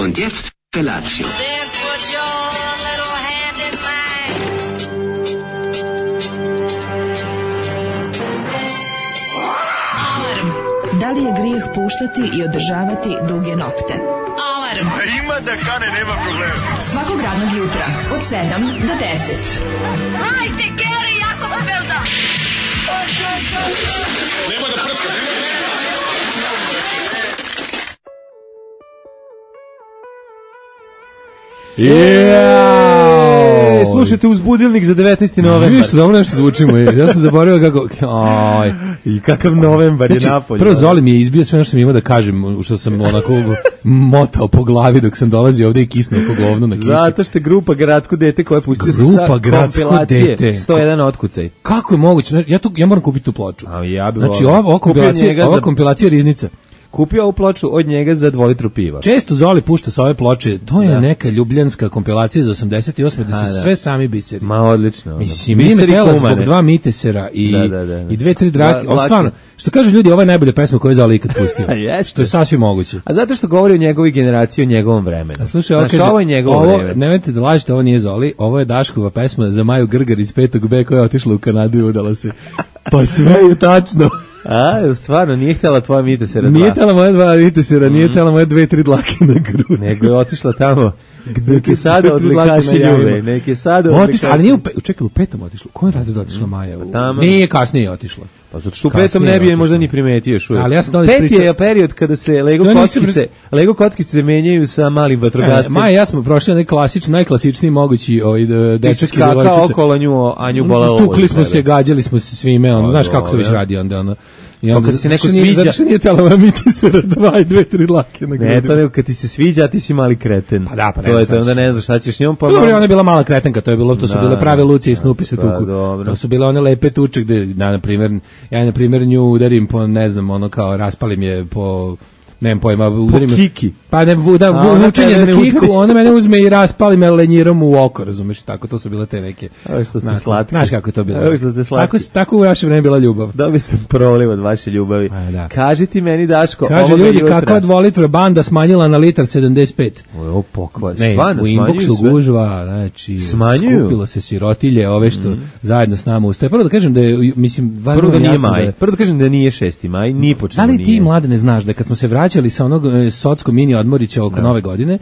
Und jetzt Felatio. Then put your little hand in mine. Alarm. Da li je grijeh puštati i održavati duge nokte? Alarm. A ima da kane, nema problema. Svakog radnog jutra od 7 do 10. Hajde, Geri, jako se velda. Nema da prska, Slušajte uzbudilnik za 19. novembar. Viš, dobro nešto zvučimo. Ja sam zaboravio kako... Aj. I kakav novembar je napolje. Prvo Zoli mi je izbio sve ono što sam imao da kažem, što sam onako motao po glavi dok sam dolazio ovde i kisnuo po govnu na kiši. Zato što je grupa Gradsko dete koja je pustila Grupa Gradsko dete. 101 otkucaj. Kako je moguće? Ja moram kupiti tu ploču. A ja bih znači, ova kompilacija Riznica. Kupio ovu ploču od njega za 2 litru piva. Često Zoli pušta sa ove ploče, to je neka ljubljanska kompilacija iz 88. da su sve sami biseri. Ma odlično. Mislim, nije me tela zbog 2 mitesera i 2-3 drake. Stvarno, što kažu ljudi, ovo je najbolja pesma koju je Zoli ikad pustio. Što je sasvim moguće. A zato što govori o njegovoj generaciji, o njegovom vremenu. A slušaj, ovo je njegovo vreme. Nemojte da lažete, ovo nije Zoli, ovo je Daškova pesma za Maju Grgar iz 5. B koja je otišla u Kanadu i udala se. Pa sve je tačno. A, stvarno, nije htjela tvoja mitesera 2. Nije htjela moja 2 mitesera, nije htjela moje 2-3 dlake na grudi. Nego je otišla tamo, gdje sada odlikaši ljube. Neki sada odlikaši. Ali nije čekaj, u 5. otišla. U kojem razredu otišla Maja? Nije, kasnije otišla. Pa zato što u 5. ne bi je možda ni primetio još uvijek. Ali ja sam 5. je period kada se Lego kockice menjaju sa malim vatrogascem. Maja, ja smo prošli najklasičniji mogući dečački devojčice. Skakao okolo nju, a nju bolelo. Tukli smo se, gađali smo se svime, znaš kako to već radi onda ono. Pa kad se neko sviđa... Zato što nije tela mitisera 2-3 dlake na grudi. Ne, to nego kad ti se sviđa, a ti si mali kreten. Pa da, pa to je to, onda ne znaš šta ćeš njom. Dobro, ona je bila mala kretenka, to su bile prave Lucije i Snupi se tuku. To su bile one lepe tuče gde, ja na primjer nju udarim po, ne znam, ono kao raspalim je po... Nemam pojma, udarim... Po kiki. Pa ne, učenje za kiku, ona mene uzme i raspali me lenjirom u oko, razumeš, tako, to su bile te neke... Ovo što ste slatki. Znaš kako je to bilo. Ovo što ste slatki. Tako u vaše vreme bila ljubav. Dobio sam proliv od vaše ljubavi. Kaži ti meni, Daško, kaže ljudi, kakva 2-litra banda smanjila na litar 75. Ovo pokvar, stvarno smanjuju sve. U inboxu gužva, znači, skupilo se sirotilje, ove što zajedno s nama ustaje. Prvo da kažem da je, mislim... Prvo da nije maj, prvo da kažem da nije 6. maj, ni po čemu nije. Da li ti, mlade, ne znaš da kad smo se vraćali sa onog Socko mini odmorića oko Nove godine,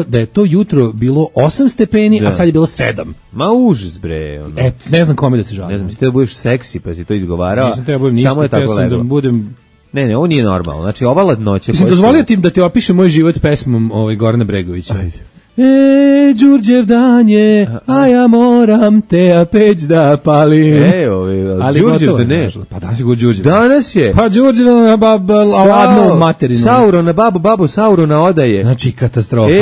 da je to jutro bilo 8 stepeni, a sad je bilo 7. Ma užas bre. Ono. Ne znam kome da se žalim. Ne znam, si da budeš seksi pa si to izgovarao. Nisam trebao ništa, samo je tako da budem... Ne, ovo nije normalno. Znači ova ladnoća... Dozvolio ti da ti opišem moj život pesmom Gorana Bregovića. Ajde. Đurđev dan je, a ja moram te peć da palim. Đurđev da ne. Pa danas je Đurđev. Danas je. Pa Đurđev na ladnu materinu. Saurona babu Saurona odaje. Znači katastrofa.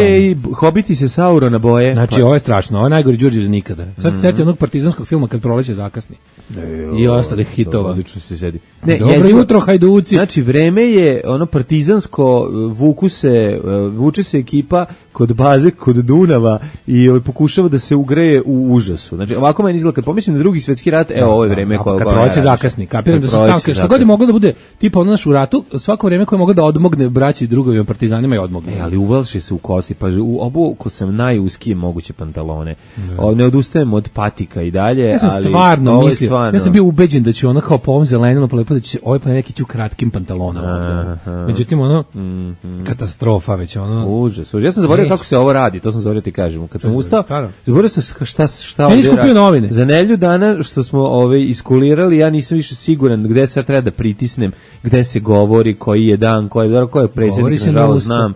Hobiti se Saurona boje. Znači ovo je strašno, ovo je najgori Đurđev nikada. Sad se sjetio onog partizanskog filma Kad proleće zakasni. I ostalih hitova. Odlično se sedi. Dobro jutro, hajduci. Znači vreme je ono partizansko, vuče se ekipa kod baze, kod Dunava i pokušava da se ugreje u užasu. Znači, ovako meni izgleda, kad pomislim na Drugi svjetski rat, ovo je vreme koje... Kad proleće zakasni, kapiram da su stavke, što god je moglo da bude, tipa ono naš u ratu, svako vreme koje je moglo da odmogne braći i drugovima partizanima je odmogne. Ali uvalši se u kosti, pa obuko sam najuskije moguće pantalone. Ne odustajem od patika i dalje, ja sam stvarno mislio, ja sam bio ubeđen da ću ono kao po ovom zelenilo polepo da će ovaj pa neki će u kratkim pantalonama. Međutim, ono, katastrofa već, ono... Užas. Ja sam zaboravio kako se ovo radi, to sam zaboravio ti kažem. Kad sam ustao, zaboravio sam šta ovdje skupio novine. Za nedelju dana što smo iskulirali, ja nisam više siguran gde se treba da pritisnem, gde se govori, koji je dan, ko je predsjednik, nažalost znam.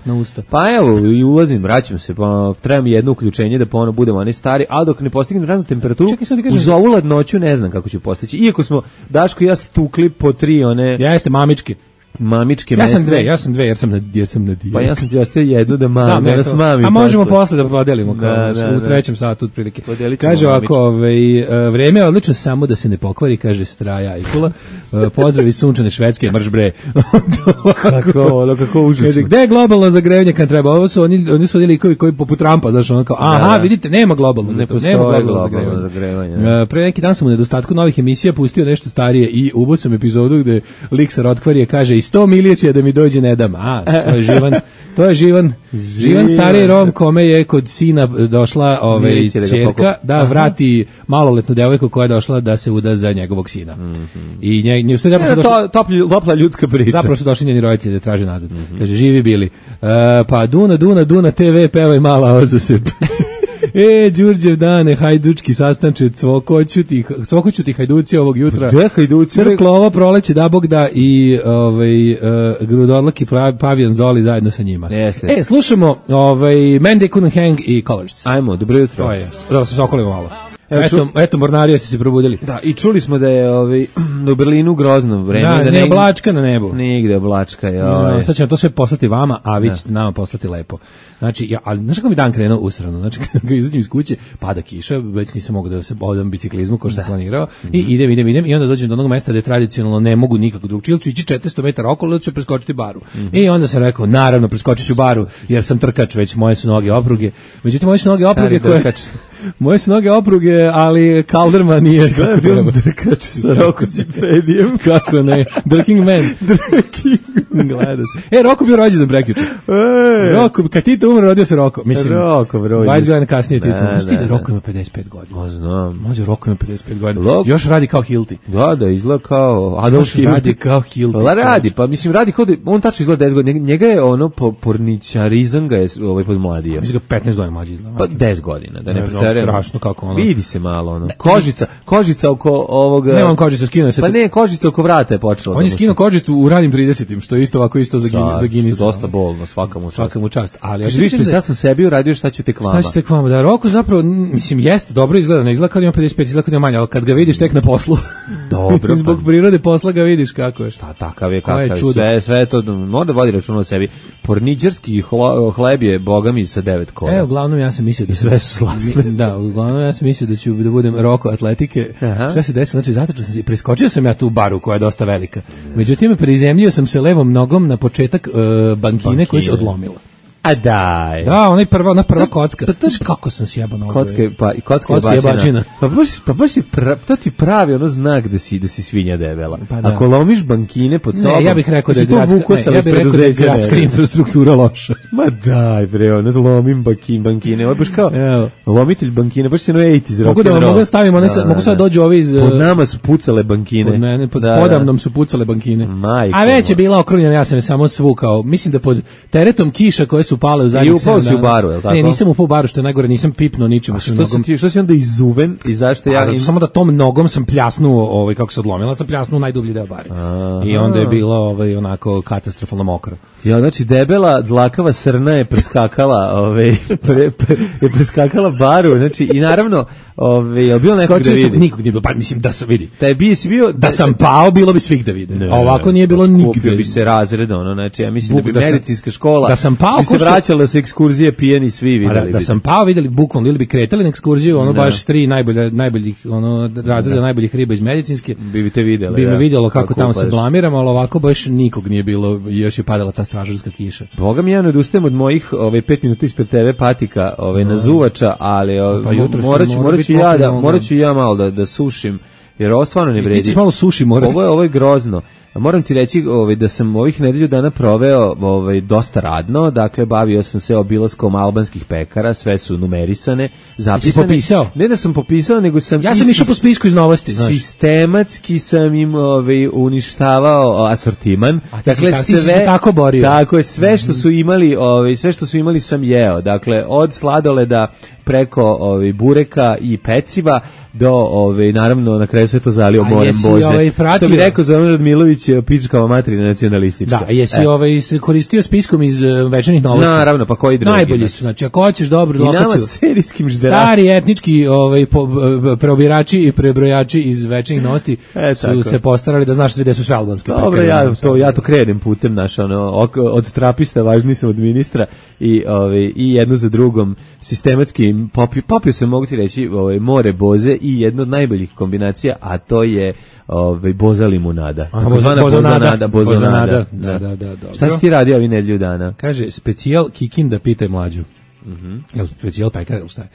Pa evo, i ulazim, vraćam se, pa treba mi jedno uključenje da ponovno budemo oni stari, ali dok ne postignem radnu temperaturu, uz ovu ladnoću ne znam kako ću postići. Iako smo, Daško i ja stukli po 3 one... Jeste mamičke mesne. Ja sam dve jer sam na dijeti. Pa ja sam ti ostavio jednu da nas mami. A možemo posle da podelimo u trećem satu otprilike. Kaže ovako, vreme je odlično samo da se ne pokvari, kaže Straja Ajkula. Pozdravi sunčane Švedske, mrš bre. Kako užasno. Kaže, gde je globalno zagrevanje kad treba? Ovo su oni su likovi koji poput Trumpa, znaš, ono kao, aha, vidite, nema globalno. Ne postoji globalno zagrevanje. Pre neki dan sam u nedostatku novih emisija pustio nešto starije i ubao sam epizodu gde lik sa Rotkvarije kaže 100 milicija da mi dođe ne dam. To je živan stari Rom kome je kod sina došla ćerka da vrati maloletnu devojku koja je došla da se uda za njegovog sina. I nje topla ljudska priča. Zapravo su došli njeni roditelji da traže nazad. Kaže, živi bili. Pa Duna TV pevaj mala ozasep. Đurđev dane, hajdučki sastanče, cvokoću ti hajduci ovog jutra. Gde hajduci? Crklo ovo proleće, da Bog da, i grudorlak i pavijan Zoli zajedno sa njima. Jeste. Slušamo Man They Couldn't Hang i Colors. Ajmo, dobro jutro. To je, da se sokolimo malo. Eto, mornarija ste se probudili. Da, i čuli smo da je u Berlinu grozno vreme. Da, ne oblačka na nebu. Nigde oblačka. Sad ćemo to sve poslati vama, a vi ćete nama poslati lepo. Znači, ali znaš kako mi dan krenuo usrano? Znači, kada izađem iz kuće, pada kiša, već nisam mogao da se odam biciklizmu kao što sam planirao, i idem, i onda dođem do onog mesta gde tradicionalno ne mogu nikako drugčije, ili ću ići 400 metara okolo, ili ću preskočiti baru. I onda sam rekao, naravno, preskočit ću baru, jer sam trkač, već moje su noge opruge. Međutim, moje su noge opruge koje... Moje su noge opruge, ali Kalderman nije kako film Drkač sa Roko Cipedijem. Kako ne? Drking Man. Gleda se. Roko bio rođen za prekjuče. Roko, kad Tito umre, rodio se Roko. Mislim, Roko, bro. 20 godina kasnije Tito. Znaš ti da Roko ima 55 godina? Znam. Može, Roko ima 55 godina. Još radi kao Hilti. Da, izgleda kao Adolf Hilti. Radi kao Hilti. Radi kao da, on tačno izgleda 10 godina. Njega je porničarizam ga je podmladio. Mislim ga 15 godina mlađi izgleda. Pa 10 godina, da ne strašno kako ono. Vidi se malo kožica oko ovoga. Nemam kožicu, skinuo se. Pa ne, kožica oko vrata je počela. On je skinuo kožicu u ranim 30-im, što je isto ovako za Guinness. Dosta bolno, svakamu čast. Ali ja sam sebi uradio, šta ću tek vama. Šta ću tek vama? Da, Roko zapravo, mislim, jeste dobro izgleda, ne izgleda kao ima 55, izgleda kao ima manje, ali kad ga vidiš tek na poslu. Dobro. Zbog prirode posla ga vidiš kako je. Šta takav je, sve to, mora vodi računa o sebi. Porničarski hleb je bogami sa 9 kola. Uglavnom ja sam mislio da sve su slasne. Da, uglavnom ja sam mislio da budem Roko atletike. Šta se desilo? Znači, zatrčao sam se, preskočio sam ja tu baru koja je dosta velika. Međutim, prizemljio sam se levom nogom na početak bankine koja se odlomila. A daj. Da, ona prva kocka. Pa to kako sam sjebao nogu. Kocka je bačina. Pa baš je to ti pravi ono znak da si svinja debela. Pa ako lomiš bankine pod sobom. Ne, ja bih rekao da je gradska infrastruktura loša. Ma daj bre, ono lomim bankine. Ovo baš kao lomitelj bankine, baš se iz rock and roll. Mogu da stavimo, mogu sad dođu ovi iz... Pod nama su pucale bankine. Pod mene, podamnom su pucale bankine. A već je bila okrunjena, ja sam je samo svukao. Mislim da pod teretom kiša koje su pale u zadnjih 7 dana. I upao si u baru, je li tako? Ne, nisam upao u baru, što je najgore, nisam pipnuo ničim. Što si onda izuven i zašto ja... Samo da tom nogom sam pljasnuo, kako se odlomila, sam pljasnuo u najdublji deo bare. I onda je bilo onako katastrofalno mokro. Ja, znači debela, dlakava srna je preskakala baru, znači i naravno, je li bilo nekog da vidi? Nikog nije bilo, pa mislim da se vidi. Da sam pao, bilo bi svih da vide. Ovako nije bilo nigde. Skupio bi se razred, znači ja mislim da bi medicinska škola da sam pao, bi se vraćala sa ekskurzije pijeni svi videli. Da sam pao, videli bukvalno, ili bi kretali na ekskurziju, baš 3 najboljih razreda najboljih riba iz medicinske. Bi te videli. Bi me vidjelo kako tamo se blamiramo, ali ovako baš nikog nije bilo, još je padala ta stražarska kiša. Boga mi, ja ne odustajem od mojih 5 minuta ispred TV patika na zuvača, ali morat ću ja malo da sušim, jer ovo stvarno ne vredi. Ti ćeš malo suši morati. Ovo je grozno. Moram ti reći da sam ovih nedelju dana proveo dosta radno, dakle bavio sam se obilaskom albanskih pekara, sve su numerisane, zapisane. Si popisao? Ne da sam popisao, nego sam... Ja sam išao po spisku iz novosti, znaš. Sistematski sam im uništavao asortiman. Dakle, ti si se tako borio. Tako je, sve što su imali sam jeo, dakle od sladoleda preko bureka i peciva do naravno na kraju sve to zalio morem boze. Što bi rekao Zoran Radmilović, pičkava materina nacionalistička. Da, jesi se koristio spiskom iz Večernjih novosti? Naravno, pa koji drugi? Najbolji su, znači ako hoćeš dobru lokaciju. I nama serijskim žderačima. Stari etnički preobirači i prebrojači iz Večernjih novosti su se postarali da znaš gde su sve albanske pekare. Dobro, ja to krenem putem od trapista važniji sam od ministra i jedno za drugom sistematski popio se, mogu ti reći, more boze i jedna od najboljih kombinacija, a to je boza limunada. Bozanada. Da. Šta si ti radio ovi nedelju dana? Kaže, specijal Kikinda, pitaj mlađu. Jel specijal pekar ili šta je?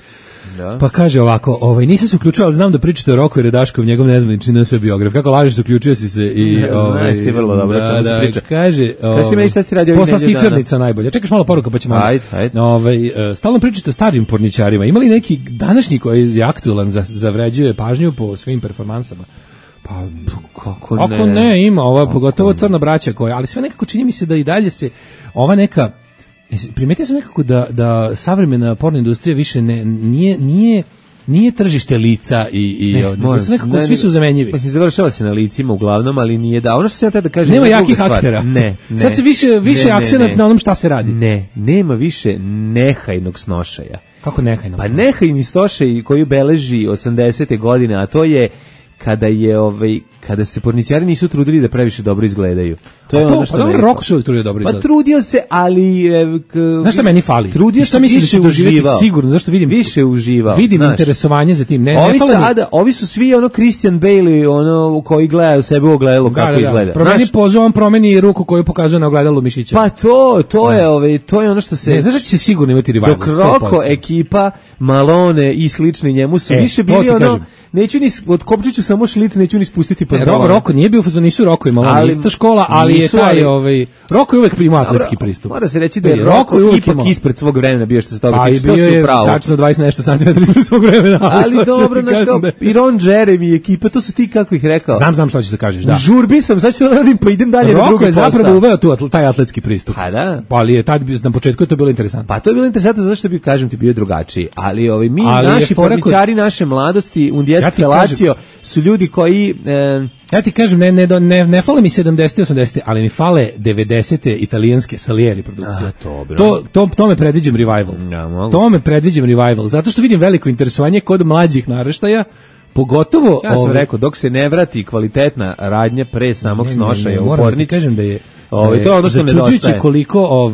Da. Pa kaže ovako, nisam se uključio, ali znam da pričate o Roku i Redaškov, njegov nezvanični NS biograf. Kako lažeš, uključio si se i znaš ti vrlo dobro čemu se priča. Kaže, kaži ti meni šta si radio ovih nedelju dana. Poslastičarnica najbolja. Čekaš malo poruka pa ćemo. Ajde. Stalno pričate o starim porničarima. Ima li neki današnji koji je aktualan zavređuje pažnju po svim performansama? Pa kako ne ima, pogotovo Crna braća koja, ali sve nekako čini mi se da i dalje se ova neka primetio sam nekako da savremena porno industrija više nije tržište lica nekako svi su zamenjivi. Mislim, završava se na licima uglavnom, ali nije da. Ono što se ja tada kažem, nema jakih aktera. Ne. Sad se više akcenat na onom šta se radi. Nema više nehajnog snošaja. Kako nehajnog? Pa nehajni snošaj koji beleži 80. godine, a to je kada se porničari nisu trudili da previše dobro izgledaju. To je ono što dobro, Roko se trudio dobro izgledati. Pa trudio se, ali znaš šta meni fali? Trudio se, više uživao. Sigurno, zašto vidim više uživao. Vidim interesovanje za tim. Ovi su svi Christian Bale, koji gleda u sebe u ogledalo kako izgleda. Promeni pozu, on promeni ruku koju pokazuje na ogledalu mišića. Pa to je ono što se. Ne, znaš da će se sigurno imati revival. Dok Roko ekipa, Malone i slični njemu su više bili neću ni otkopčiću samo šlic, neću ni spustiti pantalone. Roko nije bio nisu Roko i Malone ista škola, ali je taj Roko je uvek primao atletski pristup. Mora se reći da je Roko ipak ispred svog vremena bio što se toga tiče, što su pravo. Tačno 20 nešto santimetara ispred svog vremena. Ali dobro, i Ron Jeremy i ekipa, to su ti kako ih rekao. Znam šta ćeš da kažeš, da. U žurbi sam, sad ću da radim, pa idem dalje na drugi posao. Roko je zapravo uveo taj atletski pristup. Pa da. Ali je tad na početku je to bilo interesantno. Pa to je bilo interesantno zato što kažem ti bio drugačiji, ali mi naši porničari naše mladosti, Undijet Felacio su ljudi koji ja ti kažem, ne fale mi 70. 80. ali mi fale 90. italijanske Salieri produkcije. To me predviđam revival. To me predviđam revival, zato što vidim veliko interesovanje kod mlađih naraštaja, pogotovo... Ja sam rekao, dok se ne vrati kvalitetna radnja pre samog snošaja u pornić... Moram ti kažem da je to je ono što nedostaje. Koliko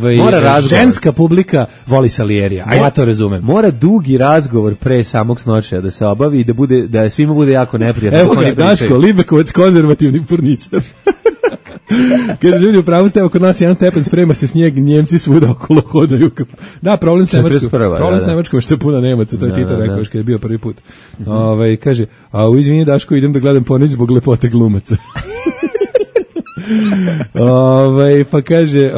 ženska publika voli Salierija, a ja to razumem. Mora dugi razgovor pre samog snošaja da se obavi i da svima bude jako neprijatno. Evo ga, Daško, Libekovac, konzervativni porničar. Kaže, ljudi, upravo ste, kod nas 1 stepen sprema se snijeg, Njemci svuda okolo hodaju. Da, problem s Nemačkom, što je puno Nemaca, to je Tito rekao još kad je bio prvi put. Kaže, izvini Daško, idem da gledam pornić zbog lepote glumaca. Pa kaže,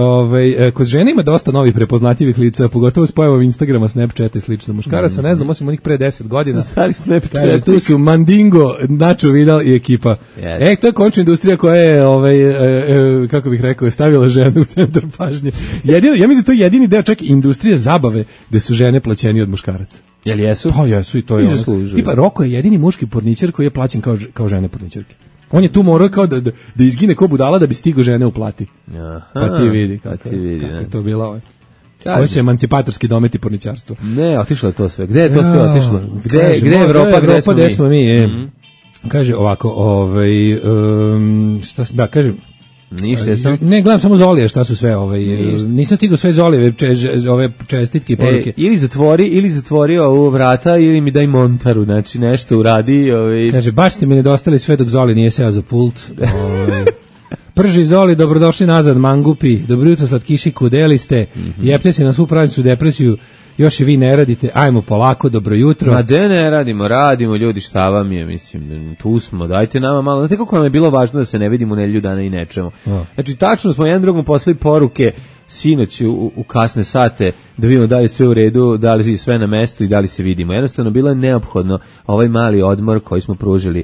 kod žene ima dosta novih prepoznatljivih lica, pogotovo s pojavom Instagrama, Snapchata i slično. Muškaraca, ne znam, osim onih pre 10 godina. Stari Snapchat. Kaže, tu su Mandingo, Nacho Vidal i ekipa. Yes. To je končna industrija koja je, kako bih rekao, stavila žene u centar pažnje. Ja mislim da to je jedini deo čak industrije zabave gde su žene plaćeni od muškaraca. Jel jesu? Pa jesu i to je ono. Tipa, Roko je jedini muški porničar koji je plaćen kao žene porničarke. On je tu morao kao da izgine ko budala da bi stigo žene uplati. Pa ti vidi kako je to bilo. Ovo će emancipatorski dometi porničarstvo. Ne, otišlo je to sve. Gde je to sve otišlo? Gde je Evropa, gde smo mi? Kaže ovako, šta kažem? Ništa je sam. Ne, gledam samo Zolije šta su sve nisam stigao sve Zolije ove čestitke i poruke. Ili zatvori ovu vrata ili mi daj montaru, znači nešto uradi. Kaže, baš ste mi nedostali sve dok Zoli nije seo za pult. Prži Zoli, dobrodošli nazad, mangupi, dobro jutro slatkiši, kudeli ste, jepte se na svu prazničnu depresiju, još i vi ne radite, ajmo polako, dobro jutro. Ma de ne radimo ljudi, šta vam je, mislim, tu smo, dajte nama malo, znate kako nam je bilo važno da se ne vidimo nedelju dana i nečemu. Znači, tačno smo jedan drugom poslali poruke sinoć u kasne sate, da vidimo da li sve u redu, da li sve na mestu i da li se vidimo. Jednostavno, bilo je neophodno ovaj mali odmor koji smo pružili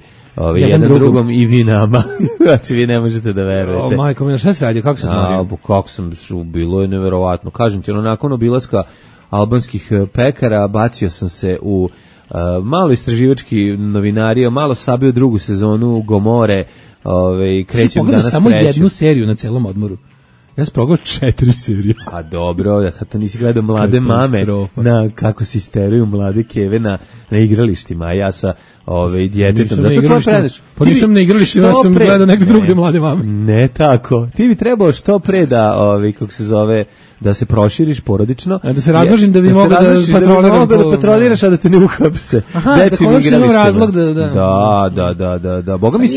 jedan drugom i vi nama. Znači, vi ne možete da verujete. Majko, mi, šta se radi, kako sam odmorio? Kako sam, bilo je neverovatno. Kažem ti, nakon obilaska albanskih pekara, bacio sam se u malo istraživački novinario, malo sabio drugu sezonu Gomore, krećem danas samo jednu seriju na celom odmoru. Ja sam progledao 4 serije. A dobro, ja sad to nisi gledao Mlade mame, kako se isteruju mlade keve na igralištima, a ja sa djetetom. Pa nisam na igralištu, ja sam gledao neke drugde mlade mame. Ne tako. Ti bi trebao što pre da, kako se zove, da se proširiš porodično. Da se razmnožim da bi mogao da patroliraš, a da te ne uhapse. Aha, da konačno imam razlog da. Boga mi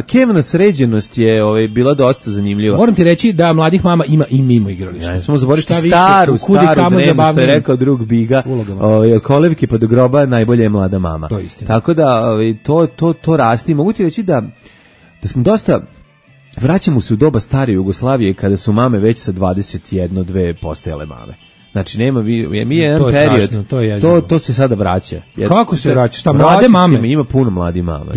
Kevna sređenost je bila dosta zanimljiva. Moram ti reći da mladih mama ima i mimo igrališta. Ja smo zaboraviti staru dremu, što je rekao drug Biga. Od kolevke pa do groba najbolja je mlada mama. Tako da to rasti. Mogu ti reći da smo dosta... Vraćamo se u doba stare Jugoslavije kada su mame već sa 21-2 postajale mame. Znači nema mi jedan period. To se sada vraća. Kako se vraća? Šta mlade mame? Ima puno mladih mama.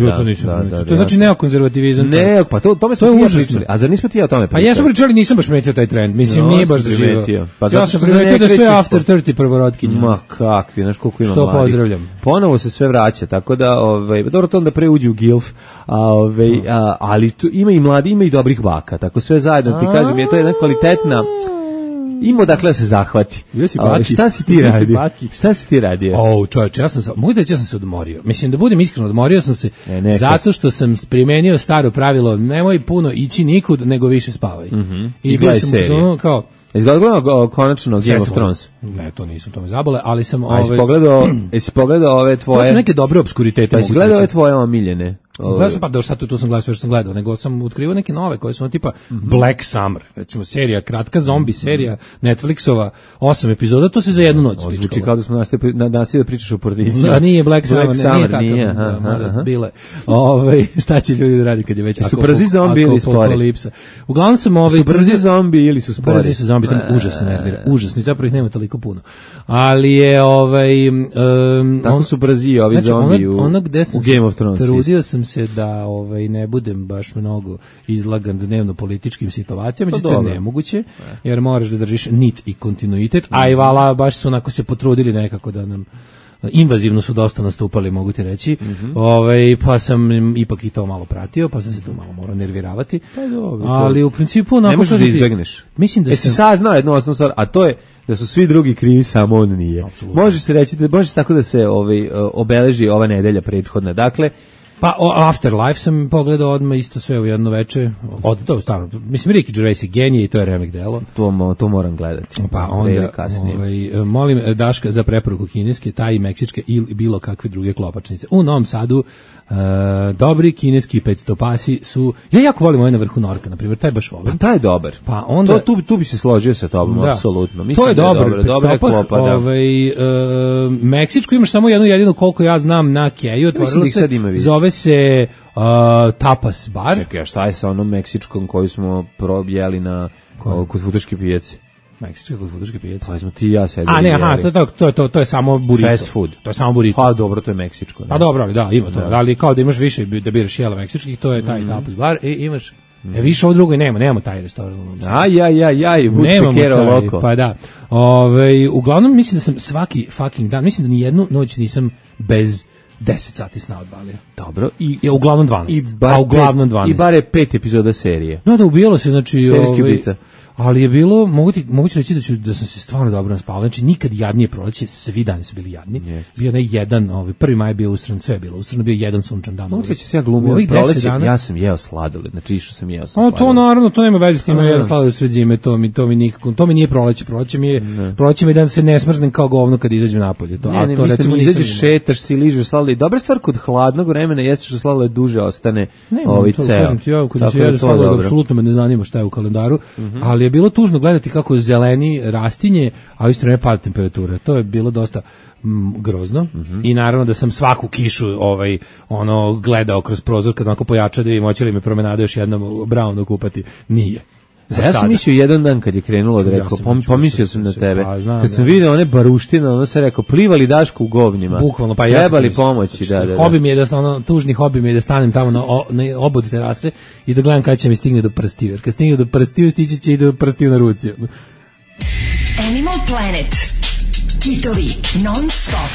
To znači neokonzervativizam. Ne, pa to smo pričali. A zar nismo ti o tome pričali? Pa jesmo pričali, nisam baš primetio taj trend. Mislim nije baš zaživio. Ja sam primetio da sve after 30 prvorotkinje. Ma kakvi, znaš koliko ima mladih. Što pozdravljam. Ponovo se sve vraća, tako da dobro to onda pre uđe u GILF, ali ima i mladi, ima i dobrih baka. Tako sve zajedno ti kažem, je to jedna kvalitetna. Ima dakle da se zahvati. Šta si ti radio? Čovječe, mogu da reći, ja sam se odmorio. Mislim, da budem iskreno, odmorio sam se zato što sam primenio staro pravilo, nemoj puno ići nikud, nego više spavaj. I gledaj seriju. Izgledalo konačno Game of Thrones? Ne, to nisam, to me zabole, ali sam... Jesi pogledao ove tvoje... To su neke dobre obskuritete. Pa jesi gledao ove tvoje omiljene? Gledao sam, pa da sad tu sam gledao sve što sam gledao, nego sam otkrivao neke nove koje su tipa Black Summer, recimo serija, kratka zombi serija, Netflixova, 8 epizoda, to se za jednu noć spičkalo. Zvuči kao da smo nastavili da pričaš o porodici. Da, nije Black Summer, nije tako. Bile. Šta će ljudi da radi kad je već su brzi zombi ili spori? Uglavnom sam su brzi zombi ili su spori? Brzi su zombi, to me užasno nervira. Užasno, zapravo ih nema toliko puno. Ali je tako su brzi ovi zombi u Game of Thrones. Trudio sam se da ne budem baš mnogo izlagan dnevno političkim situacijama, međutim to je nemoguće, jer moraš da držiš nit i kontinuitet, a i vala baš su onako se potrudili nekako da nam invazivno su dosta nastupali, mogu ti reći. Pa sam ipak i to malo pratio, pa sam se tu malo morao nerviravati. Ali u principu onako ne možeš da izbegneš. Mislim da si saznao jednu osnovnu stvar, a to je da su svi drugi krivi, samo on nije. Absolutno. Može se reći, može tako da se obeleži ova nedelja prethodna. Dakle, pa Afterlife sam pogledao odmah isto sve u jedno veče. To stvarno, mislim, Ricky Gervais je genije i to je remek delo. To moram gledati. Pa onda molim Daška za preporuku kineske, taj meksičke ili bilo kakve druge klopačnice. U Novom Sadu dobri kineski 500 pasi su, ja jako volim ovaj na vrhu Norka, na primjer, taj baš volim. Pa taj je dobar. Pa onda tu bi se složio sa tobom, apsolutno. Mislim to je dobro. Dobra klopa, da. Meksičku imaš samo jednu jedinu, koliko ja znam, na Keju, otvorilo se, zove se Tapas bar. Čekaj, a šta je sa onom meksičkom koju smo probjeli kod Futoške pijace? Meksička kod Futoške pijace. Pa smo ti i ja sedeli. A ne, to je samo burrito. Fast food. To je samo burrito. Pa dobro, to je meksičko. Pa dobro, ali da, ima to. Ali kao da imaš više da biraš jela meksičkih, to je taj Tapas bar i imaš više ovo drugo nemamo taj restoran. Pa da. Uglavnom mislim da sam svaki fucking dan, mislim da ni jednu noć nisam bez 10 sati sna odvalio. Dobro. I uglavnom 12. I bare 5 epizoda serije. No, da ubijalo se, znači... Serijski ubica. Ali je bilo, mogu ti reći da sam se stvarno dobro naspavao. Znači, nikad jadnije proleće, svi dani su bili jadni. Bio ne jedan, 1. maj je bio usran, sve je bilo usrano, bio jedan sunčan dan. Mogu ti reći se ja glumio proleće, ja sam jeo sladoled, znači išao sam jeo sladoled. To naravno, to nema veze s tim, jedan sladoled sred zime, to mi nikako, to mi nije proleće mi je da se ne smrznem kao govno kad izađem napolje. Mislim, izađeš, šetaš si, ližeš sladoled. Dobra stvar kod hladnog vremena jeste što sladoled duže ostane ceo. Kad se jede sladoled, apsolutno me ne zanima šta je u kalendaru, ali je bilo tužno gledati kako zeleni rastinje, a u isto vreme pada temperatura. To je bilo dosta grozno. I naravno da sam svaku kišu gledao kroz prozor kad onako pojača da vidim hoće li me promenada još jednom Brownu kupati. Nije. Ja sam mislio jedan dan kad je krenulo da rekao, pomislio sam na tebe. Kad sam vidio one baruštine, ono se rekao, plivali Daško u govnima. Bukvalno, pa trebali pomoći, da. Hobi mi je tužni hobi mi je da stanem tamo na obod terase i da gledam kada će mi stigne do prstiju. Jer kad stigne do prstiju, stići će i do prstiju na ruci. Animal Planet. Kitovi non stop.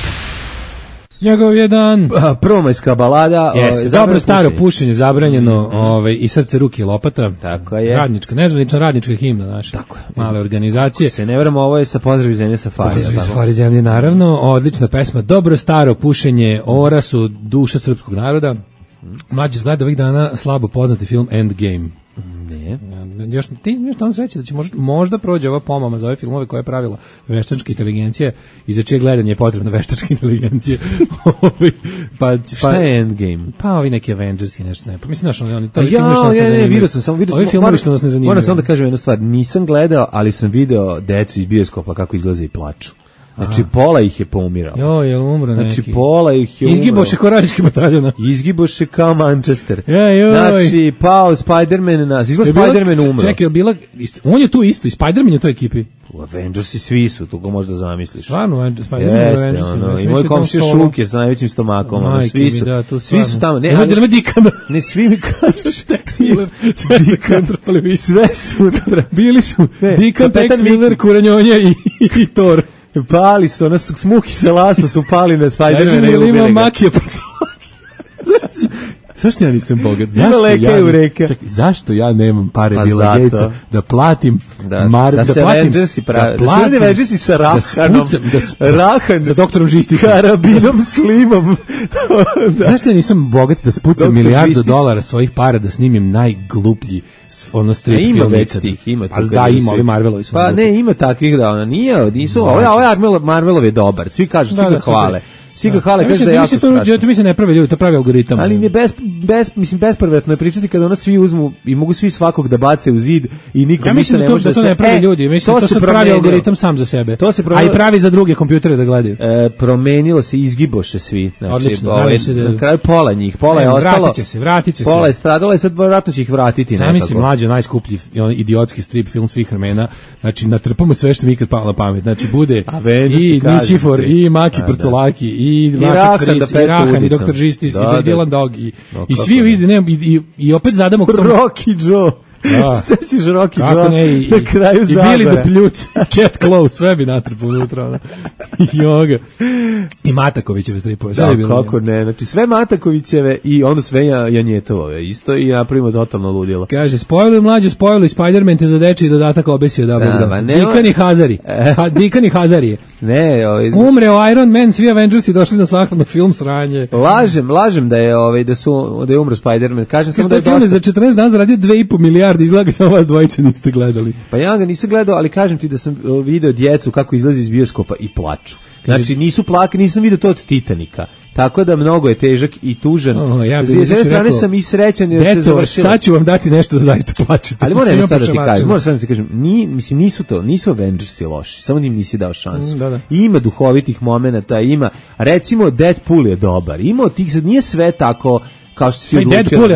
Njegov je dan. Prvomajska balada. Jeste, dobro staro pušenje zabranjeno, i srce, ruke i lopata. Tako je. Radnička, nezvanična radnička himna naša. Tako je. Male organizacije. Se ne vramo, ovo je sa Pozdrav zemlje Safari. Pozdrav Safari zemlje, naravno. Odlična pesma. Dobro staro pušenje, ora su duša srpskog naroda. Mlađe gleda ovih dana slabo poznati film Endgame. Ne. Još tamo sreće da će možda prođe ova pomama za ove filmove koje je pravila veštačka inteligencija i za čije gledanje je potrebna veštačka inteligencija. Šta je Endgame? Pa ovi neki Avengers i nešto ne. Pa mislim našo oni to vidio sam samo ovi filmovi što nas ne zanimaju. Moram samo da kažem jednu stvar, nisam gledao, ali sam video decu iz bioskopa kako izlaze i plaču. Znači, pola ih je poumiralo. Jo, je umro neki. Znači, pola ih je umro. Izgiboše ko radnički bataljona. Izgiboše kao Manchester. Joj. Znači, pao Spider-Man nas. Izgleda Spider-Man umro. Čekaj, on je tu isto, i Spider-Man je u toj ekipi. Avengersi svi su, tu ga možda zamisliš. Stvarno, Spider-Man je i moj komšija Šuke sa najvećim stomakom. Svi su tamo. Ne Dikana. Ne, svi mi kažeš. Sve su. Bili su Dikan, Tex Miller, Kuranjonja i Thor. Pali su, ono smuki se laso su pali na Spider-Man i ubili ga. Ima makija po coli. Zašto ja nisam bogat? Zašto ja nemam pare Billa Gatesa da platim da se Avengersi pravi, da se Avengersi sa Rahan, sa doktorom Žisticom, Karabinom Slimom. Zašto ja nisam bogat da spucam $1.000.000 svojih para da snimim najgluplji strip film? Ima već tih, ima. Da, ima, ovi Marvelovi su. Pa ne, ima takvih da ona nisu, ovo Marvelov je dobar, svi kažu, svi ga hvale. Svi ga hvale, kaže da je jako strašno. To mi se ne pravi ljudi, to pravi algoritam. Ali je bespervetno je pričati kada ono svi uzmu i mogu svi svakog da bace u zid i nikom ništa ne može da se... Ja mislim da to ne pravi ljudi, mislim da to se pravi algoritam sam za sebe. A i pravi za druge kompjutere da gledaju. Promenilo se, izgiboše svi. Odlično, na kraju pola njih, pola je ostalo. Vratit će se. Pola je stradalo i sad vjerojatno će ih vratiti nekako. Zamisli mlađe, najskuplji idiotski strip film svih vremena. Znači, natrpamo sve što mi ikad palo na pamet. Znači, bude i Ničifor, i Maki Prcolaki, i Rahan, i Dr. Žistis, i Dylan Dog, i svi i opet zadamo... Rocky Joe. Sećiš Rocky Joe na kraju Zabara. I Billy the Pljuc, Cat Claw, sve bi natrpao unutra. I i Matakovićeve stripove. Kako ne, znači sve Matakovićeve i ono sve Janjetovove isto i napravimo totalno ludilo. Kaže, spojili mlađu, spojili Spider-Man te za dečiji dodatak obesio da Bogda. Dikan i Hazari. Ne, umreo Iron Man, svi Avengersi došli na sahranu film sranje. Lažem da je da je umro Spider-Man. Kažem samo da je film za 14 dana zaradio 2,5 milijarde, izgleda samo vas dvojice niste gledali. Pa ja ga nisam gledao, ali kažem ti da sam video djecu kako izlazi iz bioskopa i plaču. Znači nisu plakali, nisam video to od Titanika. Tako da mnogo je težak i tužan. S jedne strane sam i srećan jer se završilo. Sad ću vam dati nešto da zaista plačete. Ali moram da ti kažem, nisu Avengersi loši, samo im nisi dao šansu. Ima duhovitih momenata, ima, recimo Deadpool je dobar, ima od tih, sad nije sve tako kao što si odlučio.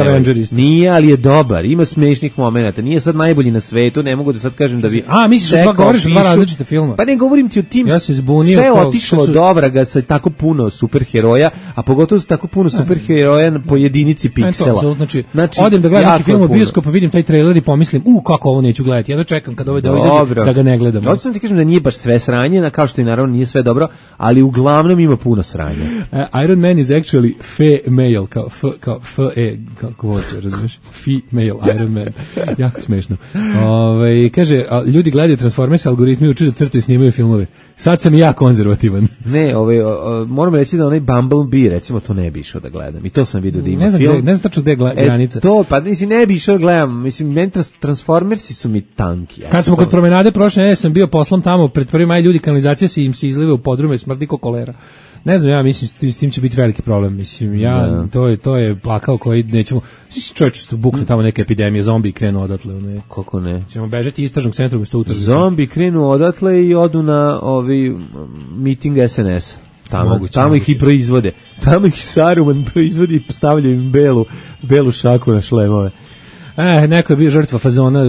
Nije, ali je dobar, ima smešnih momenata, nije sad najbolji na svetu, ne mogu da sad kažem da bi... misliš da govoriš o dva različite filma? Pa ne govorim ti o tim, ja se zbunio, sve otišlo od obraga sa tako puno superheroja, a pogotovo tako puno superheroja po jedinici piksela. Znači, odem da gledam neki film u bioskopu, vidim taj trailer i pomislim, kako ovo neću gledati, ja da čekam kada ovo izađe da ga ne gledam. Hoću sam ti kažem da nije baš sve sranje, kao što i naravno nije sve dobro, ali uglavnom ima puno sranja. Iron Man is actually female, kao kako hoće, razumiješ? Female Iron Man. Jako smešno. Kaže, ljudi gledaju Transformers, algoritmi uče da crtaju i snimaju filmove. Sad sam i ja konzervativan. Ne, moram reći da onaj Bumblebee, recimo, to ne bi išao da gledam. I to sam vidio da ima film. Ne znam tačno gde je granica. Ne bi išao da gledam. Mislim, meni Transformersi su mi tanki. Kad smo kod promenade prošle nedelje sam bio poslom tamo, pred 1. maj ljudi kanalizacija im se izliva u podrume, smrdi ko kolera. Ne znam, ja mislim s tim će biti veliki problem. Mislim, to je plakao koji nećemo. Čovječe su buknu tamo neke epidemije, zombi krenu odatle. Kako ne? Ćemo bežati istražnog centra umjesto utržišta. Zombi krenu odatle i odu na miting SNS. Tamo ih i proizvode. Tamo ih Saruman proizvodi i stavlja im belu šaku na šlemove. Neko je bio žrtva fazona,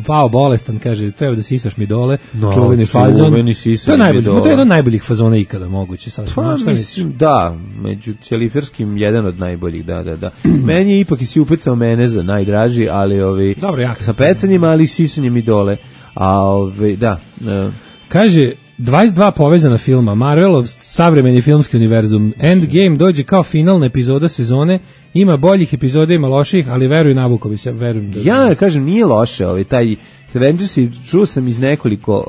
pao bolestan, kaže, treba da sisaš mi dole, čuveni fazon. To je jedan od najboljih fazona ikada moguće. Mislim, da, među ćeliferskim jedan od najboljih, da. Meni je ipak i si upecao meneza najdraži, ali dobro, sa pecanjima, ali sisanjem i dole. Da. Kaže, 22 povezana filma, Marvelov savremeni filmski univerzum, Endgame dođe kao finalna epizoda sezone, ima boljih epizoda, ima loših, ali veruj Nabukovi se, verujem da... Ja kažem, nije loše, taj Avengers, čuo sam iz nekoliko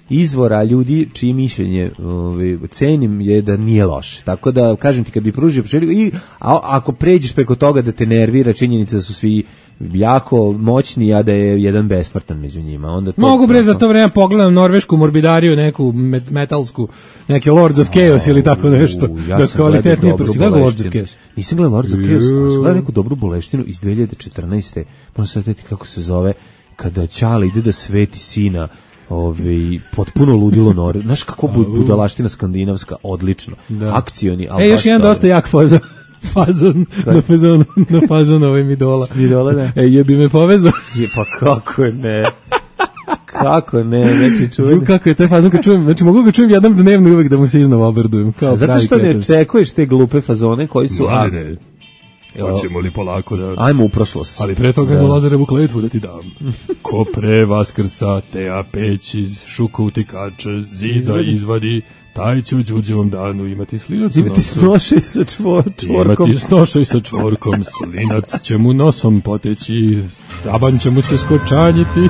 izvora ljudi čiji mišljenje cenim je da nije loše. Tako da, kažem ti, kad bi pružio ako pređeš preko toga da te nervira činjenica da su svi jako moćni, a da je jedan besmrtan među njima. Onda to mogu bre za to vreme pogledam norvešku morbidariju, neku metalsku, neke Lords of Chaos ili tako nešto. Ja sam gledao Lords of Chaos. Nisam gledao Lords of Chaos, ali sam gledao neku dobru boleštinu iz 2014. Možda sad vidjeti kako se zove, kada Ćale ide da sveti sina, potpuno ludilo Norve. Znaš kako budalaština skandinavska, odlično. Akcioni, ali još jedan dosta jak fazon na fazon Midola. Midola, da. Jebi me povezao. Pa kako ne? Kako ne, znači čujem. Kako je taj fazon kad čujem, znači mogu ga čujem jednom dnevno uvek da mu se iznova obradujem. Zato što ne očekuješ te glupe fazone koji su... Hoćemo li polako da... Ajmo u prošlost. Ali pre toga jednu Lazarevu kletvu da ti dam. Ko pre Vaskrsa Teja peć iz šuka utikača zida izvadi, taj će u Đurđevom danu imati slinac u nosu. Imati snošaj sa čvorkom. Imati snošaj sa čvorkom, slinac će mu nosom poteći, taban će mu se skočanjiti.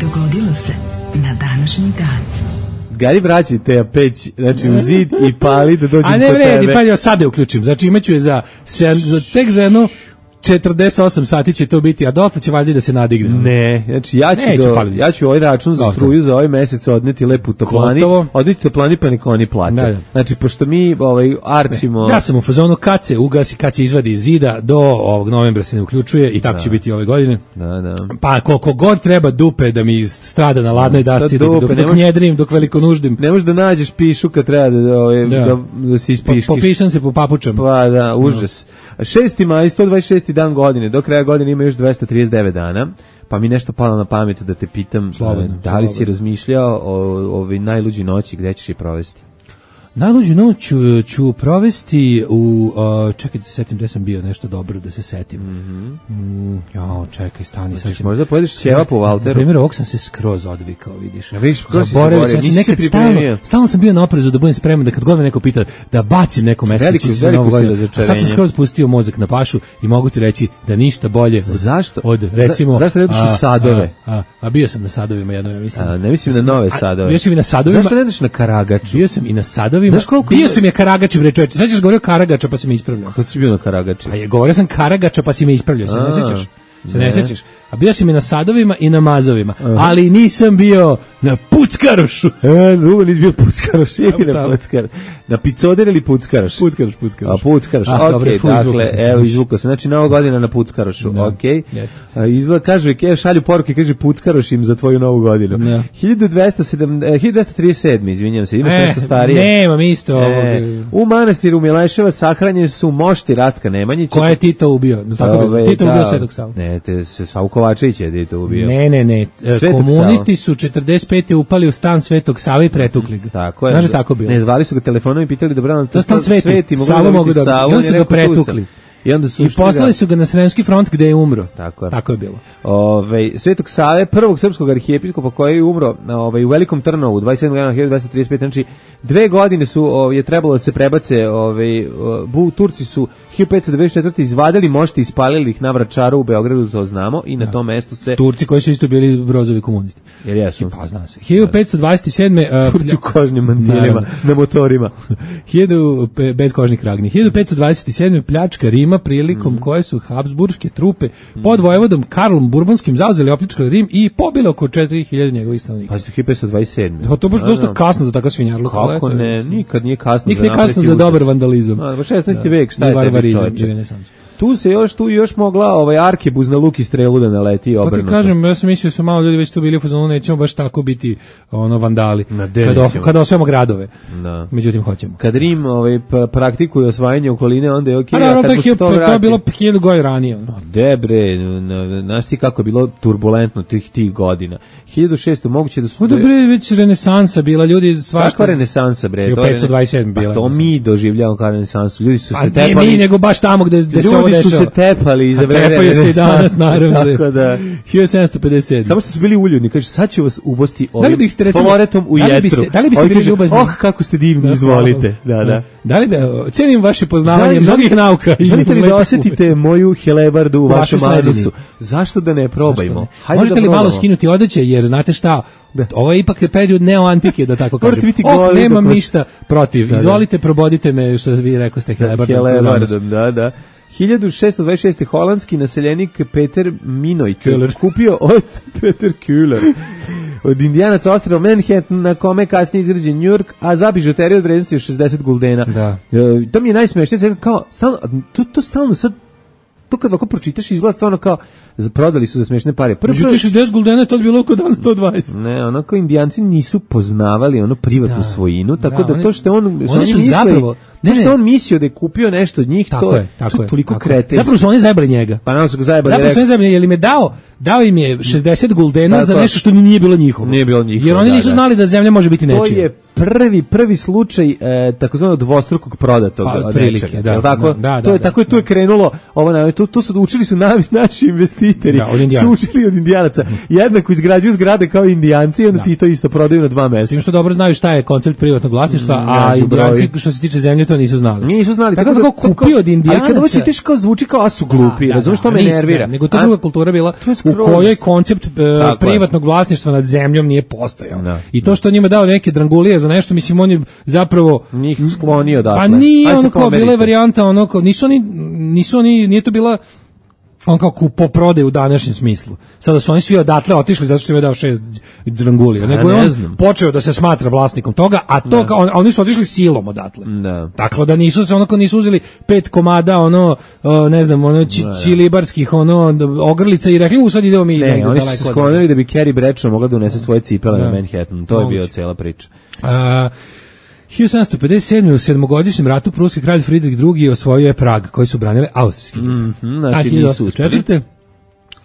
Dogodilo se na današnji dan. Gari vraći te peć, znači u zid i pali da dođem kod tebe. A ne vredi, pa ja sad je uključim. Znači imaću je tek za jedno 48 sati će to biti, a dotle će valjda da se nadigne. Ne, znači ja ću ovaj račun za struju za ovaj mesec odneti lepo u toplani. Odneti toplani pa neka oni plate. Da. Znači, pošto mi arčimo... Ja sam u fazonu kad se ugasi, kad se izvadi iz zida, do ovog novembra se ne uključuje i tako će biti ove godine. Da. Pa koliko god treba dupe da mi strada na ladnoj dasci, dok njedrim, dok veliko nuždim. Ne možeš da nađeš pišu kad treba da se ispiškiš. Popišam se po papučama. Pa da, užas. 6. maj, 126. dan godine, do kraja godine ima još 239 dana, pa mi nešto palo na pamet da te pitam, da li si razmišljao o najluđoj noći, gde ćeš je provesti? Najluđu noć ću provesti u... čekaj da se setim gde sam bio, nešto dobro da se setim. Čekaj, stani. Znači, možda pojedeš ćeva po Valteru? Na primjer, ovog sam se skroz odvikao, vidiš. Zaboravio sam se nekad stalno sam bio na oprezu da budem spreman, da kad god me neko pita da bacim neko mesto, a sad sam skroz pustio mozak na pašu i mogu ti reći da ništa bolje od recimo... Zašto ne ideš u sadove? A bio sam na sadovima jednom, ja mislim. Ne mislim na nove sadove. Bio sam i na sadovima. Zašto ne ideš na Karagaču? Bio sam i na sadovima. Bio sam je Karagači, bre čoveče. Sad ćeš govorio Karagača pa si me ispravljao. Kako si bio na Karagači? Govorio sam Karagača pa si me ispravljao, se ne sjećaš? Se ne sjećaš? A bio sam i na sadovima i na mazovima, ali nisam bio na Puckarošu. Drugo nisi bio Puckaroš, na Puckar. Na Picoder ili Puckaroš? Puckaroš. A Puckaroš, okej, dakle, evo izvukao se. Znači, Nova godina na Puckarošu, okej. Izgleda, kažu, šalju poruke, kaže Puckaroš im za tvoju Novu godinu. 1237, izvinjam se, imaš nešto starije? Nemam isto ovog. U manastiru Mileševa sahranjeni su mošti Rastka Nemanjića. Ko je Tito ubio? Tito ubio Svetog Savu. Ne, Savu Kovačević je to ubio. Ne. Komunisti su 45. upali u stan Svetog Save i pretukli ga. Tako je. Znaš da tako bilo? Ne, zvali su ga telefonom i pitali dobro, to stan Sveti, Savu mogu da ubiju. I onda su ga pretukli. I poslali su ga na Sremski front gde je umro. Tako je bilo. Svetog Save, prvog srpskog arhijepiskopa koji je umro u Velikom Trnovu 27. januara 1235. Znači 2 godine je trebalo da se prebace, Turci su 1594. izvadili mošti i ispalili ih na Vračaru u Beogradu, to znamo, i na tom mestu se... Turci koji su isto bili brozovi komunisti. Jer jesu. Pa zna se. 1527. Turci u kožnim mantilima, na motorima. Bez kožnih kragni. 1527. pljačka Rima prilikom koje su Habsburške trupe pod vojvodom Karlom Burbonskim zauzeli, opljačkali Rim i pobili oko 4000 njegovih stanovnika. Pa su 1527. To baš dosta kasno za takav svinjarluk. Kako ne, nikad nije kasno. Nikad nije kasno za dobar vandalizam. 16. vek, šta je tebi čovječe? Tu još mogla arkebuz na luk i strelu da naleti obrnuto. Pa ti kažem, ja sam mislio da su malo ljudi već tu bili u fazonu, nećemo baš tako biti vandali. Kada osvajamo gradove. Međutim, hoćemo. Kad Rim praktikuje osvajanje okoline, onda je okej. A to je bilo 1000 godina ranije. Debre, znaš ti kako je bilo turbulentno tih godina. 1600 moguće da su... Dobre, već renesansa bila, ljudi svašta... Kakva renesansa, bre? 1527 bila. To mi doživljavamo kao renesansu. Ljudi su se tepali... A ne mi, nego baš tamo gde se ovo dešava. Ljudi su se tepali iza vremena. Tepaju se i danas, naravno. Tako da. 1757. Samo što su bili uljudni, kaže, sad ću vas ubosti ovim recimo, floretom u jetru. Da li biste bili ljubazni? Kako ste divni, izvolite. Da li cenim vaše poznavanje mnogih nauka. Želite li da osetite moju helebardu u vašem anusu? Zašto da ne probajmo? Možete li malo skinuti odeće, jer znate šta, ovo je ipak period neoantike, da tako kažem. Nemam ništa protiv. Izvolite, probodite me, što vi rekao ste, helebardom. Da. 1626. holandski naseljenik Peter Minoit kupio od Peter Kühler od Indijanaca ostrva Manhattan, na kome kasnije izgrađen New York, a za bižuteriju od vrednosti od 60 guldena. Da. To mi je najsmešnije, kao stalno, to stalno sad, to kad ovako pročitaš izgleda stvarno kao prodali su za smešne pare. Međutim, 60 guldena to je bilo oko dan 120. Ne, onako Indijanci nisu poznavali ono privatnu svojinu, tako da to što on što on mislio da je kupio nešto od njih, to je toliko kretenski. Zapravo su oni zajebali njega. Pa nam su ga zajebali. Zapravo su oni zajebali, jer im je dao im je 60 guldena za nešto što nije bilo njihovo. Nije bilo njihovo. Jer oni nisu znali da zemlja može biti nečija. To je prvi slučaj takozvanog dvostrukog prodatog od nečega. Da, tako? Tako je tu je krenulo. Tu su učili su naši investitori. Su učili od Indijanaca. Jednako izgrađuju zgrade kao Indijanci i onda ti to isto prodaju na 2 mesta. Tim što dobro znaju šta je koncept privatnog vlasništva, a Indijanci što se tiče zemlje to nisu znali. Nisu znali. Tako da kupio od Indijanaca. Ali kad ovo čitaš kao zvuči kao a su glupi, razumiješ, što me nervira. Nego to druga kultura bila u kojoj koncept privatnog vlasništva nad zemljom nije postojao. I to što njima dao neke drangulije za nešto, mislim, on je zapravo njih sklonio dakle. Pa nije ono kao bila varijanta, ono kao nisu oni, nije to bila on kao kupo prode u današnjem smislu. Sada su oni svi odatle otišli zato što im je dao 6 drangulija. Nego je on počeo da se smatra vlasnikom toga, a to kao oni su otišli silom odatle. Tako da nisu uzeli 5 komada ne znam, čilibarskih ogrlica i rekli sad idemo mi negdje daleko. Oni su se sklonili da bi Carrie Bradshaw mogla da unese svoje cipele na Manhattan. To je bio cela priča. 1757. u 7-godišnjem ratu pruski kralj Friedrich II. Osvojio je Prag, koji su branili austrijski. Znači nisu uspeli.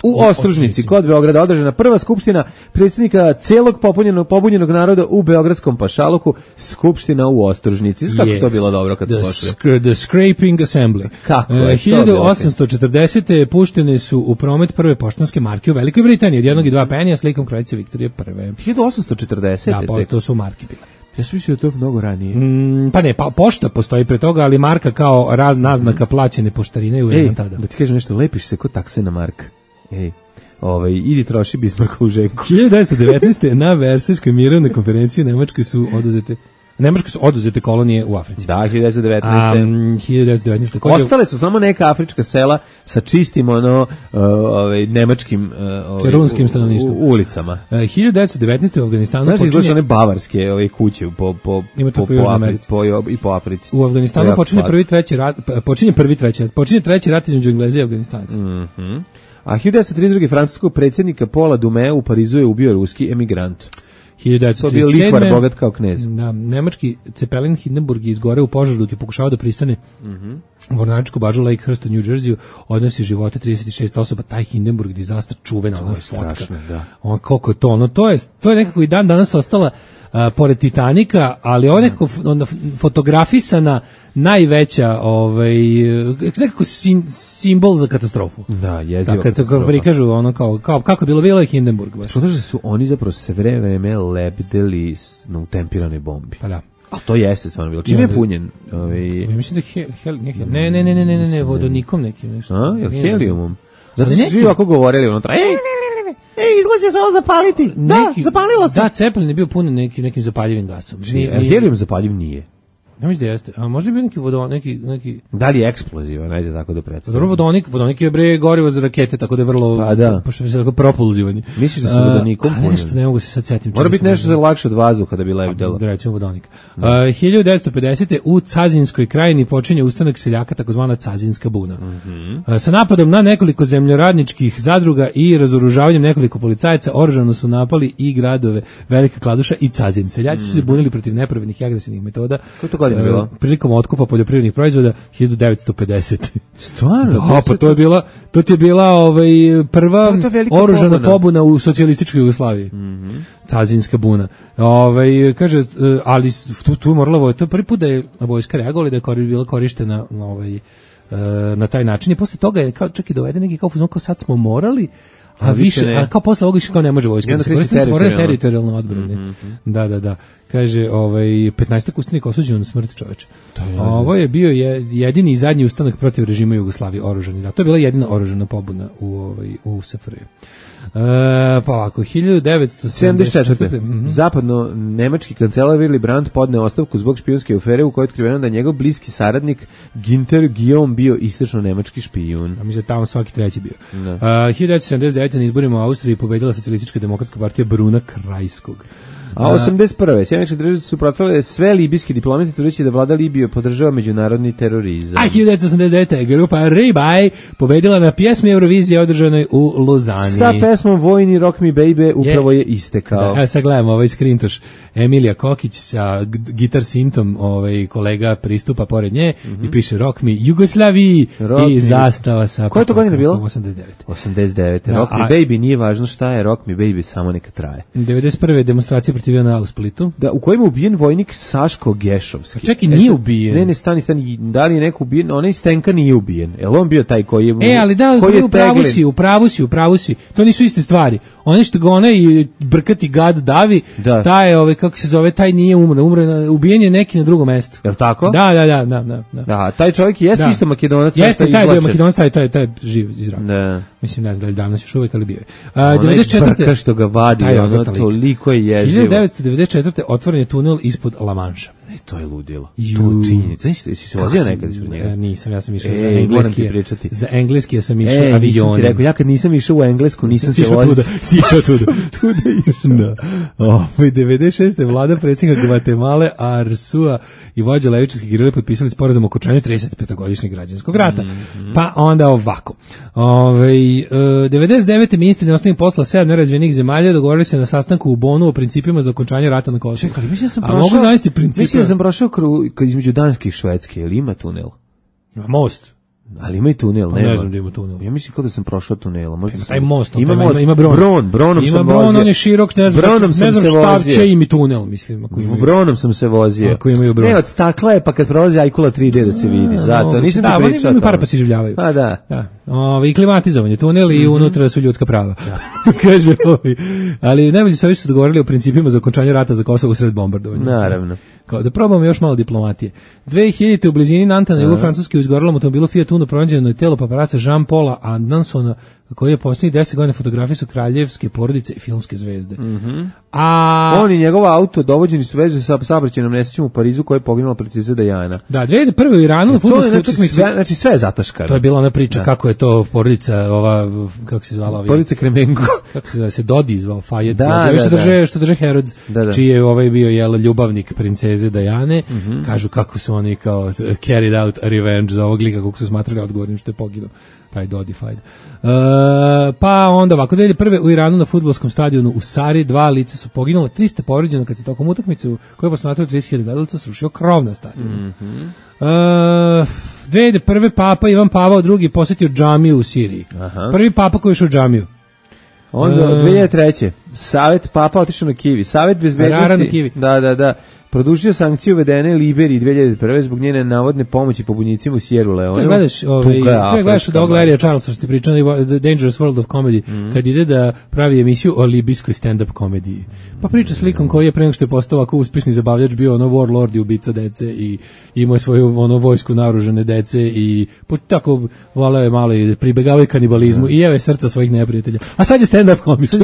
U Ostružnici, kod Beograda, održana prva skupština predsjednika celog pobunjenog naroda u Beogradskom pašaluku, skupština u Ostružnici. Kako to bilo dobro kad su pošli? The Scraping Assembly. Kako je 1840. puštene su u promet prve poštanske marke u Velikoj Britaniji, od 1 i 2 penija s likom kraljice Viktorije I. 1840. Da, pa to su marke bile. Ja sam mislio da to mnogo ranije. Pa ne, pošta postoji pre toga, ali marka kao naznaka plaćene poštarine je uvijek tada. Da ti kažem nešto, lepiš se kod taksena marka. Idi troši Bismarckovu ženku. 1919. na Versajskoj mirovnoj konferenciji Nemačkoj su oduzete kolonije u Africi. Da, 1919. Ostale su samo neka afrička sela sa čistim nemačkim runskim stanovništvom ulicama. 1919. u Afganistanu počinje izlaže one bavarske kuće po Africi. U Afganistanu počinje treći rat između Engleza i Afganistanca. A 1932. francuskog predsjednika Paula Doumet u Parizu je ubio ruski emigrant. 1937. To bio likvar bogat kao knez. Da, nemački Zeppelin Hindenburg je izgoreo u požaru dok je pokušao da pristane u mornaričku bažu Lakehurst u New Jerseyu, odnosi živote 36 osoba. Taj Hindenburg disaster čuvena fotka. Koliko je to? To je nekako i dan danas ostala pored Titanika, ali ovo je nekako fotografisana najveća nekako simbol za katastrofu. Da, jeziva katastrofa. Kad prikažu kao kako je bilo je Hindenburg. Što da su oni zapravo sve vreme lebdeli na utempiranoj bombi. Pa da. A to jeste stvarno bilo. Čime je punjen? Ja mislim da ne, vodonikom nekim nešto. Helijumom. Zato su svi ovako govorili unutra. Izgleda će samo zapaliti. Zapalilo se. Da, Zeppelin je bio punjen nekim zapaljivim gasom. Helijum zapaljiv nije. Ja mislim da jeste. A možda bi neki... Da li je eksplozivan, ajde tako da predstavim. Vodonik je gorivo za rakete, tako da je vrlo... Pa da. Pošto bi se tako propulzivanje. Misliš da su vodonikom punjeni? Nešto, ne mogu se sad setim. Mora biti nešto lakše od vazduha da bi lebdelo. Recimo vodonik. 1950. u Cazinskoj krajini počinje ustanak seljaka, takozvana Cazinska buna. Sa napadom na nekoliko zemljoradničkih zadruga i razoružavanjem nekoliko policajaca oružano su napali i gradove Velika Kladuša i Cazin. Seljaci su se bunili protiv nepravednih i agresivnih metoda. Prilikom otkupa poljoprivrednih proizvoda 1950. Stvarno? Da, pa to ti je bila prva oružana pobuna u socijalističkoj Jugoslaviji. Cazinska buna. Kaže, ali tu morala to prvi put da je vojska reagovala, da je bila korištena na taj način i posle toga je kao čak i doveden neki kao fuzon kao sad smo morali a više, a kao posle ovoga više kao ne može vojska da se koristi teritorijalno odbrane. Da. Kaže, 15 ustanika osuđeno na smrt, čoveče. Ovo je bio jedini i zadnji ustanak protiv režima Jugoslavije, oružani. Da, to je bila jedina oružana pobuna u SFRJ. Pa ovako, 1974. Zapadno nemački kancelar Willy Brandt podneo ostavku zbog špijunske afere u kojoj je otkriveno da njegov bliski saradnik Ginter Guillaume bio istočno nemački špijun. A mi se tamo svaki treći bio. 1979. na izborima u Austriji pobedila socijalistička demokratska partija Bruna Krajskog. A 81. Sjemeničke države su protivile sve libijski diplomati tvrdeći da vlada Libije podržava međunarodni terorizam. A 1989. grupa Ribaj pobedila na pjesmi Eurovizije održanoj u Lozani. Sa pesmom Vojni Rock Me Baby upravo je istekao. Evo sad gledamo ovaj skrintoš. Emilija Kokić sa gitar sintom, kolega pristupa pored nje i piše Rock Me Jugoslaviji i zastava sa... Koja je to godina bilo? 89. Rock Me Baby, nije važno šta je Rock Me Baby, samo neka traje. 91. demonstracija protivio u Splitu. Da, u kojem je ubijen vojnik Saško Gešovski. Čak i nije ubijen. Ne, stani, da li je neko ubijen? Onaj Stenka nije ubijen. Jel on bio taj koji je... ali da, u pravu si. To nisu iste stvari. Oni što ga onaj brkati gad davi, taj, kako se zove, taj nije umro, ubijen je neki na drugom mestu. Jel tako? Da. Taj čovjek jeste isto Makedonac. Jeste, taj bio Makedonac, taj živ izravno. Da. Mislim, ne znam da li danas još uvek, ali bio je. Onaj brka što ga vadi, ono toliko je jezivo. 1994. otvoren je tunel ispod La Manša. To je ludilo. To činjenica. Znaš, jesi se vozio nekad ispod njega? Nisam, ja sam išao za engleski. Za engleski ja sam išao avionom. Nisam ti rekao, ja kad nisam išao u Englesku, nisam se vozio. Si išao tuda. Tuda išao. 96. vlada predsjednika Gvatemale Arsua i vođa levičarskih gerile potpisali sporazum o okončanju 35-godišnjeg građanskog rata. Pa onda ovako. 99. ministri inostranih posla 7 nerazvijenih zemalja dogovorili se na sastanku u Bonu o principima za okončanje rata na Kosovu. Čekaj, mislim da sam prošao između Danske i Švedske, ili ima tunel? Most. Ali ima i tunel, nema. Ne znam da ima tunel. Ja mislim kao da sam prošao tunela. Taj most, ima most, ima bron. Bronom sam vozio. Ima bron, on je širok, ne znam šta će im i tunel, mislim. Bronom sam se vozio. Ako imaju bron. Ne, od stakla je, pa kad prolazi Ajkula 3D da se vidi. Zato, nisam ti pričao. Oni para pa se življavaju. Pa da. I klimatizovan je tunel i unutra su ljudska prava. Kaže ovi. Ali najbolje su ovi što se dogovorili o principima za okončanje rata za Kosovo usred bombardovanja. Naravno. Kao da probamo još malo diplomatije. 2000. u blizini Nanta na jugu Francuske u izgorelom automobilu Fiat Uno pronađeno je telo paparaca Jean-Paula Andersona, koji je posljednjih 10 godina fotografisao kraljevske porodice i filmske zvezde. On i njegova auto dovođeni su vezu sa saobraćajnom nesrećom u Parizu koja je poginula princeza Diana. Da, 2001. u Iranu na fudbalskoj utakmici. Znači sve je zataškano. To je bila ona priča kako je to porodica ova, kako se zvala, porodica Kremenko. Kako se zvala, se Dodi zvao Fajet. Što drže Herods, čiji je bio ljubavnik princeze Diane. Kažu kako su oni kao carried out revenge za ovog lika kako su smatrali odgovornim što je poginuo. Taj Dodi Fajet. Pa onda ovako, 2001. u Iranu na fudbalskom stadionu u Sari 2 lica su poginula, 300 povređeno kad se tokom utakmice u kojoj posmatraju 30.000 gledalaca srušio krov na stadionu. 2001. Papa Ivan Pavao II posjetio džamiju u Siriji. Prvi papa koji je išao u džamiju. Onda 2003. Savet Papa otišao na Kivi. Savet bezbednosti. Da. Produžio sankcije uvedene Liberiji 2001. zbog njene navodne pomoći pobunjicima u Sierra Leone. Gledaš od ovog Larrya Charlesa što ti pričao The Dangerous World of Comedy, kad ide da pravi emisiju o libijskoj stand-up komediji. Pa priča s likom koji je pre nego što je postao ovako uspješni zabavljač bio warlord i ubica dece i imao svoju vojsku naoružane dece i tako voleo je malo i pribegavao kanibalizmu i jeo je srca svojih neprijatelja. A sad je stand-up komičar.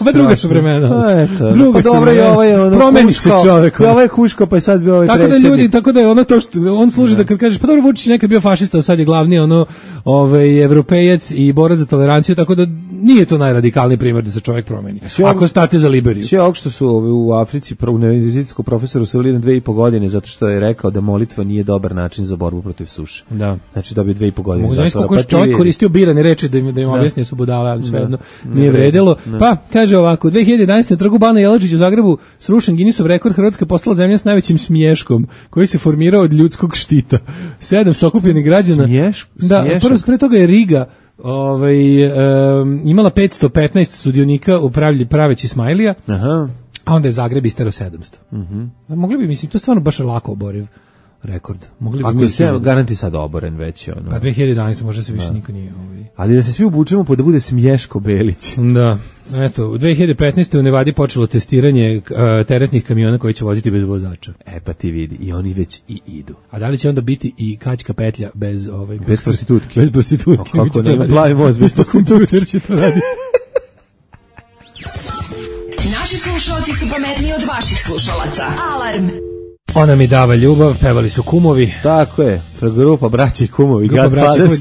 Pa druga su vremena. Druga su vremena. Promeni se čovjek. Ovo je Huško, pa je sad bio ovaj predsjednik. Tako da je ono to što on služi da kad kažeš, pa dobro, Vučić nekad bio fašista, sad je glavni evropejac i borac za toleranciju, tako da nije to najradikalniji primjer da se čovjek promeni. Ako state za Liberiju. Sve ovog što su u Africi univerzitetskom profesoru su bili na 2,5 godine zato što je rekao da molitva nije dobar način za borbu protiv suše. Da. Znači dobio 2,5 godine. Mogu zamisliti kako je čovjek koristio birane reči da im objasnije su budale, ali svejedno nije vredelo. Pa, kaže ovako, 2011. na trgu Bana Jelačić u Zagrebu srušen Guinnessov rekord, Hrvatska postala zemlja s najvećim smješkom koji se formirao od ljudskog štita. 700 okupljenih građana. Da, pre toga je Riga imala 515 sudionika u praveći smajlija, a onda je Zagreb istero 700. Mogli bi, mislim, to je stvarno baš lako oboriv rekord. Mogli bi ako mi je sve garanti sad oboren već ono. Pa 2011 možda se više niko nije Ali da se svi obučemo pa da bude Smješko Belić. Da. Eto, u 2015. u Nevadi počelo testiranje teretnih kamiona koji će voziti bez vozača. Pa ti vidi, i oni već i idu. A da li će onda biti i kačka petlja bez bez prostitutke? Bez prostitutke. Kako ne, plavi most bez kompjuter će to raditi. Naši slušalci su pametniji od vaših slušalaca. Alarm! Ona mi dava ljubav, pevali su Kumovi. Tako je, grupa braća i kumovi,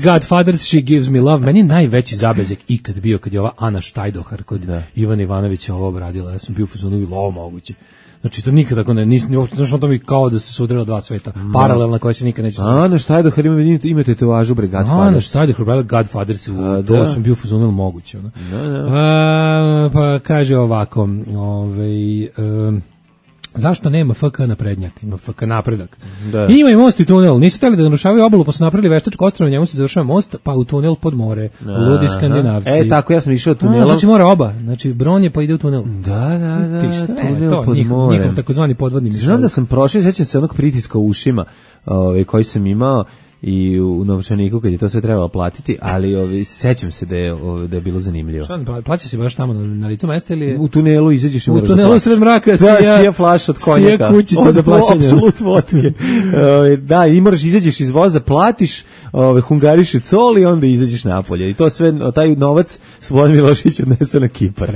Godfathers, She Gives Me Love. Meni je najveći zabezek ikad bio kad je ova Ana Štajdohar kod Ivana Ivanovića ovo obradila. Ja sam bio u fazonu i lovo moguće. Znači to nikad tako ne, znaš to mi kao da se sudrila dva sveta, paralelna koja se nikad neće sudriti. Ana Štajdohar ima tetovažu bre Godfathers. Ana Štajdohar bre Godfathers, to sam bio u fazonu moguće. Pa kaže ovako, zašto nema FK naprednjak? Ima FK napredak. Ima i most i tunel. Nisu htjeli da narušavaju obalu, pa su napravili veštačko ostrvo, njemu se završava most, pa u tunel pod more. Ludi Skandinavci. Tako ja sam išao tunelom. Znači mora oba. Znači Bron je pa ide u tunel. Da. Tunel pod more. Njihov takozvani podvodni mišovi. Znam da sam prošao, sećam se onog pritiska u ušima koji sam imao i u novčaniku kad je to sve trebalo platiti, ali sećam se da je bilo zanimljivo. Šta, plaća se baš tamo na licu mesta ili je? U tunelu izađeš i moraš da plaćaš. U tunelu sred mraka sija flaš od konjaka. Sija kućica za plaćanje. Apsolut vodke. Da, i moraš izađeš iz voza, platiš, hungariše col i onda izađeš napolje. I to sve, taj novac Slobodan Milošević odnese na Kipar.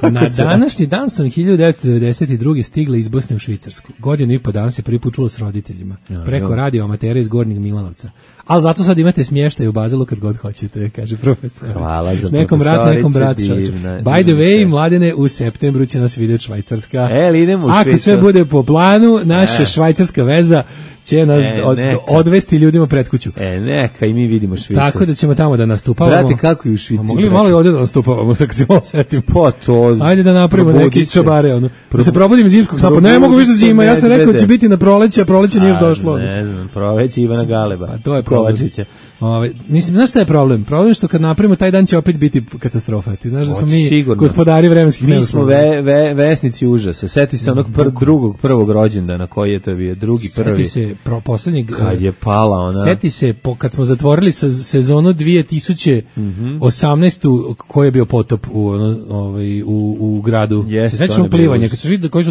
Na današnji dan sam 1992. stigla iz Bosne u Švicarsku. Godinu i po dana se prvi put čulo s roditeljima. Preko radio amatera iz Gornjeg Milanovca. Ali zato sad imate smještaj u Bazelu kad god hoćete, kaže profesor. Hvala za nekom brat. By the way, Mladene, u septembru će nas vidjeti Švajcarska. Idemo u Švajcarsku. Ako sve bude po planu, naša švajcarska veza će nas odvesti ljudima pred kuću. Neka i mi vidimo Švicarsku. Tako da ćemo tamo da nastupavamo. Brate, kako i u Švici. Mogli malo i ovdje da nastupavamo, sad kad se malo setim. Pa to. Ajde da napravimo neki čobare. Da se probudim iz zimskog sna. Pa ne mogu više da zima. Ja sam rekao da će biti na proleće, a proleće nije još došlo. Ne znam, proleće Ivana Galeba. Pa to je Kovačića. Mislim, znaš šta je problem? Problem je što kad napravimo taj dan će opet biti katastrofa. Ti znaš da smo mi gospodari vremenskih neuslovi. Mi smo vesnici užasa. Seti se onog prvog rođendana koji je to bio, drugi, prvi. Seti se poslednjeg. Kad je pala ona. Seti se kad smo zatvorili sezonu 2018. koji je bio potop u gradu. Sećaš plivanje, kad su svi koji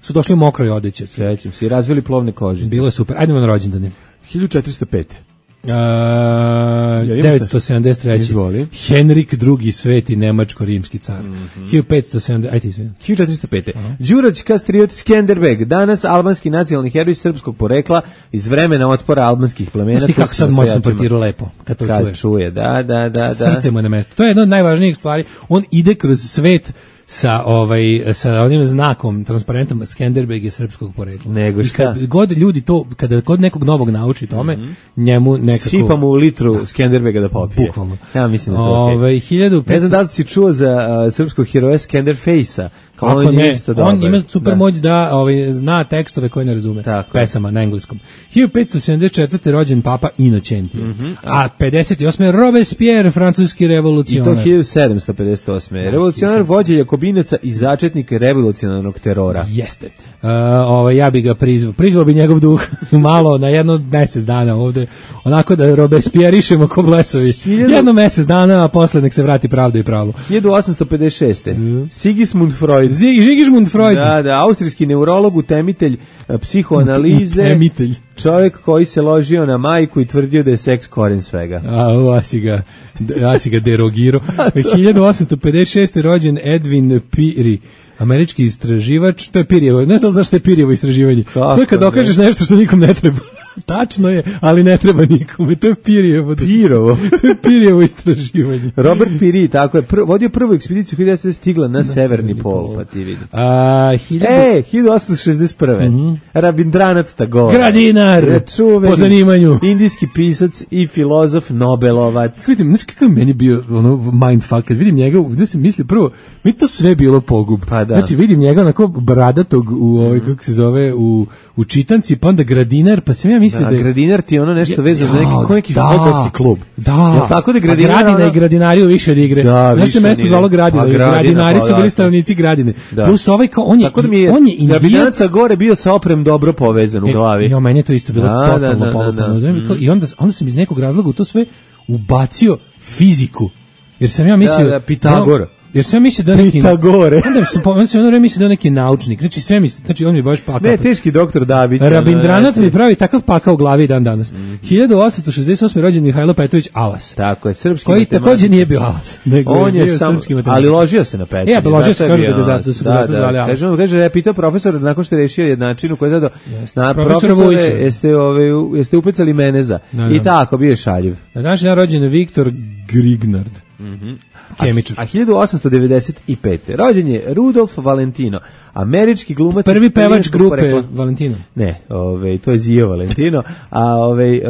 su došli u mokroj odeći. Sećam se, i razvili plovne kožice. Bilo je super. Ajdemo na rođendane. 1405. 973. Henrik II. Sveti nemačko-rimski car. 1405. Đurađ Kastriot Skenderbeg, danas albanski nacionalni heroj srpskog porekla iz vremena otpora albanskih plemena. Znaš ti kako sad moj portiru lepo kad to čuje. Da. Srce mu je na mestu. To je jedna od najvažnijih stvari. On ide kroz svet sa onim znakom, transparentom Skenderbeg je srpskog porekla. Nego šta? Kad god ljudi to, kada god nekog novog nauči tome, njemu nekako... Sipa mu u litru Skenderbega da popije. Bukvalno. Ja mislim da to okej. Ne znam da li si čuo za srpskog heroja Skenderfejsa. Kako ne, on ima super moć da zna tekstove koje ne razume. Pesama na engleskom. 1574. rođen Papa Inocentije. A 58. Robespierre, francuski revolucionar. I to 1758. Revolucionar, vođa Jakobinaca i začetnik revolucionarnog terora. Jeste. Ja bi ga prizvao bi njegov duh malo na jedno mjesec dana ovde. Onako da Robespierrišemo ko blesovi. Jedno mjesec dana, a posle nek se vrati pravda i pravo. 1856. Sigismund Freud. Sigismund Freud. Da, austrijski neurolog, utemitelj psihoanalize. Utemitelj. Čovjek koji se ložio na majku i tvrdio da je seks koren svega. Ja si ga derogirao. 1856. rođen Edwin Peary, američki istraživač. To je Pearyjevo, ne znam zašto je Pearyjevo istraživanje. To je kad dokažeš nešto što nikom ne treba. Tačno je, ali ne treba nikome. To je Pearyjevo. To je Pearyjevo istraživanje. Robert Peary, tako je, vodio prvu ekspediciju kada se stigla na severni pol, pa ti vidi. 1861. Rabindranath Tagore. Gradinar, po zanimanju. Indijski pisac i filozof, Nobelovac. Vidim, znaš kako je meni bio mindfuck, kad vidim njega, gdje sam mislio prvo, mi to sve bilo pogub. Pa da. Znači vidim njega onako bradatog kako se zove, u čitanci, pa onda Gradinar, pa sam ja mislio misli da je... Gradinar ti je ono nešto vezano za neki fudbalski klub. Da. Jel tako da Gradinar... Gradina i Gradinariju više od igre. Da, znaš se mesto zvalo Gradina. Gradinari su bili stanovnici Gradine. Plus ovaj kao, on je Indijanaca gore bio sa Oprem dobro povezan u glavi. Jo, meni je to isto bilo totalno polupano. I onda sam iz nekog razloga u to sve ubacio fiziku. Jer sam ja mislio... Pitagor. Jer sam mislio da neki Pitagore. Onda sam mislio da neki naučnik. Znači on mi baš pakao. Ne, teški doktor Dabić. Rabindranac mi pravi takav pakao u glavi dan danas. 1868. rođen Mihajlo Petrović Alas. Tako je, srpski koji matematik. Takođe nije bio Alas, nego on je srpski matematik. Ali ložio se na Petrović. Ja, ložio se, kaže da su ga zato zvali Alas. Kaže, je pitao profesor nakon što je rešio jednačinu koji je dao na profesore, jeste upecali Meneza. I tako bio je šaljiv. Na današnji dan rođen Viktor Grignard. Kemičar. A 1895. rođen je Rudolf Valentino, američki glumac. Prvi pevač grupe Valentino. Ne, to je Zio Valentino. A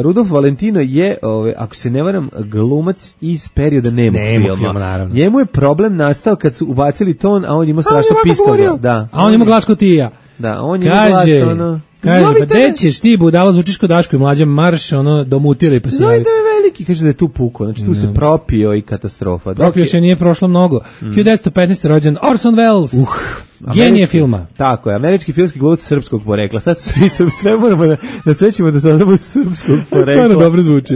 Rudolf Valentino je, ako se ne varam, glumac iz perioda nemog filma. Naravno. Njemu je problem nastao kad su ubacili ton, a on imao strašno pistola. Da. A on ima glas ko Tija. Da, on ima glas ono... Kaže, pa gde ćeš ti, budalo, zvučiš ko Daško i Mlađa, marš, domutiraj pa se javi. Zovite me veliki, kaže da je tu puko, znači tu se propio i katastrofa. Propio se nije prošlo mnogo. 1915. rođen Orson Welles, genije filma. Tako je, američki filmski glumac srpskog porekla. Sad sve moramo da svećemo da to bude srpskog porekla. Stvarno dobro zvuči.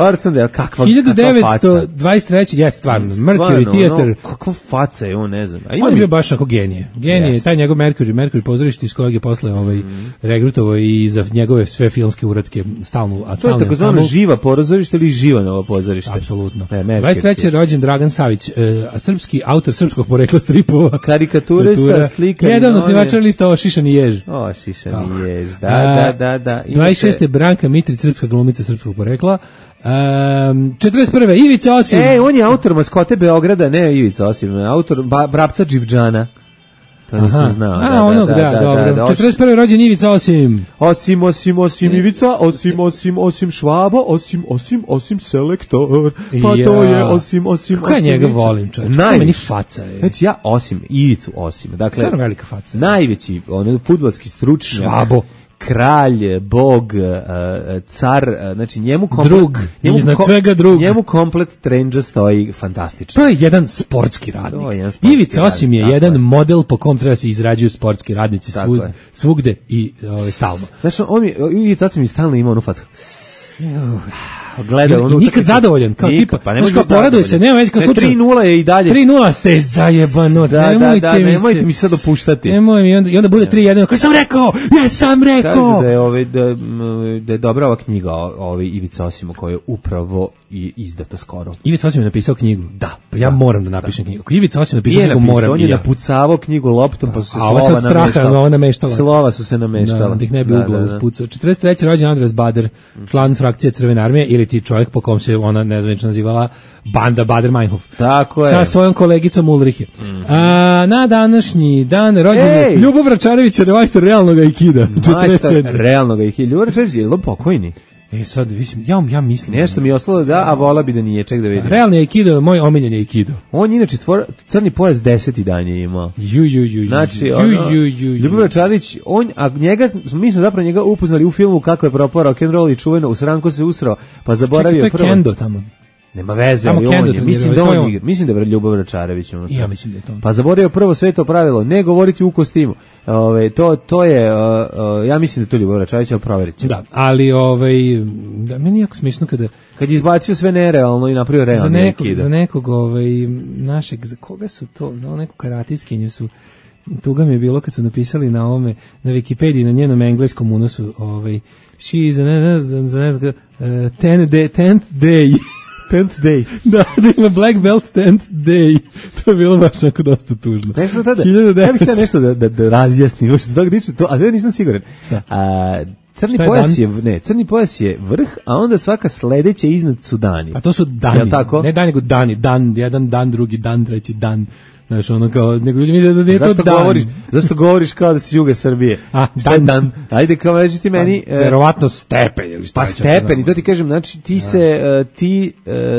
Orson Welles, kakva 1923. je stvarno, Mercury Theater. Kakva faca je on, ne znam. On je bio baš ako genije. Genije, taj njegov Mercury pozorište iz kojeg je posle regrutovao i za njegove sve filmske uratke stalno. To je takozvano živa pozorište ili Živanovo pozorište? Apsolutno. 23. rođen Dragan Savić, srpski autor srpskog porekla stripova. Karikaturista, slikar. Jedan osnivača lista Šišani jež. Šišani jež, da. 26. Branka Mitrić, srpska glumica srpskog porekla. 41. Ivica Osim. On je autor maskote Beograda, ne Ivica Osim, autor Vrapca Dživđana. To nisam znao. Da, dobro. 41. rođen Ivica Osim. Osim Ivica, osim Švabo, osim Selektor. Pa to je osim. Kako ja njega volim, čovječ? Kako meni faca je. Znači ja Ivicu Osim. Dakle, stvarno velika faca. Najveći, fudbalski stručnjak. Švabo. Kralj, bog, car, znači njemu drug, iznad svega drug. Njemu komplet trendža stoji fantastično. To je jedan sportski radnik. Ivica Osim je jedan model po kom treba se izrađuju sportski radnici svugde i stalno. Znači, Ivica Osim je stalno imao onu fatku. Gleda i nikad zadovoljan kao tipa, pa ne može poraduje se, nema već kao slučaj 3:0 je i dalje 3:0 te zajebano, nemojte mi sad dopuštati. Nemoj mi i onda bude 3:1, kao sam rekao, jesam rekao. Kaže da je dobra ova knjiga Ivica Osimo koja je upravo i izdata skoro. Ivica Osim je napisao knjigu. Da, pa ja moram da napišem knjigu. Ako Ivica Osim napisao knjigu, moram on je napucavao knjigu loptom, pa su se slova su se nameštala. Da ih ne bi ugla uspucao. 43. rođen Andras Bader, član frakcije Crvene armije ili ti čovjek po kom se ona nezvanično nazivala banda Bader-Meinhof. Tako je. Sa svojom kolegicom Ulrihe. Na današnji dan rođen je Ljubov Račarević, majstor realnog aikida. Majstor realnog aikida. Ljubov Račarević je pokojni. Sad ja mislim nešto mi je ostalo a vola bi da nije, ček da vidim. Realni aikido, moj omiljeni aikido. On je inače crni pojas 10. dan je imao. Znači, Ljubov Račarević, mi smo zapravo njega upoznali u filmu Kako je propao rock and roll i čuveno u sranku se usrao, pa zaboravio prvo. To je Kendo tamo. Nema veze, ali mislim da je Ljubov Račarević. Ja mislim da je to. Pa zaboravio prvo sveto pravilo, ne govoriti u kostimu. To je, ja mislim da je to Ljubov Račarević, ali provjerit ću. Da, ali meni je jako smišno kad je izbacio sve nerealno i napravio realno za nekog našeg, za koga su to, za neku karatijskinju su, tuga mi je bilo kad su napisali na ovome, na Wikipediji, na njenom engleskom unosu, she is an 10th day. 10th day. Da ima Black Belt 10th day. To je bilo baš tako dosta tužno. Nešto tada, ja bih htio nešto da razjasnim, a ja nisam siguran. Crni pojas je vrh, a onda svaka sledeća iznad su dani. A to su dani, ne dan nego dani, dan, jedan dan, drugi dan, treći dan. Znaš, ono kao, nego ljudi misle da nije to dan. Zašto govoriš kao da si juga Srbije? Šta je dan? Ajde, kao reći ti meni... Verovatno stepen. Pa stepen, i to ti kažem, znači ti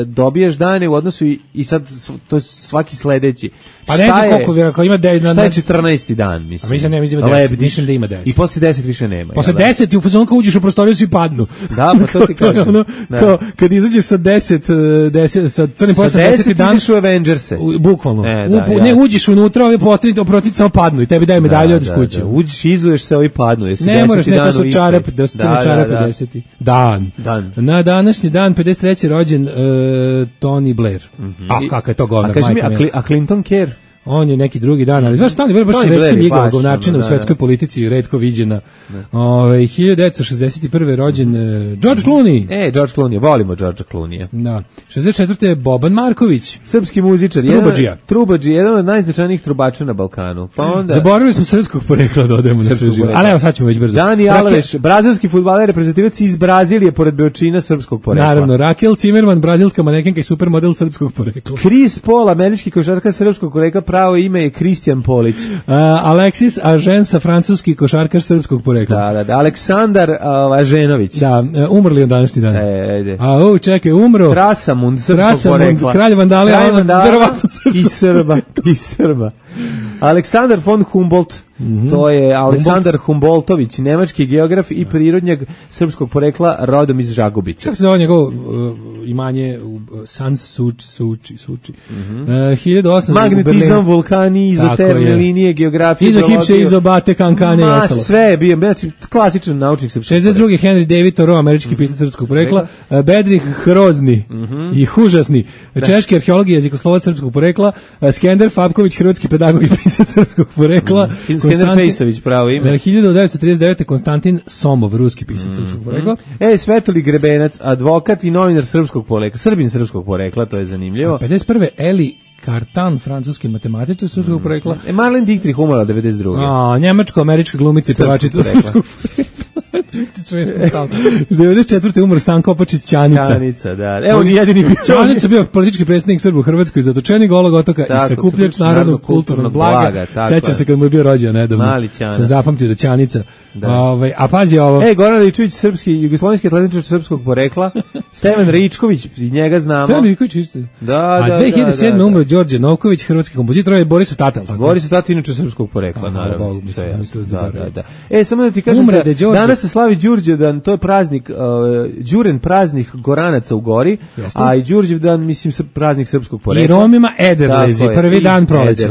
dobijaš dane u odnosu i sad to je svaki sledeći. Pa ne znam koliko ima 10. Šta je 14. dan, mislim? A mislim da ima 10, mislim da ima 10. I posle 10 više nema. Posle 10 ti u fazonu kao uđeš u prostoriju svi padnu. Da, pa to ti kažem. Kao, kad izađeš sa 10 sa crnim pojasom 10. dan ideš u Avengerse. Bukvalno. Ne uđeš unutra, ovi protiv samo padnu i tebi daju medalju od kuće. Uđeš, izuješ se, ovi padnu. Ne moraš, ne, to su čarape, da su crne čarape 10. Dan. Na današnji dan 53. rođen Tony Blair. A kakav je to govnar, majka mi. A Clinton Kerr? On je neki drugi dan, ali znaš, Tony Blair baš retko njegova govnačina u svetskoj politici, retko viđena. 1961. rođen George Clooney. George Clooney, volimo George Clooney. Da. 64. je Boban Marković. Srpski muzičar. Trubađija, jedan od najznačajnijih trubača na Balkanu. Pa onda... Zaboravili smo srpskog porekla da odemo na sve živo. Ali evo, sad ćemo već brzo. Dani Alves, brazilski fudbaler, reprezentativac iz Brazilije, pored Beočina, srpskog porekla. Naravno, Raquel Zimmerman, brazilska manekenka i supermodel srpskog porekla. Chris Paul, američki košarkaš srpskog porekla, pravo ime je Kristijan Polić. Alexis Ažensa, francuski košarkaš srpskog porekla. Da. Aleksandar Aženović. Da, umrli on današnji dan. Ajde. Čekaj, umro. Trasamund, srpskog porekla. Kralj Vandale, verovatno i Srba. Aleksandar von Humboldt, to je Aleksandar Humboldtović, nemački geograf i prirodnjak srpskog porekla, rodom iz Žagubice. Kako se zove njegov imanje Suči. 1800 magnetizam, vulkani, izotermne linije, geografija, izohipse, izobate, kankane i ostalo. Sve je bio, klasičan naučnik srpskog porekla. 62. Henry David Thoreau, američki pisac srpskog porekla. Bedrih Hrozni i užasni, češki arheolog i jezikoslovac srpskog porekla. Skender Fabković, hrvatski pedagog i pisac srpskog porekla. Skender Fejsović, pravo ime. 1939. Konstantin Somov, ruski pisac srpskog porekla. Svetolij Grebenac, advokat i novinar srpskog porekla, Srbin srpskog porekla, to je zanimljivo. 51. Eli Cartan, francuski matematičar srpskog porekla. Marlene Dietrich umrla 92. Njemačko-američka glumica i pevačica srpskog porekla. 94. umro Stanko Opačić Ćanica. Da. Evo ni jedini bio. Ćanica bio politički predsjednik Srba u Hrvatskoj, zatočenik Golog otoka i sakupljač narodnog kulturnog blaga. Sećam se kad mu je bio rođen nedavno. Sam zapamtio da Ćanica. A pazi ovo. Goran Ričković, srpski, jugoslovenski atletičar srpskog porekla. Stevan Ričković, njega znamo. Stevan Ričković isto. Da. 2007. umro Đorđe Novković, hrvatski kompozitor, je Boris Tata. Boris Tata inače srpskog porekla, naravno. Da. Samo da ti kažem danas se slavi Đurđevdan, to je praznik, Đuren praznik Goranaca u Gori, a i Đurđevdan, mislim, praznik srpskog porekla. I Romima Ederlezi, prvi dan proleća.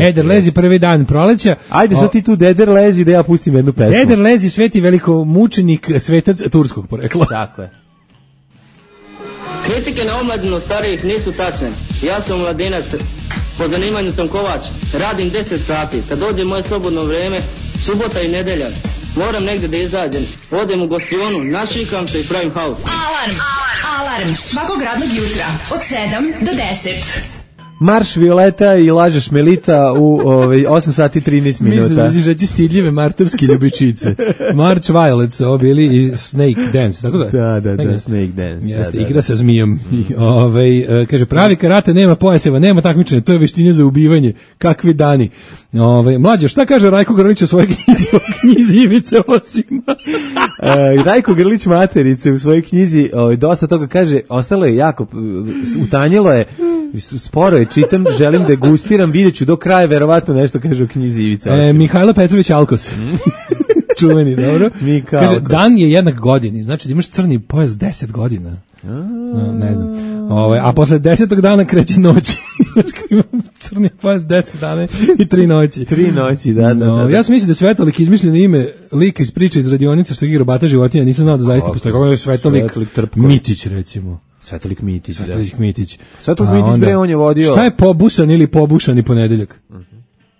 Ederlezi, prvi dan proleća. Ajde, sad ti tu Dederlezi da ja pustim jednu pesmu. Ederlezi, sveti velikomučenik, svetac turskog porekla. Tako je. Kritike na omladinu starijih nisu tačne. Ja sam mladinac, po zanimanju sam kovač, radim 10 sati. Kad dođe moje slobodno vreme, subota i nedelja, moram negdje da izađem. Odem u gostionu, našikam se i pravim haos. Alarm svakog radnog jutra od 7 do 10. Marš Violeta i Lažeš Melita u 8 sati 13 minuta. Mislim da će stidljive martovske ljubičice. March Violets, ovo bili i Snake Dance, tako da? Da, Snake Dance. Jeste, igra sa zmijom. Kaže, pravi karate nema pojaseva, nema takmičenja, to je veštinja za ubivanje. Kakvi dani. Mlađo, šta kaže Rajko Grlić o svojoj knjizi Ivice Osima? Rajko Grlić Materice u svojoj knjizi dosta toga kaže, ostalo je jako, utanjilo je, sporo je, čitam, želim da gustiram, vidjet ću do kraja, verovatno nešto kaže o knjizi Ivice Osima. Mihajlo Petrović Alkos. Čuveni, dobro. Kaže, dan je jednak godini, znači da imaš crni pojas 10 godina. Ne znam. A posle 10. dana kreće noć. Crni pojas 10 dana i 3 noći. 3 noći, da. Ja sam mislio da je Svetolik izmišljeno ime lika iz priče iz radionice što igra robata životinja, nisam znao da zaista postoji. Kako je Svetolik Mitić, recimo. Svetolik Mitić, da. Svetolik Mitić, bre, on je vodio. Šta je pobusan ili pobušani ponedeljak?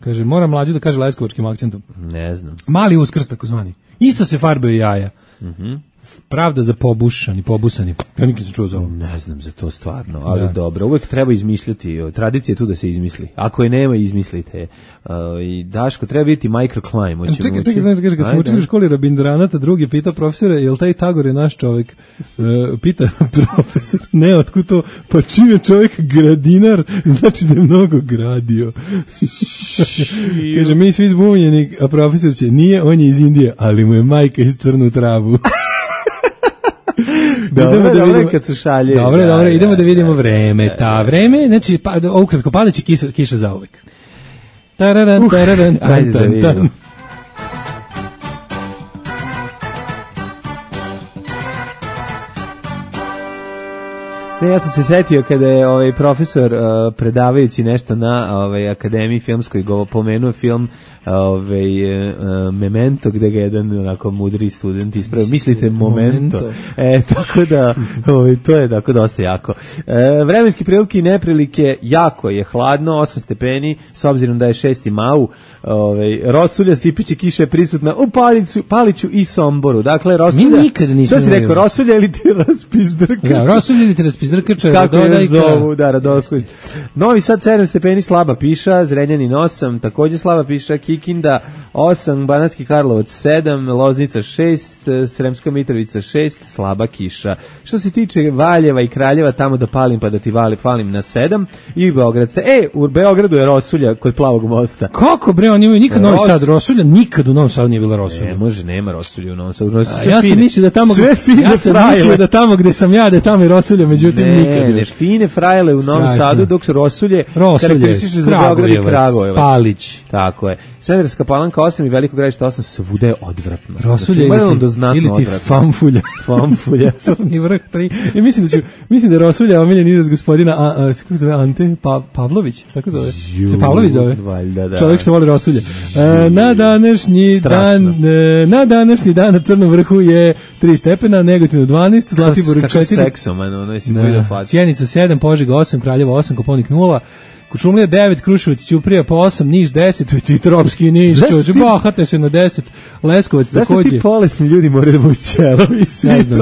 Kaže, moram mlađe da kaže leskovačkim akcentom. Ne znam. Mali Uskrs, takozvani. Isto se farbaju jaja. Pravda za pobusani. Ja nikad sam čuo za ovo. Ne znam za to stvarno, ali dobro. Uvek treba izmišljati. Tradicija je tu da se izmisli. Ako je nema, izmislite. I Daško, treba biti microclimb. Čekaj, znaš, kad smo učili u školi Rabindranata, drugi pita profesora, jel taj Tagor je naš čovjek? Pita profesor, ne, otkud to? Pa čim je čovjek gradinar, znači da je mnogo gradio. Kaže, mi svi zbunjeni, a profesor će, nije, on je iz Indije, ali mu je majka iz crnu travu. Dobro, kad su šalje. Dobro, idemo da vidimo vreme. Ta vreme, znači, ukratko, padaće kiša zauvek. Tararan, ajde da vidimo. Ne, ja sam se setio kada je profesor predavajući nešto na akademiji filmskoj pomenuo film Memento, gde ga jedan onako mudri student ispravio. Mislite Momento. Tako da to je tako dosta jako. Vremenski prilike i neprilike, jako je hladno, 8 stepeni, s obzirom da je 6. mau. Rosulja, sipiće kiša je prisutna u Paliću i Somboru. Dakle, Rosulja, što si rekao, Rosulja ili ti raspizdrkač? Ja, Rosulja ili ti raspizdrkač, kako je zovu, da, Radoslid. Novi Sad 7 stepeni, slaba piša, Zrenjanin 8, takođe slaba piša, Kikinda 8, Banatski Karlovac 7, Loznica 6, Sremska Mitrovica 6, slaba kiša. Što se tiče Valjeva i Kraljeva, tamo da palim pa da ti falim na 7, i Beograd se, u Beogradu je Rosulja kod Plavog mosta. Kako bre, oni imaju nikad Novi Sad Rosulja, nikad u Novom Sadu nije bila Rosulja. Nema Rosulja u Novom Sadu. Ja sam mislio da tamo gde sam ja, da je tamo i Rosulja, međutim ne, fine frajle u Novom Sadu, dok su Rosulje karakteristične za Beograd i Kragujevac. Palić. Tako je. Smederevska Palanka 8 i Veliko Gradište 8, svuda je odvratno. Rosulje ili ti famfulja. Famfulja. Crni vrh 3. Mislim da je Rosulja omiljen izraz gospodina kako se zove, Ante Pavlović. Tako zove. Se Pavlović zove? Da. Čovjek što voli Rosulje. Na današnji dan na Crnom vrhu je 3 stepena, Negotin 12, Zlatibor 4. Kako seksoman, ono si vidio facu. Sjenica 7, Požega 8, Kraljevo 8, Koponik 0, Kučumlija 9, Kruševac, Ćuprija po 8, Niš 10, ti tropski Niš, bahate se na 10, Leskovac takođe. Zašto ti bolesni ljudi moraju da budu ćelovi? Ne znam.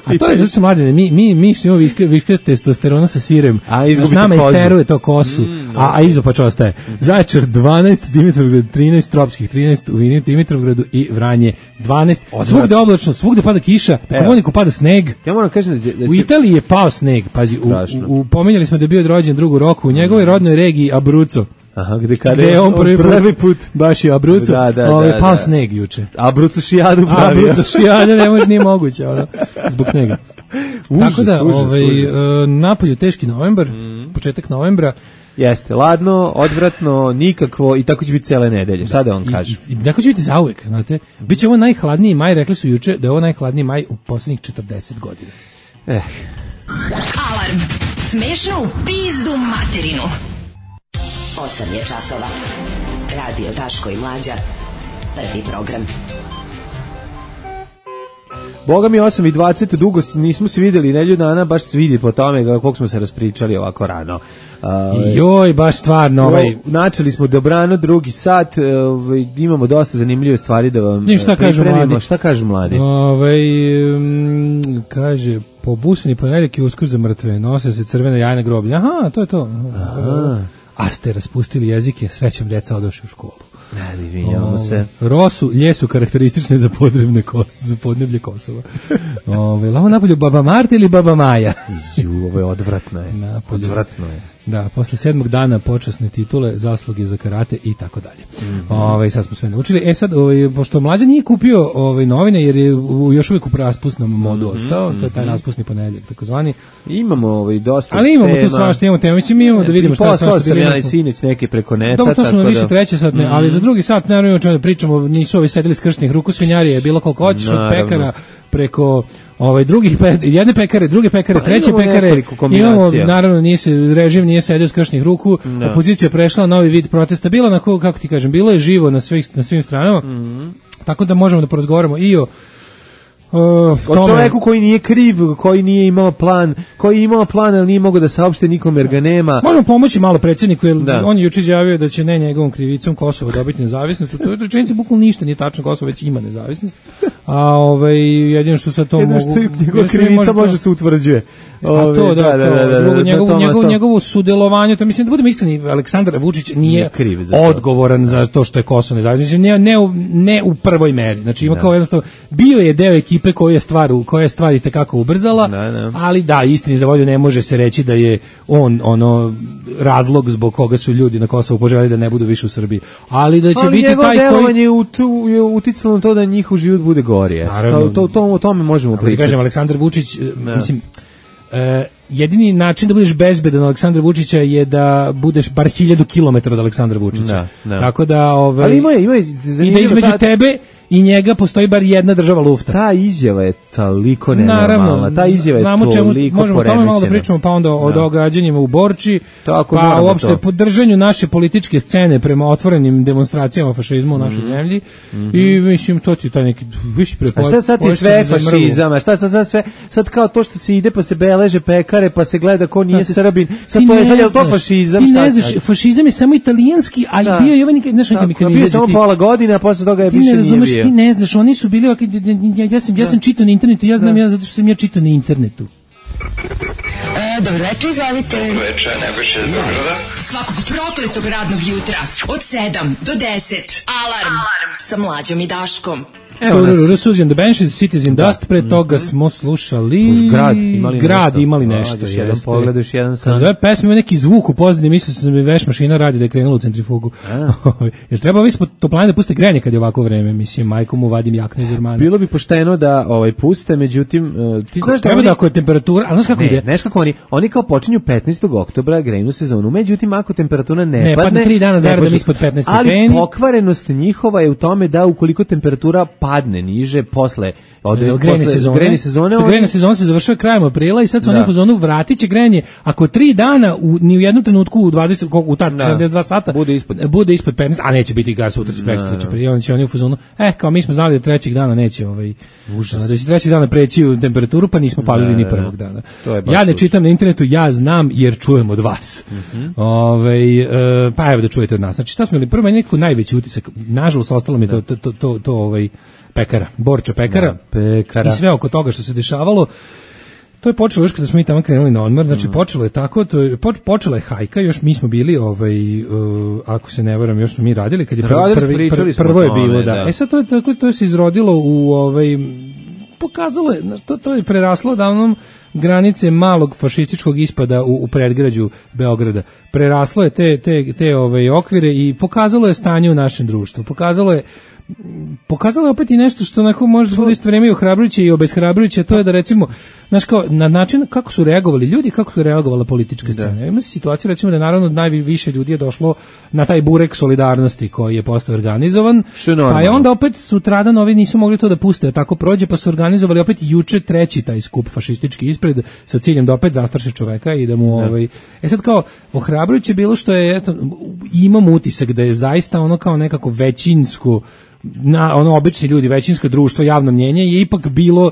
A to je zato su mladine, mi što imamo viške testosterona sa sirem, s nama isteruje to kosu, a izopač ostaje. Zaječar 12, Dimitrovgrad 13, Tropskih 13, u Dimitrovgradu i Vranje 12. Svugde oblačno, svugde pada kiša, po Komuniku pada sneg. Ja moram kažem da u Italiji je pao sneg, pazi, pomenjali smo da je bio rođen drugu roku, u njegovoj rodnoj regiji Abruzzo. Aha, gde je on prvi put baš je Abruzzo, pao sneg juče. Abruzzo šijadu pravio. Abruzzo šijadu nije moguće, zbog snega. Tako da, napolju teški novembar, početak novembra. Jeste, ladno, odvratno, nikakvo i tako će biti cele nedelje. Šta da vam kažem? I tako će biti zauvek, znate. Biće ovo najhladniji maj, rekli su juče da je ovo najhladniji maj u poslednjih 40 godina. Alarm. Smešno u pizdu materinu. 8 je časova. Radio Daško i Mlađa. Prvi program. Boga mi 8:20, dugo nismo se videli, nedelju dana baš se vidi po tome koliko smo se raspričali ovako rano. Joj, baš stvarno. Načeli smo dobrano, drugi sat, imamo dosta zanimljive stvari da vam pripremimo. Šta kažu mladi? Kaže, pobusani ponedeljak i Uskrs za mrtve, nose se crvena jajna groblja. Aha, to je to. A ste raspustili jezike, srećom deca odošli u školu. Ne, vidimo se. Rosu, ljesu karakteristične za podneblje Kosova. Lavo napolju Baba Marta ili Baba Maja? Ovo je odvratno je. Odvratno je. Da, posle 7. dana počasne titule, zasluge za karate i tako dalje. Sad smo sve naučili. Sad, pošto Mlađa nije kupio novine, jer je još uvijek u raspusnom modu ostao, to je taj raspusni ponedeljak, takozvani. Imamo dosta tema. Ali imamo tu svašta, imamo tema. Mislim, imamo da vidimo šta svašta. Sam ja i sinoć neke preko neta. Dobro, to su na više treće sat, ali za drugi sat, naravno, o čemu da pričamo, nisu ovi sedeli skršnih ruku, svinjarije, bilo koliko hoćeš od pekara, preko jedne pekare, druge pekare, treće pekare. Imamo, naravno, režim nije sedio s kršnih ruku, opozicija prešla novi vid protesta, bilo na kako ti kažem, bilo je živo na svim stranama, tako da možemo da porazgovaramo i o čoveku koji nije kriv, koji nije imao plan, koji je imao plan, ali nije mogao da saopšte nikome jer ga nema. Možemo pomoći malo predsjedniku, jer on je juče izjavio da će ne njegovom krivicom Kosovo dobiti nezavisnost. To je rečenica bukvalno ništa nije tačno, Kosovo već ima nezavisnost. a jedino što sa to mogu... Njegova krivica može se utvrđuje. A to, njegovo sudjelovanje, to mislim da budemo iskreni, Aleksandar Vučić nije odgovoran za to što je Kosovo nezavisno, ne u prvoj meri, znači ima kao jednostavno, bio je deo ekipe koja je stvari tekako ubrzala, ali da, istini za volju ne može se reći da je on razlog zbog koga su ljudi na Kosovu poželjeli da ne budu više u Srbiji, ali da će biti taj koji... Ali njegovo delovanje je uticalo na to da njihov život bude gori, o tome možemo pričati. Kažem, Aleksandar Vučić, mislim, jedini način da budeš bezbedan Aleksandra Vučića je da budeš bar 1000 km od Aleksandra Vučića. Tako da ali ima i da između tebe i njega postoji bar jedna država lufta. Ta izjava je toliko nenormalna. Ta izjava je toliko poremećena. Možemo o tome malo da pričamo, pa onda o događanjima u Borči, pa uopšte podržanju naše političke scene prema otvorenim demonstracijama fašizma u našoj zemlji. I mislim, to ti taj neki više prepoznat. A šta sad ti sve fašizam? A šta sad sve? Sad kao to što se ide pa se beleže pekare, pa se gleda ko nije Srbin. Sad to je sad, je to fašizam? Ti ne znaš, fašizam je samo italijanski, a i bio je ovaj neki bio samo pola godine, a posle toga je više nije bio. Ti ne znaš, oni su bili, ja sam čitao na internetu, ja znam zato što sam ja čitao na internetu. Dobro večer, izvolite. Dobro večer, Nebojša iz Beograda. Svakog prokletog radnog jutra od 7 do 10. Alarm sa Mlađom i Daškom. Susan the Banshees, Citizen Dust, pre toga smo slušali Grad imali nešto. Jedan pogledaš, jedan sam. Zove pesma ima neki zvuk u pozadini, mislio sam da mi veš mašina radi da je krenula u centrifugu. Jer treba ovi ispod toplane da puste grejanje kad je ovako vreme, mislim, majkom mu vadim jaknu iz ormana. Bilo bi pošteno da puste, međutim, ti znaš da treba da ako je temperatura, a znaš kako ide? Znaš kako oni kao počinju 15. oktobra grejnu sezonu, međutim ako temperatura ne padne 3 dana zaredom ispod 15 stepeni. Ali pokvarenost njihova je u tome da ukoliko temperatura padne niže posle grejne sezone. Grejna sezona se završava krajem aprila i sad su oni u fazonu vratit će grejanje ako 3 dana ni u jednom trenutku u 72 sata bude ispod 15, a neće biti gas sutra će preći prije, će oni u fazonu kao mi smo znali da trećeg dana neće da će trećeg dana preći u temperaturu, pa nismo palili ni prvog dana. Ja ne čitam na internetu, ja znam jer čujem od vas. Pa evo da čujete od nas. Znači šta smo imali prvo neko najveći utisak, nažalost ostalo mi to pekara, Borča pekara i sve oko toga što se dešavalo. To je počelo još kada smo mi tamo krenuli na odmor, znači počelo je tako, počela je hajka, još mi smo bili, ako se ne varam, još smo mi radili, kad je prvo je bilo, da. Sad to se izrodilo u, pokazalo je, to je preraslo davnom granice malog fašističkog ispada u predgrađu Beograda. Preraslo je te okvire i pokazalo je stanje u našem društvu. Pokazalo je opet i nešto što onako može da bude isto vreme i ohrabrujuće i obeshrabrujuće, to je da recimo, znaš kao, na način kako su reagovali ljudi, kako su reagovala politička scena. Ima se situaciju recimo da naravno najviše ljudi je došlo na taj burek solidarnosti koji je postao organizovan, pa je onda opet sutradan ovi nisu mogli to da puste, da tako prođe, pa su organizovali opet juče treći taj skup fašistički ispred sa ciljem da opet zastraše čoveka i da mu sad kao ohrabrujuće bilo što je, eto, imam utisak da je zaista ono kao nekako većinsko obični ljudi, većinsko društvo, javno mnjenje je ipak bilo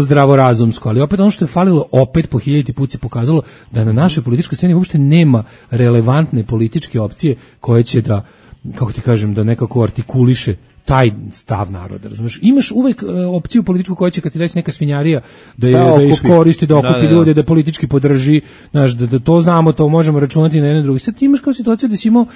zdravorazumsko, ali opet ono što je falilo opet po 1000 put se pokazalo da na našoj političkoj sceni uopšte nema relevantne političke opcije koje će da, kako ti kažem, da nekako artikuliše taj stav naroda, razumeš? Imaš uvek opciju političku koja će kad se desi neka svinjarija da iskoristi, da okupi ljude, da politički podrži, znaš, da to znamo, to možemo računati na jedne druge. Sad ti imaš kao situaciju da si imao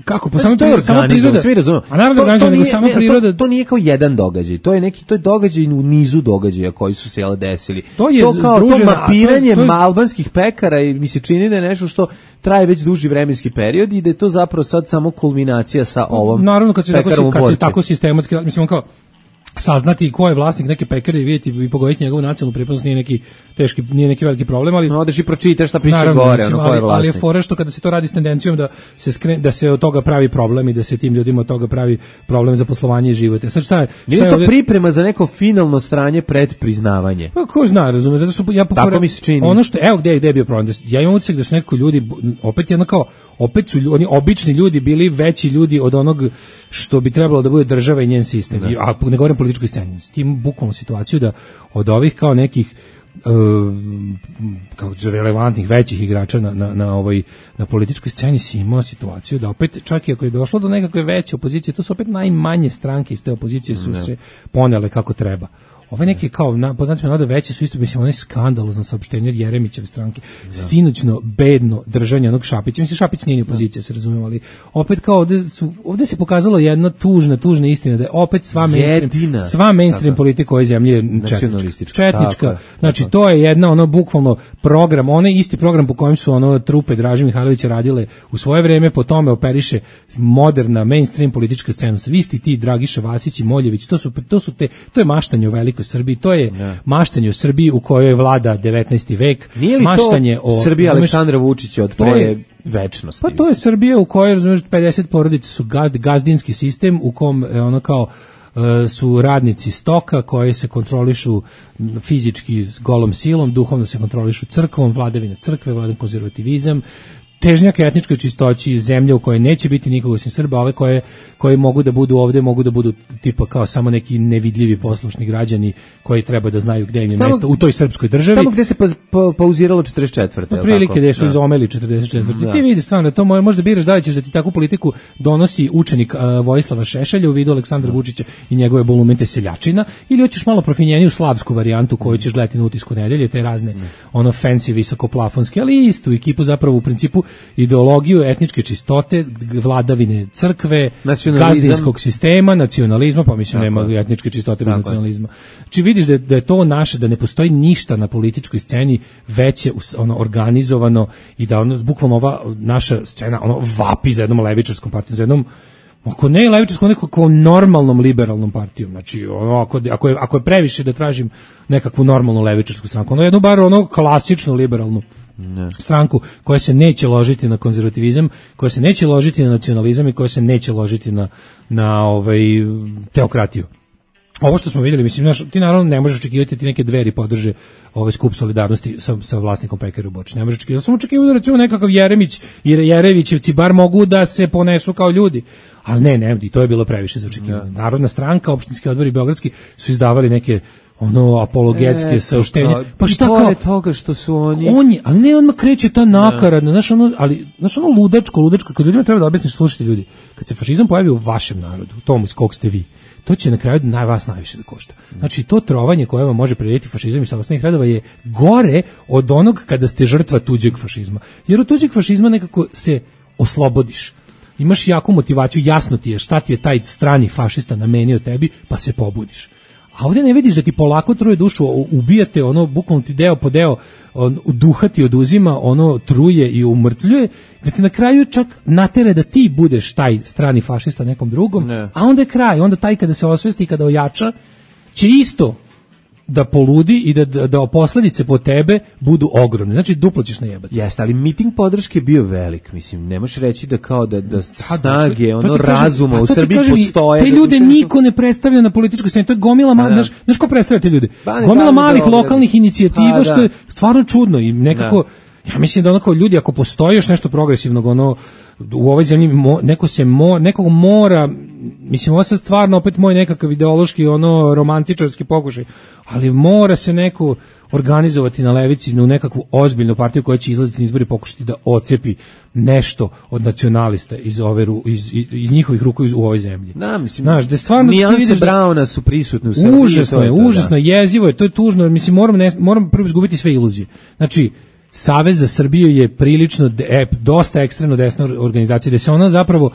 kako, pa samo priroda. Svi razumiju. A samo priroda. To nije kao jedan događaj, to je događaj u nizu događaja koji su se desili. To kao to mapiranje albanskih pekara i mi se čini da je nešto što traje već duži vremenski period i da je to zapravo sad samo kulminacija sa ovom. Naravno kad se tako sistematski, mislim kao saznati ko je vlasnik neke pekare i vidjeti i pogoditi njegovu nacionalnu pripadnost nije neki veliki problem, ali odeš i pročitaš šta piše gore, ko je vlasnik. Ali je fora što kada se to radi s tendencijom da se od toga pravi problem i da se tim ljudima od toga pravi problem za poslovanje i život. Sad šta je? Nije to priprema za neko finalno stranje pred priznavanje. Pa ko zna, razumeš, zato što tako mi se čini. Ono što gde je bio problem. Ja imam utisak da su neki ljudi opet su oni obični ljudi bili veći ljudi od onog što bi trebalo da bude država i njen sistem. A ne govorim političkoj sceni. S tim bukvalno situaciju da od ovih kao nekih kao relevantnih većih igrača na političkoj sceni si imao situaciju da opet čak i ako je došlo do nekakve veće opozicije, to su opet najmanje stranke iz te opozicije su se ponele kako treba. Ove neke kao poznatimo nada veće su isto, mislim, onaj skandalozno saopštenje od Jeremićeve stranke, sinoćno bedno držanje onog Šapića. Mislim, Šapić nije ni opozicija, se razumemo, ali opet kao ovde se pokazalo jedna tužna istina da je opet sva mainstream politika ove zemlje je četnička. Znači, to je jedna bukvalno program, onaj isti program po kojem su trupe Draže Mihajlovića radile u svoje vreme, po tome operiše moderna mainstream politička scena. Svi isti ti Dragiša Vasić i Moljević, to je maštanje o velikoj Srbiji, to je maštanje o Srbiji u kojoj vlada 19. vek. Nije li maštanje to Srbija Aleksandra Vučića od pre večnosti? Pa to je Srbija u kojoj, razumiješ, 50 porodica su gazdinski sistem u kom su radnici stoka koji se kontrolišu fizički s golom silom, duhovno se kontrolišu crkvom, vladavina crkve, vladavina konzervativizam, težnjak etničkoj čistoći, zemlje u kojoj neće biti nikoga osim Srba, ove koje mogu da budu ovde, mogu da budu tipa kao samo neki nevidljivi poslušni građani koji treba da znaju gde im je mesto u toj srpskoj državi. Tamo gde se pauziralo 44. Prilike gde su izomeli 44. Ti vidiš stvarno, to možda biraš da li ćeš da ti takvu politiku donosi učenik Vojislava Šešelja u vidu Aleksandra Vučića i njegove bolumente seljačina, ili hoćeš malo profinjeniju slavsku varijantu koju ćeš gledati na Utisku nedelje, te razne fancy visokoplafonske, ali istu ekipu zapravo u principu ideologiju etničke čistote, vladavine crkve, gazdinskog sistema, nacionalizma, pa mislim nema etničke čistote bez nacionalizma. Znači vidiš da je to naše, da ne postoji ništa na političkoj sceni veće organizovano i da bukvalno ova naša scena vapi za jednom levičarskom partijom, za jednom ako ne levičarskom, nekakvom normalnom liberalnom partijom. Znači ako je previše da tražim nekakvu normalnu levičarsku stranku, jednu bar klasičnu liberalnu stranku koja se neće ložiti na konzervativizam, koja se neće ložiti na nacionalizam i koja se neće ložiti na teokratiju. Ovo što smo vidjeli, mislim, ti naravno ne možeš očekivati ti neke Dveri podrže skup solidarnosti sa vlasnikom pekare u Boči. Ne možeš očekivati. Samo očekivati da recimo nekakav Jeremić i Jerevićevci bar mogu da se ponesu kao ljudi. Ali ne, i to je bilo previše za očekivanje. Narodna stranka, opštinski odbori beogradski su izdavali neke apologetske saopštenja. Pa šta kao toga što su oni ali ne, odmah kreće ta nakaradna, znaš ludačko, kad ljudima treba da objasniš, slušajte ljudi, kad se fašizam pojavi u vašem narodu, u tom iz kog ste vi, to će na kraju vas najviše da košta. Znači, to trovanje koje vam može prirediti fašizam i samostalnih radova je gore od onog kada ste žrtva tuđeg fašizma. Jer od tuđeg fašizma nekako se oslobodiš. Imaš jaku motivaciju, jasno ti je šta ti je taj strani fašista namenio tebi, pa se pobudiš. A ovdje ne vidiš da ti polako truje dušu, ubijate, bukvalno ti deo po deo, duha ti oduzima, truje i umrtvljuje, da ti na kraju čak natere da ti budeš taj strani fašista nekom drugom, a onda je kraj, onda taj kada se osvesti i kada ojača, će isto da poludi i da posljedice po tebe budu ogromne. Znači, duplo ćeš najebati. Jeste, ali miting podrške je bio velik, mislim, ne možeš reći da kao da snage, razuma u Srbiji postoje. Te ljude niko ne predstavlja na političkoj sceni, to je gomila, znaš ko predstavlja te ljude? Gomila malih lokalnih inicijativa, što je stvarno čudno i nekako, ja mislim da ljudi, ako postoji još nešto progresivnog, u ovoj zemlji nekog mora, mislim, ovo sad stvarno opet moj nekakav ideološki, romantičarski pokušaj, ali mora se neko organizovati na levici u nekakvu ozbiljnu partiju koja će izlaziti na izbori i pokušati da ocepi nešto od nacionalista iz njihovih ruku u ovoj zemlji. Da, mislim, znaš, da stvarno nijanse Brauna su prisutne u Srbiji. Užasno je, jezivo je, to je tužno, mislim, moram prvo izgubiti sve iluzije. Znači, Savez za Srbiju je prilično dosta ekstremno desna organizacija, gde se ona zapravo,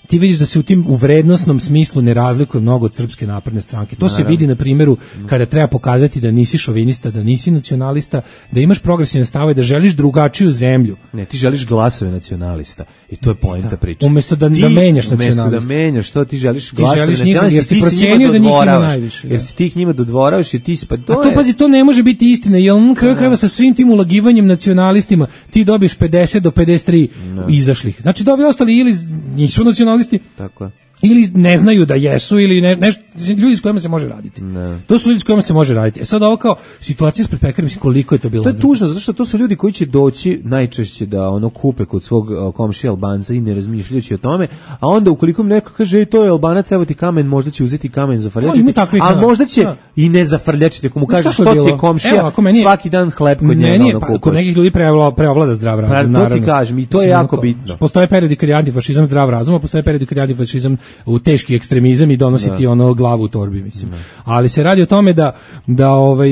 ti vidiš da se u vrednosnom smislu ne razlikuje mnogo od Srpske napredne stranke. To se vidi na primjeru kada treba pokazati da nisi šovinista, da nisi nacionalista, da imaš progresivne stavove, da želiš drugačiju zemlju. Ne, ti želiš glasove nacionalista i to je poenta priče. Umesto da menjaš nacionalista. Umesto da menjaš, što ti želiš glasove nacionalista, jer si procenio da njih ima najviše. Jer si ti ih njima dodvoravaš i ti si, pa to je... A to, pazi, to ne može biti istina, jer on kraju krajeva sa svim tim ulagivanjem nacionalistima ti dobiješ 50 do 53 izašlih. Znači da ovi ostali ili nisu nacionalisti, tako je, ili ne znaju da jesu ili nešto, ljudi s kojima se može raditi. Ne. To su ljudi s kojima se može raditi. E sad ovo kao situacija ispred pekara, mislim koliko je to bilo. To je tužno, zato što to su ljudi koji će doći najčešće da ono kupe kod svog komšija Albanca i ne razmišljajući o tome, a onda ukoliko mi neko kaže to je Albanac, evo ti kamen, možda će uzeti kamen za frljačiti, a možda će i ne za frljačiti, ako mu kaže što ti je komšija, svaki dan hleb kod njega ono kupaš. Kod nekih ljudi preovlada zdrav razum, naravno. To ti kažem, i to je jako bitno. Postoje periodi kad je antifašizam zdrav razum, a postoje periodi kad je antifašizam u teški ekstremizam i donositi ono glavu u torbi, mislim. Ali se radi o tome da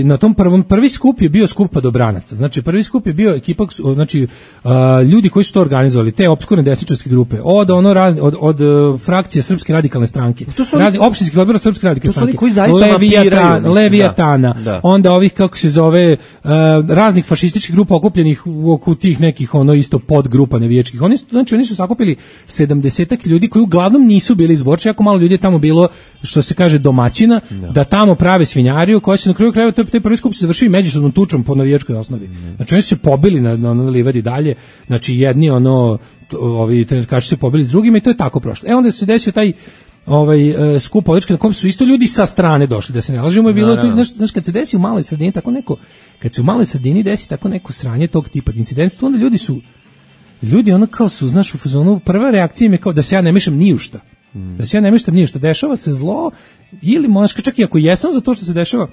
na tom prvi skup je bio skup padobranaca. Znači prvi skup je bio ekipa, znači ljudi koji su to organizovali, te opskurne desničarske grupe, od frakcije Srpske radikalne stranke, opštinskih odbora Srpske radikalne stranke, Leviatana, onda ovih kako se zove raznih fašističkih grupa okupljenih oko tih nekih ono isto podgrupa navijačkih. Oni su sakupili 70-ak ljudi koji uglavnom nisu bili iz Borče, jako malo ljudi je tamo bilo, što se kaže domaćina, da tamo prave svinjariju, koja se na kraju krajeva taj prvi skup se završio međusobnom tučom po navijačkoj osnovi. Znači oni su se pobili na livadi dalje, znači jedni ovi trenerkaši se pobili s drugima i to je tako prošlo. Onda se desio taj skup podrške na kom su isto ljudi sa strane došli, da se ne lažemo, je bilo to, znaš, kad se desi u maloj sredini tako neko, kad se u maloj sredini desi tako neko sranje tog tipa incident, to onda ljudi ono kao su, znaš, u fazonu, prva reakcija im je kao da se ja ne mešam ni u šta. Da se ja ne mešam ni u šta, dešava se zlo, ili možda čak i ako jesam za to što se dešava,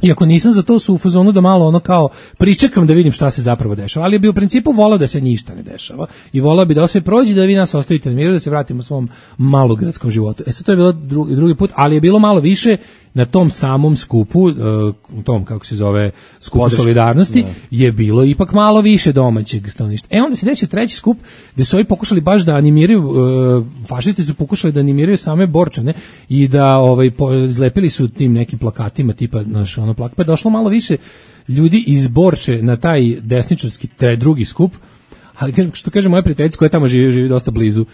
i ako nisam za to, su u fazonu da malo ono kao pričekam da vidim šta se zapravo dešava, ali bi u principu volao da se ništa ne dešava i volao bi da sve prođe, da vi nas ostavite na miru, da se vratimo svom malogradskom životu. Sad to je bilo drugi put, ali je bilo malo više na tom samom skupu, tom kako se zove skupu solidarnosti, je bilo ipak malo više domaćeg stanovništva. Onda se desio treći skup gde su ovi pokušali baš da animiraju, fašisti su pokušali da animiraju same Borčane i da zlepili su tim nekim plakatima tipa naš ono plakat, pa je došlo malo više ljudi iz Borče na taj desničarski drugi skup. Ali što kaže moja prijateljica koja tamo živi dosta blizu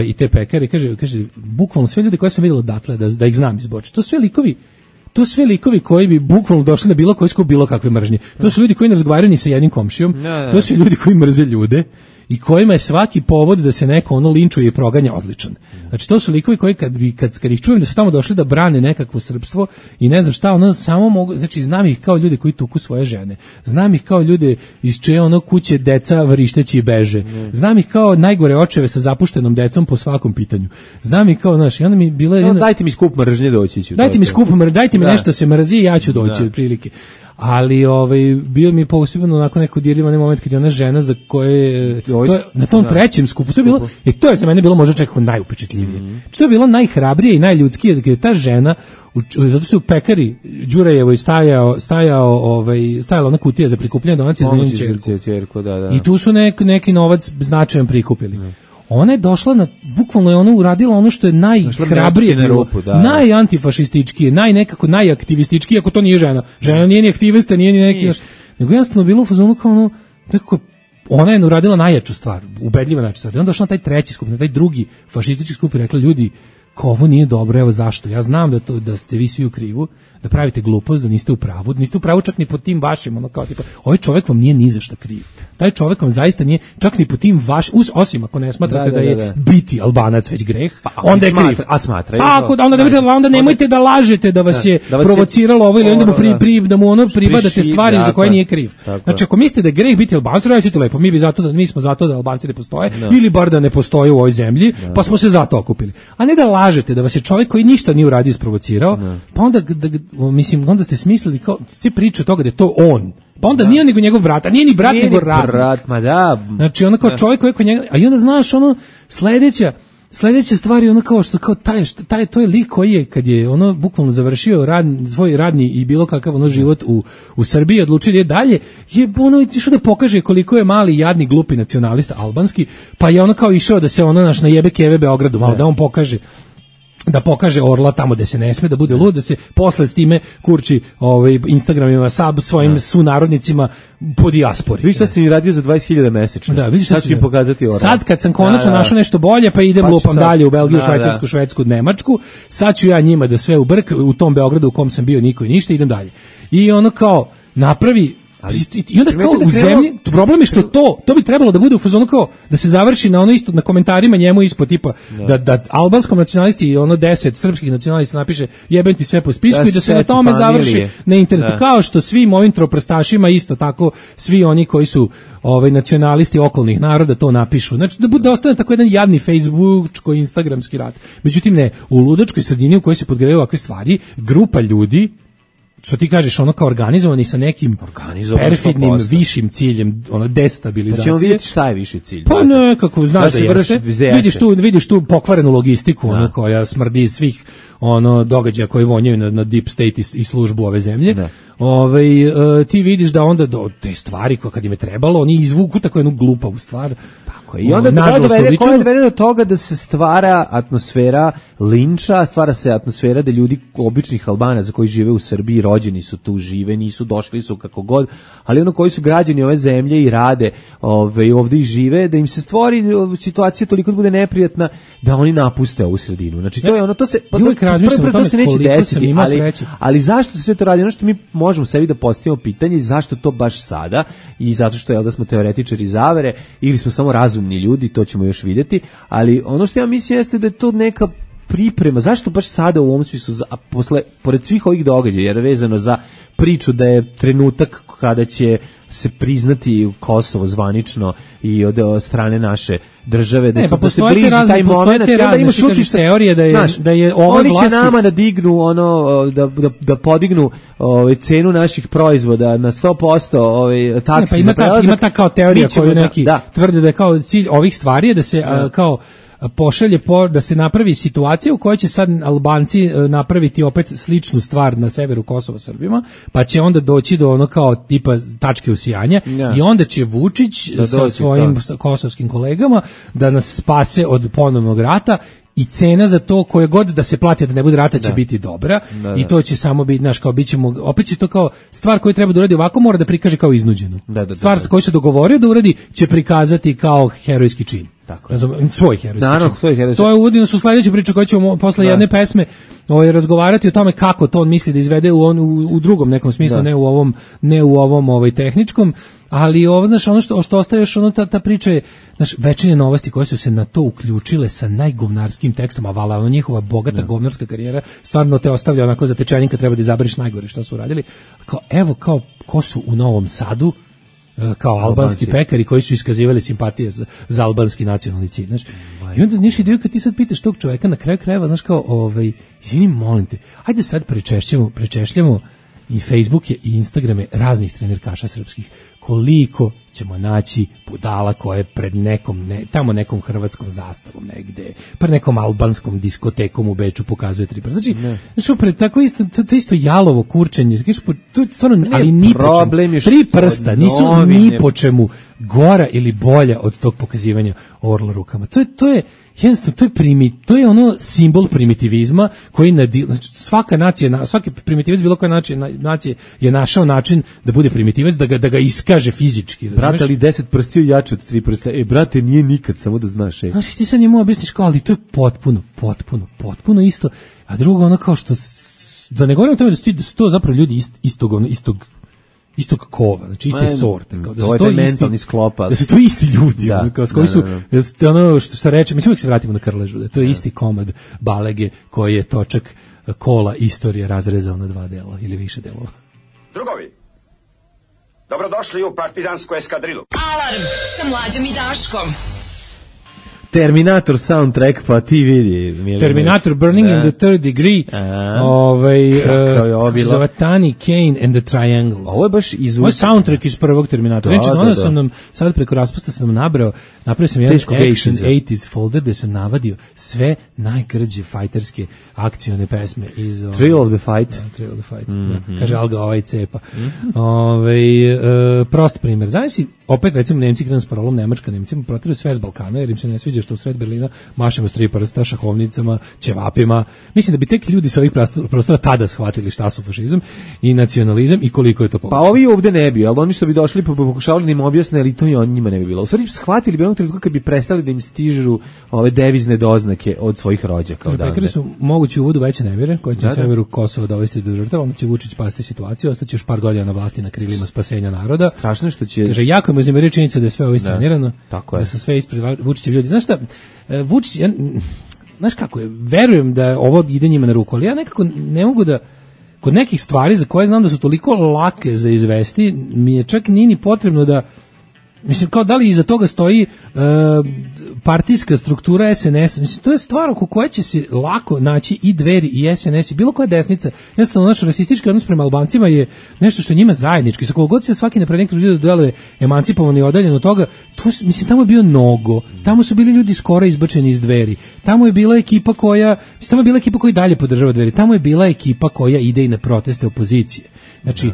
i te pekare, kaže bukvalno sve ljudi koje sam vidjela odatle, da ih znam iz Borče, to sve likovi koji bi bukvalno došli na bilo koji skup bilo kakve mržnje. To su ljudi koji ne razgovaraju ni sa jednim komšijom, to su ljudi koji mrze ljude i kojima je svaki povod da se neko linčuje i proganja odličan. Znači to su likovi koji kad ih čujem da su tamo došli da brane nekakvo srpstvo i ne znam šta, samo mogu, znači znam ih kao ljude koji tuku svoje žene. Znam ih kao ljude iz čije kuće deca vrišteći i beže. Znam ih kao najgore očeve sa zapuštenom decom po svakom pitanju. Znam ih kao, znaš, i onda mi bila dajte mi skup mržnje doći ću. Dajte mi nešto se mrzi i ja ću doći otprilike. Ali bio mi posebno onako neko dirljivan moment kad je ona žena za koje na tom trećem skupu, to je bilo, to je za mene bilo možda čak najupečetljivije. Što je bilo najhrabrije i najljudskije, kad je ta žena, zato što u pekari Đurajevoj stajala ona kutija za prikupljanje donacija za njenu ćerku. I tu su neki novac značajan prikupili. Ona je došla bukvalno je ona uradila ono što je najhrabrije bilo, najantifašističkije, najaktivističkije, ako to nije žena. Žena nije ni aktivista, nije ni neki, nego jednostavno bilo u fazonu kao nekako, ona je uradila najjaču stvar, ubedljiva najjaču stvar. I onda došla na taj treći skup, na taj drugi fašistički skup i rekla, ljudi, kao ovo nije dobro, evo zašto. Ja znam da ste vi svi u krivu, da pravite glupost, da niste u pravu čak ni po tim vašim, kao tipa, ovaj čovjek vam nije ni za šta kriv. Taj čovjek vam zaista nije, čak ni po tim vašim, osim ako ne smatrate da je biti Albanac već greh, onda je kriv. Onda nemojte da lažete da vas je provociralo ovo, ili onda da mu pribadate stvari za koje nije kriv. Znači, ako mislite da je greh biti Albanac, recite lepo, mi smo zato da Albanci ne postoje, ili bar da ne postoje u ovoj zemlji, pa smo se zato okupili. A ne da lažete da vas je čovjek koji ništa nije uradio isprovocirao, pa onda onda ste smislili kao ste priče toga da je to on. Pa onda nije nego njegov brat, a nije ni brat nego radnik. Znači ono kao čovjek koji kod njega, a i onda znaš sledeća stvar je ono kao što kao to je lik koji je kad je ono bukvalno završio svoj radni i bilo kakav život u Srbiji, odlučio je dalje, je ono išao da pokaže koliko je mali jadni glupi nacionalista albanski, pa je ono kao išao da se najebe keve Beogradu, malo da on pokaže orla tamo da se ne sme, da bude lud, da se posle s time kurči Instagramima svojim sunarodnicima po dijaspori. Vidiš šta si mi radio za 20.000 mesečno. Da, vidiš šta ću im pokazati orla. Sad kad sam konačno našao nešto bolje, pa idem lupam dalje u Belgiju, Švajcarsku, Švedsku, Nemačku, sad ću ja njima da sve u brk, u tom Beogradu u kom sam bio niko i ništa, idem dalje. I ono kao napravi I onda kao u zemlji, problem je što to bi trebalo da bude u fazonu kao da se završi na ono isto, na komentarima njemu ispod tipa da albanskom nacionalisti i ono 10 srpskih nacionalista napiše jebem ti sve po spisku i da se na tome završi na internetu. Kao što svim ovim troprstašima isto tako svi oni koji su nacionalisti okolnih naroda to napišu. Znači da ostane tako jedan jadni facebookčko instagramski rat. Međutim ne, u ludačkoj sredini u kojoj se podgrevaju ovakve stvari, grupa ljudi što ti kažeš, ono kao organizovani sa nekim perfidnim višim ciljem, ono destabilizacije. Ćemo vidjeti šta je viši cilj. Pa nekako, znaš da jeste. Vidiš tu pokvarenu logistiku, ono koja smrdi svih događaja koji vonjaju na deep state i službu ove zemlje. Ti vidiš da onda do te stvari koje kad im je trebalo, oni izvuku tako jednu glupavu stvar. I onda dovede do toga da se stvara atmosfera linča, stvara se atmosfera da ljudi, običnih Albanaca koji žive u Srbiji, rođeni su tu, žive, nisu, došli su kako god, ali koji su građani ove zemlje i rade ovdje i žive, da im se stvori situacija toliko da bude neprijatna da oni napuste ovu sredinu. Znači to je ono, to se neće desiti, ali zašto se sve to radi? Ono što mi možemo sebi da postavimo pitanje, zašto to baš sada, i zato što da smo teoretičari zavere ili smo samo razumni ljudi, to ćemo još vidjeti, ali ono što ja mislim jeste da je to neka priprema, zašto baš sada u ovom smislu, pored svih ovih događaja, jer je vezano za priču da je trenutak kada će se priznati Kosovo zvanično i od strane naše države, da se bliži taj moment, da ima šutiš teorije da je ova oni će nama nadignu da podignu cenu naših proizvoda na 100%, taksi za prelazak. Ima ta kao teorija koju neki tvrde da je kao cilj ovih stvari je da se kao pošalje da se napravi situacija u kojoj će sad Albanci napraviti opet sličnu stvar na severu Kosova Srbima, pa će onda doći do ono kao tipa tačke usijanja i onda će Vučić sa svojim kosovskim kolegama da nas spase od ponovnog rata. I cena za to koje god da se plati da ne bude rata će biti dobra i to će samo biti, znaš, kao bićemo, opet će to kao stvar koju treba da uradi ovako, mora da prikaže kao iznuđenu. Stvar koju se dogovorio da uradi će prikazati kao herojski čin. Svoj herojski čin. To je uvodino su sledeću priču koju ćemo posle jedne pesme razgovarati o tome kako to on misli da izvede u drugom nekom smislu, ne u ovom tehničkom, ali znaš, ono što ostaje još, ta priča je, znaš, Večernje novosti koje su se na to uključile sa najgovnarskim tekstom, a vala njihova bogata govnarska karijera stvarno te ostavlja onako za tečajnika, treba da izabereš najgore što su uradili. Kao ko su u Novom Sadu kao albanski pekari koji su iskazivali simpatije za albanski nacionalni cilj, znaš. I onda niš ideju kad ti sad pitaš tog čoveka na kraju krajeva, znaš, kao izvini, molim te, ajde sad prečešljamo i Facebooke i Instagrame raznih trenerkaša srpskih, koliko ćemo naći budala koje pred nekom hrvatskom zastavom negde, pred nekom albanskom diskotekom u Beču pokazuje 3 prsta. Znači, pred tako isto, to isto jalovo kurčenje, to je stvarno, ali ni po čemu. 3 prsta nisu ni po čemu gora ili bolja od tog pokazivanja orla rukama. To je jednostavno, to je ono simbol primitivizma koji znači, svaka nacija, svaki primitivac bilo koja nacija je našao način da bude primitivac, da ga iskaže fizički. Brate, ali 10 prstiju jače od 3 prsta. Brate, nije nikad, samo da znaš. Znači, ti sad njemu objasniš kao, ali to je potpuno isto. A drugo, ono kao što, da ne govorim o tome da su to zapravo ljudi istog kova, znači iste sorte, kao da su to mentalni sklopa, da su to isti ljudi, kao s koji su, ono što reče, mislim uvijek se vratimo na Krležu, da to je isti komad balege koji je točak kola istorije razrezao na 2 dela ili više delova. Drugovi, dobrodošli u partizansku eskadrilu. Alarm sa Mlađom i Daškom. Terminator soundtrack, pa ti vidi. Terminator Burning in the Third Degree, Zavatani, Kane and the Triangles. Ovo je baš Ovo je soundtrack iz prvog Terminatora. Znači, onda sam nam, sad preko raspusta sam nam napravio sam jedan Action 80s folder gde sam navadio sve najgrđe fajterske akcione pesme iz... Thrill of the Fight. Thrill of the Fight, kaže Alga cepa. Prost primjer. Znaš si, opet recimo Nemci krenu s parolom Nemačka, Nemcima protiraju sve s Balkana jer im se ne sviđa luđe što u sred Berlina mašemo s 3 prsta, šahovnicama, ćevapima. Mislim da bi tek ljudi sa ovih prostora tada shvatili šta su fašizam i nacionalizam i koliko je to pogrešno. Pa ovi ovde ne bi, ali oni što bi došli pa pokušavali da im objasne, ali to i on njima ne bi bilo. U stvari shvatili bi onog trenutka kad bi prestali da im stižu ove devizne doznake od svojih rođaka odavde. Pekari su mogući uvodu veće nemire, koji će severu Kosova dovesti do žrtava, onda će Vučić spasti situaciju, ostaće još par godina na vlasti na krilima spasenja naroda. Strašno što će... Kaže, jako je uznemiruje činjenica da je sve ovo iscenirano, tako je. Da su sve ispred Vučićevi ljudi. Znaš šta, Vučić, znaš kako je, verujem da ovo ide njima na ruku, ali ja nekako ne mogu da, kod nekih stvari za koje znam da su toliko lake za izvesti, mi je čak nije ni potrebno da, mislim, kao da li iza toga stoji partijska struktura SNS, mislim, to je stvar oko koje će se lako naći i Dveri i SNS i bilo koja desnica. Jednostavno, naš rasistički odnos prema Albancima je nešto što je njima zajednički. Sa kogod se svaki nepravnik trudi da deluje emancipovan i odaljen od toga, to, mislim, tamo je bio Nogo, tamo su bili ljudi skoro izbačeni iz Dveri, tamo je bila ekipa koja, mislim, tamo je bila ekipa koja dalje podržava Dveri, tamo je bila ekipa koja ide i na proteste opozicije. Znači,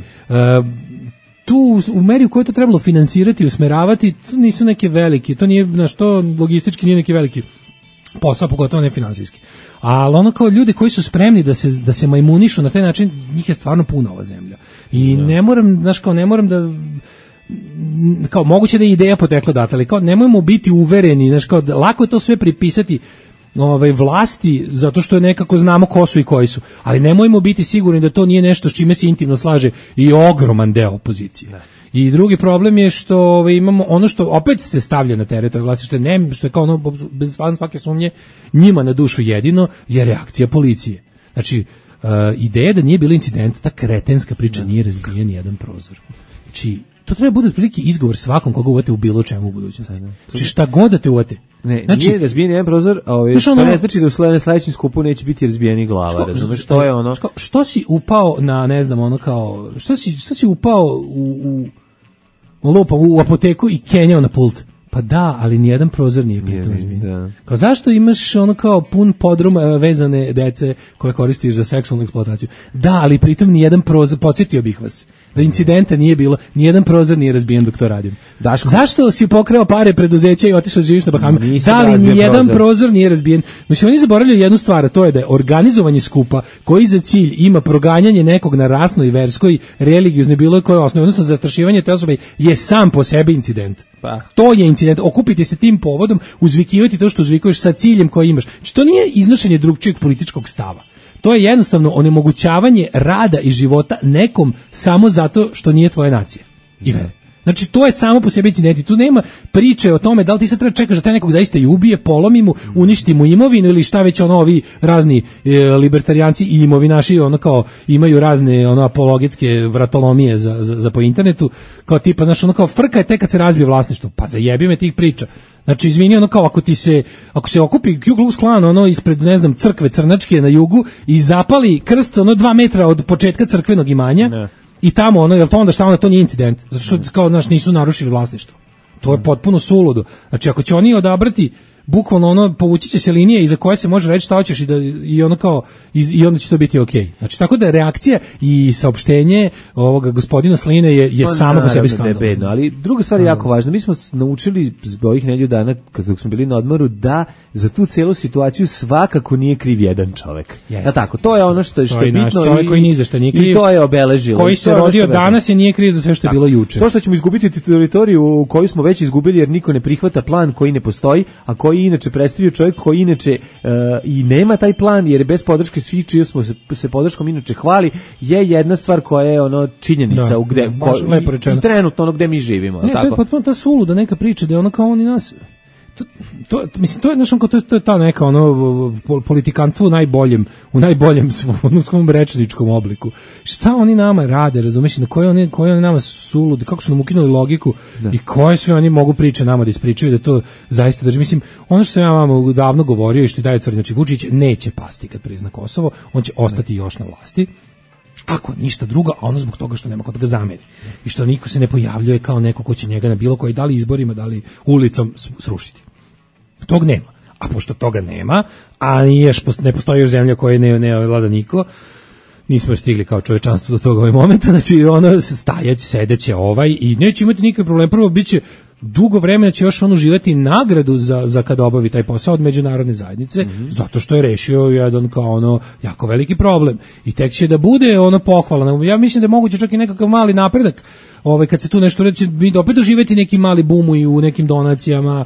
tu u meri u kojoj to trebalo finansirati i usmeravati, to nisu neke velike, to nije, znaš, to logistički nije neki veliki posao, pogotovo ne finansijski. Ali ono kao ljudi koji su spremni da se majmunišu na taj način, njih je stvarno puna ova zemlja. I ne moram, znaš, kao ne moram da, kao moguće da je ideja potekla data, ali kao nemojmo biti uvereni, znaš, kao lako je to sve pripisati vlasti, zato što je nekako znamo ko su i koji su, ali nemojmo biti sigurni da to nije nešto s čime se intimno slaže i ogroman deo opozicije. I drugi problem je što imamo ono što opet se stavlja na teret ove vlasti, što je kao ono, bez svake sumnje, njima na dušu jedino je reakcija policije. Znači, ideja da nije bilo incidenta, ta kretenska priča, nije razbijen jedan prozor. Znači, to treba bude otprilike izgovor svakom koga uvate u bilo čemu u budućnosti. Znači, šta god da te uvate. Ne, znači, nije razbijen jedan prozor, a to ne znači da u sledećem skupu neće biti razbijeni glava, razumeš, što je ono... Što si upao na, ne znam, ono kao... Što si upao u apoteku i kenjao na pult? Pa da, ali nijedan prozor nije pitao izbijen. Kao zašto imaš ono kao pun podrum vezane dece koje koristiš za seksualnu eksploataciju? Da, ali pritom nijedan prozor, podsjetio bih vas, da incidenta nije bilo, nijedan prozor nije razbijen dok to radim. Daško. Zašto si pokrao pare preduzeća i otišao živiš na Bahamima? Da li nijedan prozor nije razbijen? Mislim, oni zaboravljaju jednu stvar, a to je da je organizovanje skupa koji za cilj ima proganjanje nekog na rasnoj, verskoj, religioznoj, bilo koje osnovi, odnosno zastrašivanje te osobe, je sam po sebi incident. Pa. To je incident, okupiti se tim povodom, uzvikivati to što uzvikuješ sa ciljem koji imaš. Znači, to nije iznošenje drugčijeg političkog stava. To je jednostavno onemogućavanje rada i života nekom samo zato što nije tvoja nacija. I vere. Znači, to je samo po sebi incident. Tu nema priče o tome da li ti sad treba čekaš da te nekog zaista i ubije, polomi mu, uništi mu imovinu ili šta već ono ovi razni libertarijanci i imovinaši ono kao imaju razne ono apologetske vratolomije za po internetu, kao tipa, znaš, ono kao frka je tek kad se razbije vlasništvo. Pa zajebi me tih priča. Znači, izvini, ono kao ako se okupi Ku Klux Klan ono ispred, ne znam, crkve crnačke na jugu i zapali krst ono 2 metra od početka crkvenog imanja, ne. I tamo ono, jel to onda šta onda, to nije incident, zato što kao, znaš, nisu narušili vlasništvo. To je potpuno suludo. Znači, ako će oni odabrati bukvalno ono, povući će se linije iza koje se može reći šta hoćeš i ono kao i onda će to biti okej. Znači, tako da reakcija i saopštenje ovoga gospodina Sline je samo po sebi skandalozno. Ali druga stvar je jako važna. Mi smo naučili ovih nedelju dana kad smo bili na odmoru da za tu celu situaciju svakako nije kriv jedan čovek. Da tako, to je ono što je bitno. Čovek koji ni za šta nije kriv. I to je obeležilo. Koji se rodio danas je nije kriv za sve što je bilo juče. To što ćemo izgubiti teritoriju koju smo već izgubili jer niko ne prihvata plan koji ne postoji, a koji inače predstavio čovjek koji inače i nema taj plan jer bez podrške svih čiji smo se podrškom inače hvali je jedna stvar koja je ono činjenica i trenutno ono gde mi živimo. Ne, tako? To je potpuno ta suluda neka priča da je ono kao oni nas mislim to je znači to je ta neka ono politikanstvo u najboljem svom rečničkom obliku. Šta oni nama rade, razumeš, na koje oni nama sulud, kako su nam ukinuli logiku i koje sve oni mogu priče nama da ispričaju da to zaista drži. Mislim, ono što sam ja vam davno govorio i što daje tvrdi, znači Vučić neće pasti kad prizna Kosovo, on će ostati još na vlasti. Ako ništa drugo, a ono zbog toga što nema ko da ga zameri. I što niko se ne pojavljuje kao neko ko će njega na bilo koji, da li izborima, da li ulicom srušiti. Tog nema. A pošto toga nema, a ne postoji još zemlja koja ne vlada niko, nismo stigli kao čovečanstvo do toga ovaj momenta, znači ono stajać, sedeće i neće imati nikakve probleme. Prvo biće dugo vremena će još on uživati nagradu za kad obavi taj posao od međunarodne zajednice, zato što je rešio jedan kao ono jako veliki problem. I tek će da bude ono pohvala. Ja mislim da je moguće čak i nekakav mali napredak. Kad se tu nešto reći, mi opet doživeti neki mali bum i u nekim donacijama,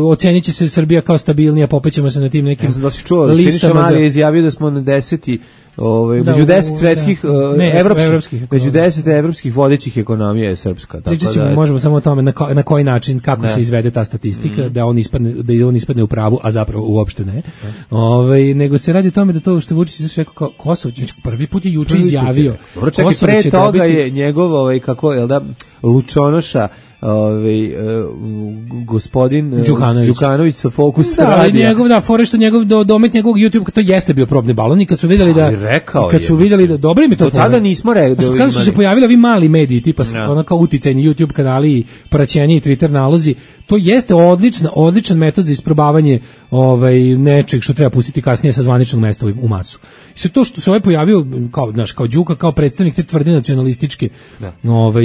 ocenit će se Srbija kao stabilnija, popećemo se na tim nekim listama. Ja sam čuo, Siniša Mali je izjavio da smo na 10. među 10 svetskih evropskih, među 10 evropskih vodećih ekonomija je srpska. Pričat ćemo, možemo samo o tome na koji način, kako se izvede ta statistika, da on ispadne u pravu, a zapravo uopšte ne. Nego se radi o tome da to što Vučić rekao kao Kosovo, prvi put je juče izjavio. Dobro, čekaj, pre toga je njegov, Lučonoša, gospodin Đukanović sa Fokus radija. Njegov domet njegovog YouTube, to jeste bio probni balon i kad su videli da dobro im je to. Tada nismo rekli. Kada su se pojavili ovi mali mediji tipa ono kao uticajni YouTube kanali i praćenje i Twitter nalozi, to jeste odličan metod za isprobavanje nečeg što treba pustiti kasnije sa zvaničnog mesta u masu. I sve to što se pojavio kao Đuka, kao predstavnik te tvrde nacionalističke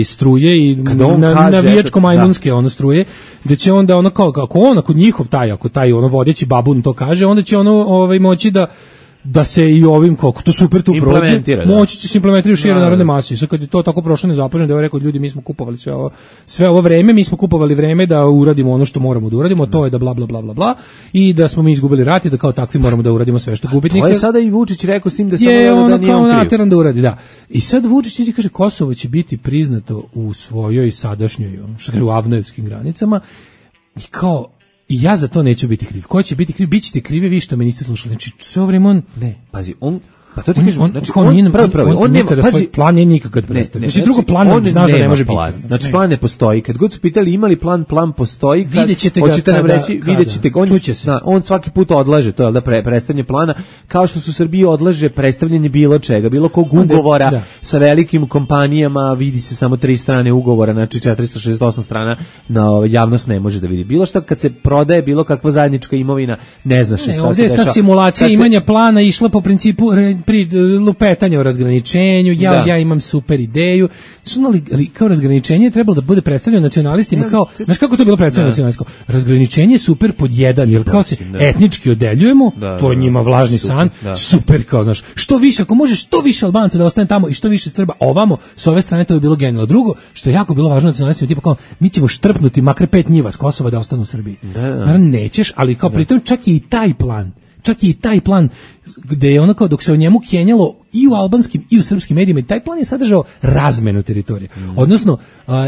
struje i navijačko-majmunske struje, da će onda ako njihov ako taj vodeći babun to kaže, onda će moći da se i ovim kako to super tu prođe, moći će se implementirati u šire narodne mase. Sad kad je to tako prošlo nezapaženo, da je rekao ljudi, mi smo kupovali sve ovo vreme, mi smo kupovali vreme da uradimo ono što moramo da uradimo, to je da bla bla bla bla bla i da smo mi izgubili rat i da kao takvi moramo da uradimo sve što gubitnika. To je sada i Vučić rekao s tim da samo da nije on kriv. Da uradi, da. I sad Vučić kaže Kosovo će biti priznato u svojoj sadašnjoj, što kaže, u avnojevskim granicama i kao i ja za to neću biti kriv. Ko će biti kriv? Bićete krivi vi što me niste slušali. Znači, sve ovo vreme on... Ne, pazi, pa to ti kažem, znači on nekada svoj plan nije nikad predstavio. Znači drugo plan ne znaš da ne može biti. Znači plan ne postoji. Kad god su pitali imali plan postoji, hoćete nam reći, videćete ga, on svaki put odlaže to, da predstavljanje plana, kao što su Srbiji odlaže predstavljanje bilo čega, bilo kog ugovora sa velikim kompanijama, vidi se samo 3 strane ugovora, znači 468 strana na javnost ne može da vidi. Bilo šta kad se prodaje bilo kakva zajednička imovina, ne znaš šta se dešava. Ovdje je ta simulacija imanja plana išla po principu pri lupetanju o razgraničenju, ja imam super ideju. Ali kao razgraničenje je trebalo da bude predstavljeno nacionalistima kao, znaš kako to bilo predstavljeno nacionalistima? Razgraničenje je super pod jedan, jer kao se etnički odeljujemo, to je njima vlažni san, super kao, znaš, što više, ako može što više Albanca da ostane tamo i što više Srba ovamo, s ove strane to je bilo genijalno. Drugo, što je jako bilo važno nacionalistima, tipa kao, mi ćemo štrpnuti makar 5 njiva s Kosova da ostanu u Srbiji. Naravno nećeš, ali kao pritom čak i taj plan gde je ono kao dok se o njemu kenjalo i u albanskim i u srpskim medijima i taj plan je sadržao razmenu teritorije. Odnosno,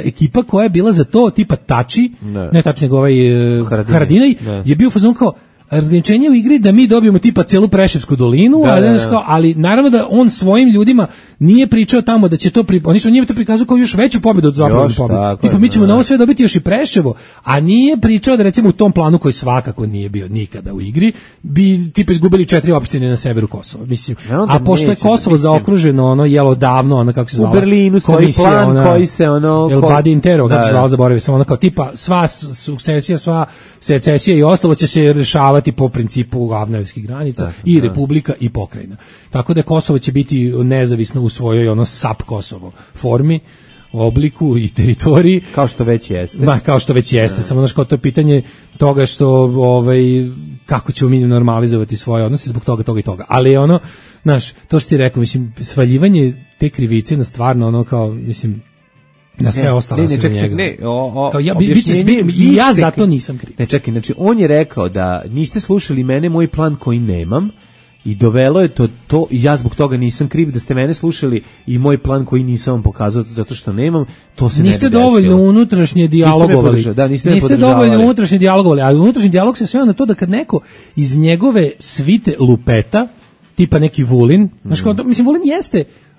ekipa koja je bila za to tipa Tači, ne Tači nego Haradinaj, je bio fazon kao razgraničenje u igri da mi dobijemo tipa celu Preševsku dolinu, ali naravno da on svojim ljudima nije pričao tamo da će to oni su njima to prikazali kao još veću pobedu od zapadne pobede. Tipa mi ćemo na ovo sve dobiti još i Preševo, a nije pričao da recimo u tom planu koji svakako nije bio nikada u igri, bi tipa izgubili 4 opštine na severu Kosova. Mislim, a pošto je Kosovo zaokruženo jelo davno, kako se zvala, u Berlinu stoji plan koji se El Badi Intero, kako se zvala, zaboravio sam, kao tipa sva sukcesija, sva secesija i ostalo će se rešavati po principu avnojevskih granica i republika i pokrajina. Tako da Kosovo će biti nezavisno u svojoj SAP Kosovo formi, obliku i teritoriji. Kao što već jeste. Kao što već jeste. Samo kao to je pitanje toga što kako ćemo mi normalizovati svoje odnose zbog toga i toga. Ali znaš, to što ti rekao, mislim, svaljivanje te krivice na stvarno kao, mislim, na sve ostalo se njega. Ja zato nisam kriv. Ne, čekaj, znači on je rekao da niste slušali mene, moj plan koji nemam, i dovelo je to i ja zbog toga nisam kriv, da ste mene slušali i moj plan koji nisam vam pokazao zato što nemam, to se niste dovoljno unutrašnje dijalogovali. Niste dovoljno unutrašnje dijalogovali, a unutrašnji dijalog se sveo na to da kad neko iz njegove svite lupeta, tipa neki Vulin, znači mislim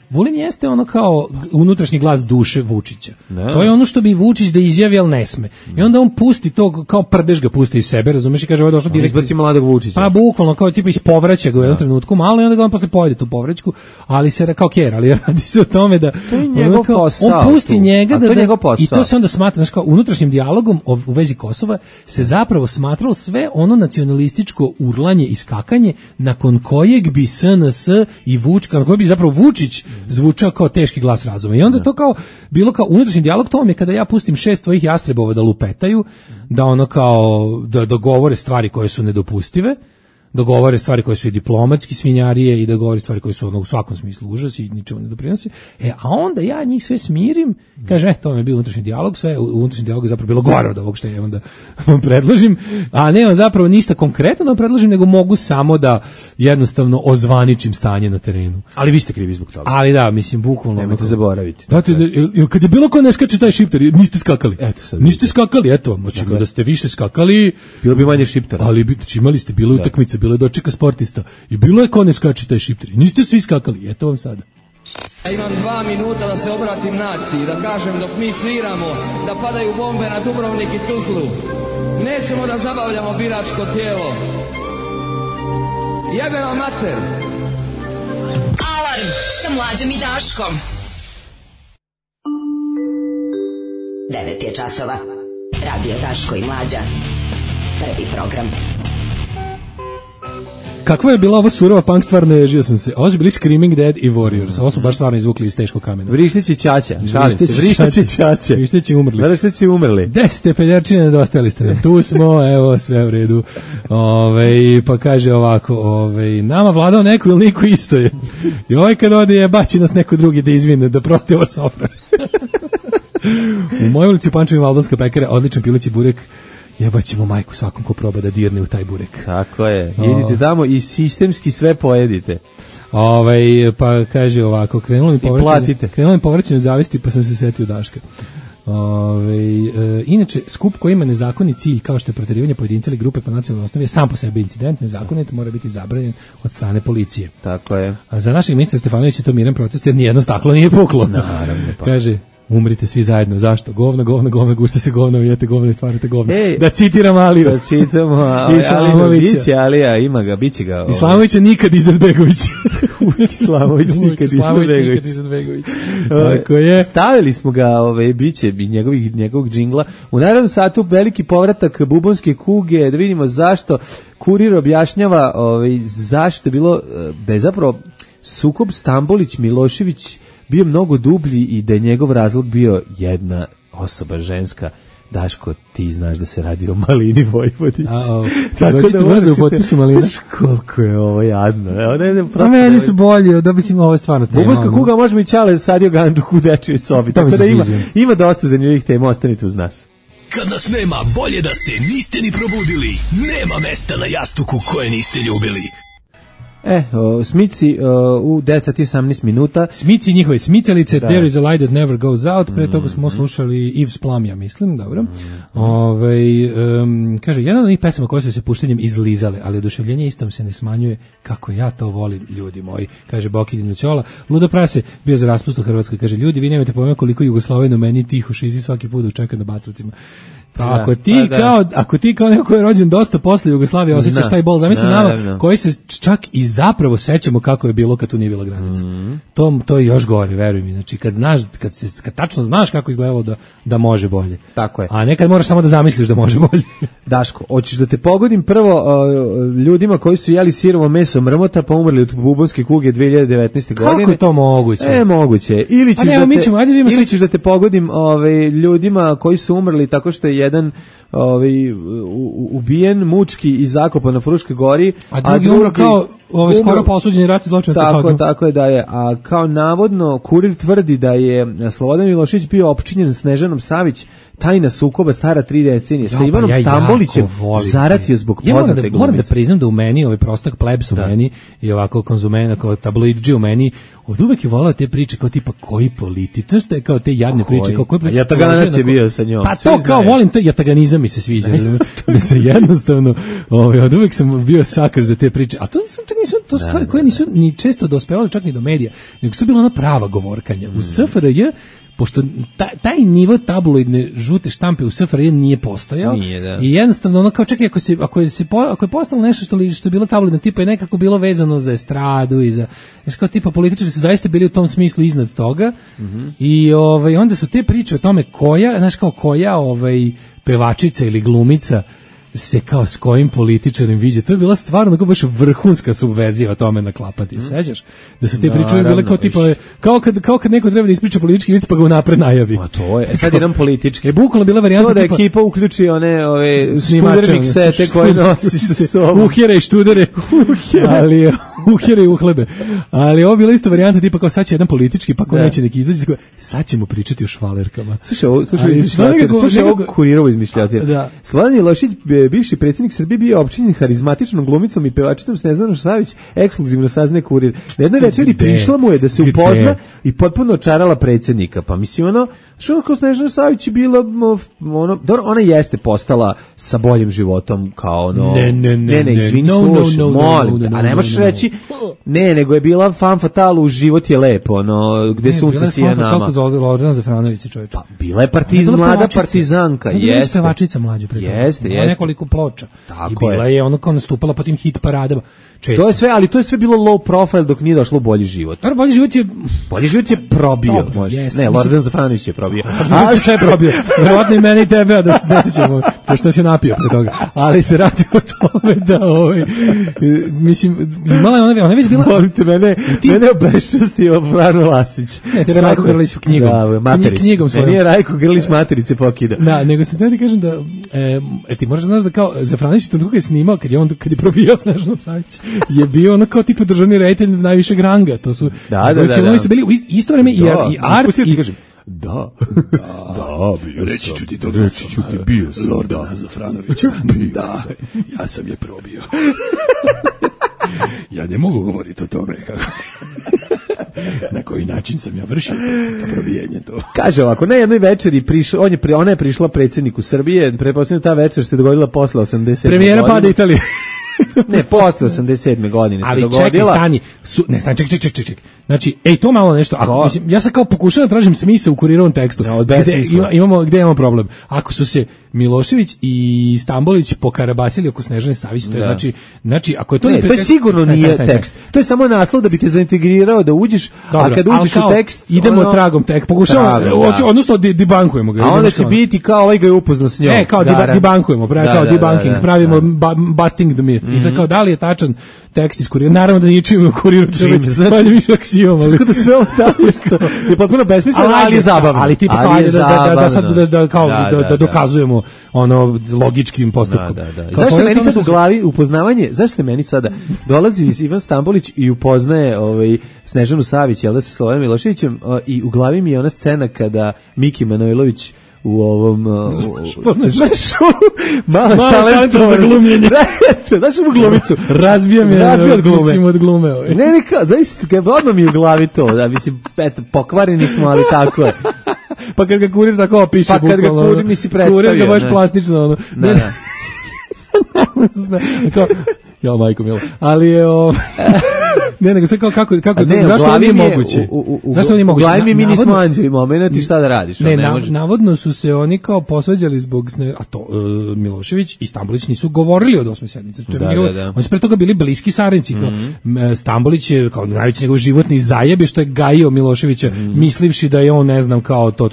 Vulin jeste ono kao unutrašnji glas duše Vučića. To je ono što bi Vučić da izjavi, ali ne sme. I onda on pusti to, kao prdež ga pusti iz sebe, razumeš, i kaže ovo je došlo direktno. Izbaci mladog Vučića. Pa bukvalno, kao tipa ispovraća ga u jednom trenutku malo i onda ga on posle pojede tu povraćku, ali se kao kjer, ali radi se o tome da to je njegov posao. On pusti njega i to se onda smatra, znači kao unutrašnjim dijalogom u vezi Kosova se zapravo smatralo sve ono nacionalističko urlanje i skakanje nakon kojeg bi SNS i Vučić, kako bi zapravo Vučić zvučao kao teški glas razuma. I onda to kao bilo kao unutrašnji dijalog, to vam je kada ja pustim 6 tvojih jastrebova da lupetaju, da ono kao da dogovore stvari koje su nedopustive, dogovore stvari koje su i diplomatski svinjarije i dogovore stvari koje su u svakom smislu užas i ničemu ne doprinose. A onda ja njih sve smirim, kaže, to mi je bio unutrašnji dijalog, sve u unutrašnji dijalog je zapravo bilo gore od ovog što ja onda vam predložim, a nemam zapravo ništa konkretno da predložim, nego mogu samo da jednostavno ozvaničim stanje na terenu. Ali vi ste krivi zbog toga. Ali da, mislim, bukvalno. Nemojte zaboraviti. Znate, kad je bilo ko ne skače taj šiptar, niste skakali. Niste skakali, eto, moći da ste više skakali. Bilo bi manje šiptara. Ali imali ste, bilo utakmice, bilo je dočeka sportista i bilo je ko ne skače taj šiptar. Niste svi skakali, eto vam sada. Ja imam 2 minuta da se obratim naciji, da kažem dok mi sviramo, da padaju bombe na Dubrovnik i Tuzlu. Nećemo da zabavljamo biračko tijelo. Jebe vam mater! Alarm sa Mlađom i Daškom. 9 je časova. Radio Daško i Mlađa. Prvi program. Kakva je bila ova surova punk stvar, naježio sam se. Ovo su bili Screaming Dead i Warriors. Ovo smo baš stvarno izvukli iz teškog kamena. Vrištić i Ćaća. Vrištić i umrli. Vrištić i umrli. 10 peljarčine nedostajali ste nam. Tu smo, evo, sve u redu. Pa kaže ovako, nama vladao neko ili niko isto je. I kad ode je baci nas neko drugi da izvine, da prosti ovo sofra. U mojoj ulici u Pančevima albanska pekara, odličan pileći burek. Jebaćemo majku svakom ko proba da dirne u taj burek. Tako je. Idite tamo i sistemski sve pojedite. Pa kaže ovako, krenulo mi povraćanje od zavisti, pa sam se setio Daška. Inače, skup koji ima nezakonit cilj kao što je proterivanje pojedinca ili grupe po nacionalnoj osnovi je sam po sebi incident, nezakonit, mora biti zabranjen od strane policije. Tako je. A za našeg ministra Stefanovića je to miran protest jer nijedno staklo nije puklo. Naravno. Pa. Kaže, umrite svi zajedno. Zašto? Govno, gušte se govno, jete govno i stvarate govno. Da citiram Aliju. Da čitamo Islamovića. Biće Alija, ima ga, biće ga. Islamovića nikad Izetbegović. Islamović nikad Izetbegović. Tako je. Stavili smo ga, biće njegovih džingla. U naravnom satu veliki povratak bubonske kuge, da vidimo zašto Kurir objašnjava zašto je bilo, da je zapravo sukob Stambolić-Milošević bio mnogo dublji i da je njegov razlog bio jedna osoba ženska. Daško, ti znaš da se radi o Malini Vojvodić. Tako da brzo u potpisu Malina. Koliko je ovo jadno. A meni su bolje, da mislim ovo je stvarno tema. Bubonska kuga, možemo i Ćale sadio ganđuhu u dečjoj sobi. Tako da ima dosta zanimljivih tema, ostanite uz nas. Kad nas nema, bolje da se niste ni probudili. Nema mesta na jastuku koje niste ljubili. Smici u 10:18 minuta. Smici i njihove smicalice, There is a light that never goes out. Pre toga smo slušali Yves Plamija, mislim, dobro. Kaže, jedna od njih pesama koje su se puštenjem izlizale, ali oduševljenje istom se ne smanjuje, kako ja to volim, ljudi moji. Kaže Boki Dinućola. Ludo Prase bio za raspust u Hrvatskoj. Kaže, ljudi, vi nemate pojma koliko Jugoslavenu meni tiho šizi svaki put učeka na Batrovcima. Pa ako ti kao neko je rođen dosta posle Jugoslavije osjećaš taj bol, zamisli nama koji se čak i zapravo sećamo kako je bilo kad tu nije bila granica. To je još gore, veruj mi. Znači kad tačno znaš kako izgledalo da može bolje. Tako je. A nekad moraš samo da zamisliš da može bolje. Daško, hoćeš da te pogodim prvo ljudima koji su jeli sirovo meso mrmota pa umrli od bubonske kuge 2019. godine. Kako je to moguće? Moguće. Ili ćeš da te pogodim ljudima koji su umrli tako što je jedan ubijen, mučki i zakopan na Fruškoj gori, a drugi umro kao skoro pa osuđeni ratni zločinac. Tako je da je, a kao navodno Kurir tvrdi da je Slobodan Milošević bio opčinjen Snežanom Savić, tajna sukoba stara 3 decenije. Sa Ivanom Stambolićem zaratio zbog poznate glumice. Moram da priznam da u meni, ovaj prostak plebs u meni i ovako konzumena kao tabloidži u meni, od uvek je volao te priče kao tipa koji političar ste, kao te jadne priče, kao koji političar. Jataganac je bio sa njom. Pa to kao volim, to jataganizam mi se sviđa. Da se jednostavno, od uvek sam bio sakar za te priče. A to su stvari koje nisu ni često dospevale čak ni do medija, nego su bila ona prava govorkanja. U SFRJ, pošto taj nivo tabloidne žute štampe u SFRJ nije postojao, i jednostavno ono kao čekaj, ako je postalo nešto što je bilo tabloidno tipa je nekako bilo vezano za estradu i za, znači kao tipa političari su zaista bili u tom smislu iznad toga, i onda su te priče o tome koja pevačica ili glumica se kao s kojim političarem viđe. To je bila stvarno kao baš vrhunska subverzija o tome naklapati. Sećaš? Da su te priče bile kao tipa kao kad neko treba da ispriča politički vic pa ga unapred najavi. A to je. Sad jedan politički. Bukvalno bila varijanta to da tipa ekipa uključi ove studernik sete koje nosi sa sobom. Uhjere i študere. Ali uhjere i uhlebe. Ali ovo bila isto varijanta tipa kao sad će jedan politički pa ko neće neki izaći sad ćemo pričati o švalerkama. Slušaj ovo Kurirovo izmišljatine. Sladan Milošević, bivši predsjednik Srbije, bio opčinjen harizmatičnom glumicom i pevačicom Snežanom Savić, ekskluzivno saznaje Kurir. Na jednoj večeri prišla mu je da se upozna i potpuno očarala predsjednika. Pa mislim što kao Snežana Savić je bila ona jeste postala sa boljim životom kao ne, izvini, slušaj, molim, a ne možeš reći ne, nego je bila fan fatal u život je lepo, gde sunce sija nama. Kako zove Lordana Zafranović, čovječe? Pa, bila je mlada partizanka, jeste. Pevačica mlađa pre toga. Jeste. Nekoliko ploča. I bila je ono kao nastupala po tim hit paradama. Često. To je sve bilo low profile dok nije došlo u bolji život. Bolji život je probio. Ne, Lordan Zafranović je probio. Ali sve probio. Verovatno i mene i tebe, da se ne sećamo, pošto se napio pre toga. Ali se radi o tome da mislim, imala je ona već bila... Molim te, mene obeščastio Frano Lasić. Ne, te je Rajko Grlić knjigom. Knjigom svojom. Meni je Rajko Grlić materice pokida. Da, nego se ti kažem da, ti možeš znaš da kao Zafranović to dugo je snimao, kad je probio Snežanu Savić, je bio ono kao tipa državni reditelj najvišeg ranga. To su, filmovi su bili u isto vreme i art i... Da, reći ću ti to, bio sam Lordana Zafranovića. Da, ja sam je probio. Ja ne mogu govoriti o tome kako... Na koji način sam ja vršio to probijenje to. Kaže ovako, na jednoj večeri ona je prišla predsjedniku Srbije, pretpostavljam ta večer se dogodila posle 87. Premijera pada Italije. Ne, posle 87. godine se dogodila. Ali čekaj. Znači, to malo nešto. Mislim, ja sad kao pokušavam da tražim smisao u Kurirovom tekstu. Gde imamo problem? Ako su se Milošević i Stambolić pokarabasili oko Snežane Savić, to je znači ako je to to je sigurno nije tekst. To je samo naslov da bi te zaintegrirao da uđeš, a kad uđeš u tekst idemo tragom tekst. Pokušavamo, odnosno debankujemo ga. A onda će biti kao ovaj ga je upoznao s njom. Kao debankujemo, kao debunking, pravimo busting the myth. I sad kao da li je tačan tekst iz Kurira? Naravno da nije čim u Kuriru treba više aksijom, ali kako da sve ovo tako što je potpuno besmisleno, ali je zabavno. Ali tipa da dokazujemo ono logičkim postupkom. Zašto meni sad u glavi upoznavanje, zašto meni sada dolazi Ivan Stambolić i upoznaje Snežanu Savić, jel da, sa Slobodanom Miloševićem, i u glavi mi je ona scena kada Miki Manojlović u ovom znaš mali talent za glumljenje. Znaš mu glumicu razbija od glume. Ne, zaista odmah mi u glavi to, da mislim, pokvareni smo, ali tako je. Pa kad ga Kurir tako opiše, pa kad ga Kurir mi si predstavio, Kurir ga baš plastično ono. Kao ja majko milo, ali je ne, nego sve kako zašto ovo nije moguće? Zašto nije moguće? U glavi mi nismo anđeli momenti, šta da radiš? Navodno su se oni kao posvađali zbog a to Milošević i Stambolić nisu govorili od 8. sednice. Oni su pre toga bili bliski saradnici. Stambolić je kao najveći njegov životni zajeb što je gajio Miloševića, mislivši da je on ne znam kao to.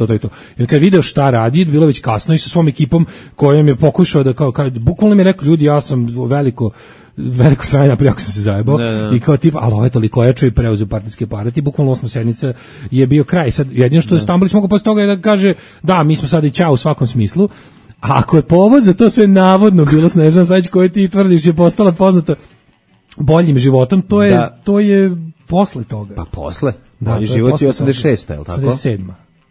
Jer kad video šta radi, bilo već kasno i sa svom ekipom kojom je pokušao da kao bukvalno mi je rekao, ljudi, ja sam veliko sranje napravio ako sam se zajebao i kao tipa, ali ovo je toliko ojačao i preuzeo partijski aparat i bukvalno 8. sednica je bio kraj. Sad jedino što je Stambolić mogao posle toga je da kaže da, mi smo sad i ćao u svakom smislu, a ako je povod za to sve navodno bilo Snežana Savić koju ti tvrdiš je postala poznata boljim životom, to je posle toga. Pa posle? Bolji život je 86. je li tako? 87.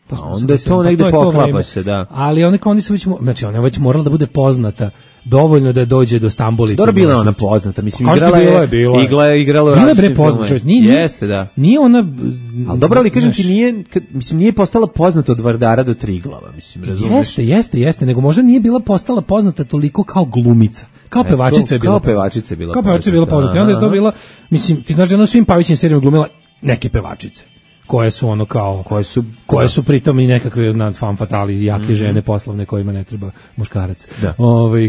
A onda je to negde poklapa se, da. Ali oni su već, znači ona je već morala da bude poznata dovoljno da dođe do Stambolića. Dobro, bila ona poznata, mislim, igrala je bre poznata, jeste, da. Nije ona, ali dobro, ali kažem ti, nije postala poznata od Vardara do Triglava, mislim, razumiješ? Jeste, nego možda nije bila postala poznata toliko kao glumica. Kao pevačica je bila poznata. I onda je to bila, mislim, ti znaš da ona svim Pavićim serijama glumila neke pevačice koje su ono kao koje su pritom i nekakve fan fatali jake žene poslovne kojima ne treba muškarac.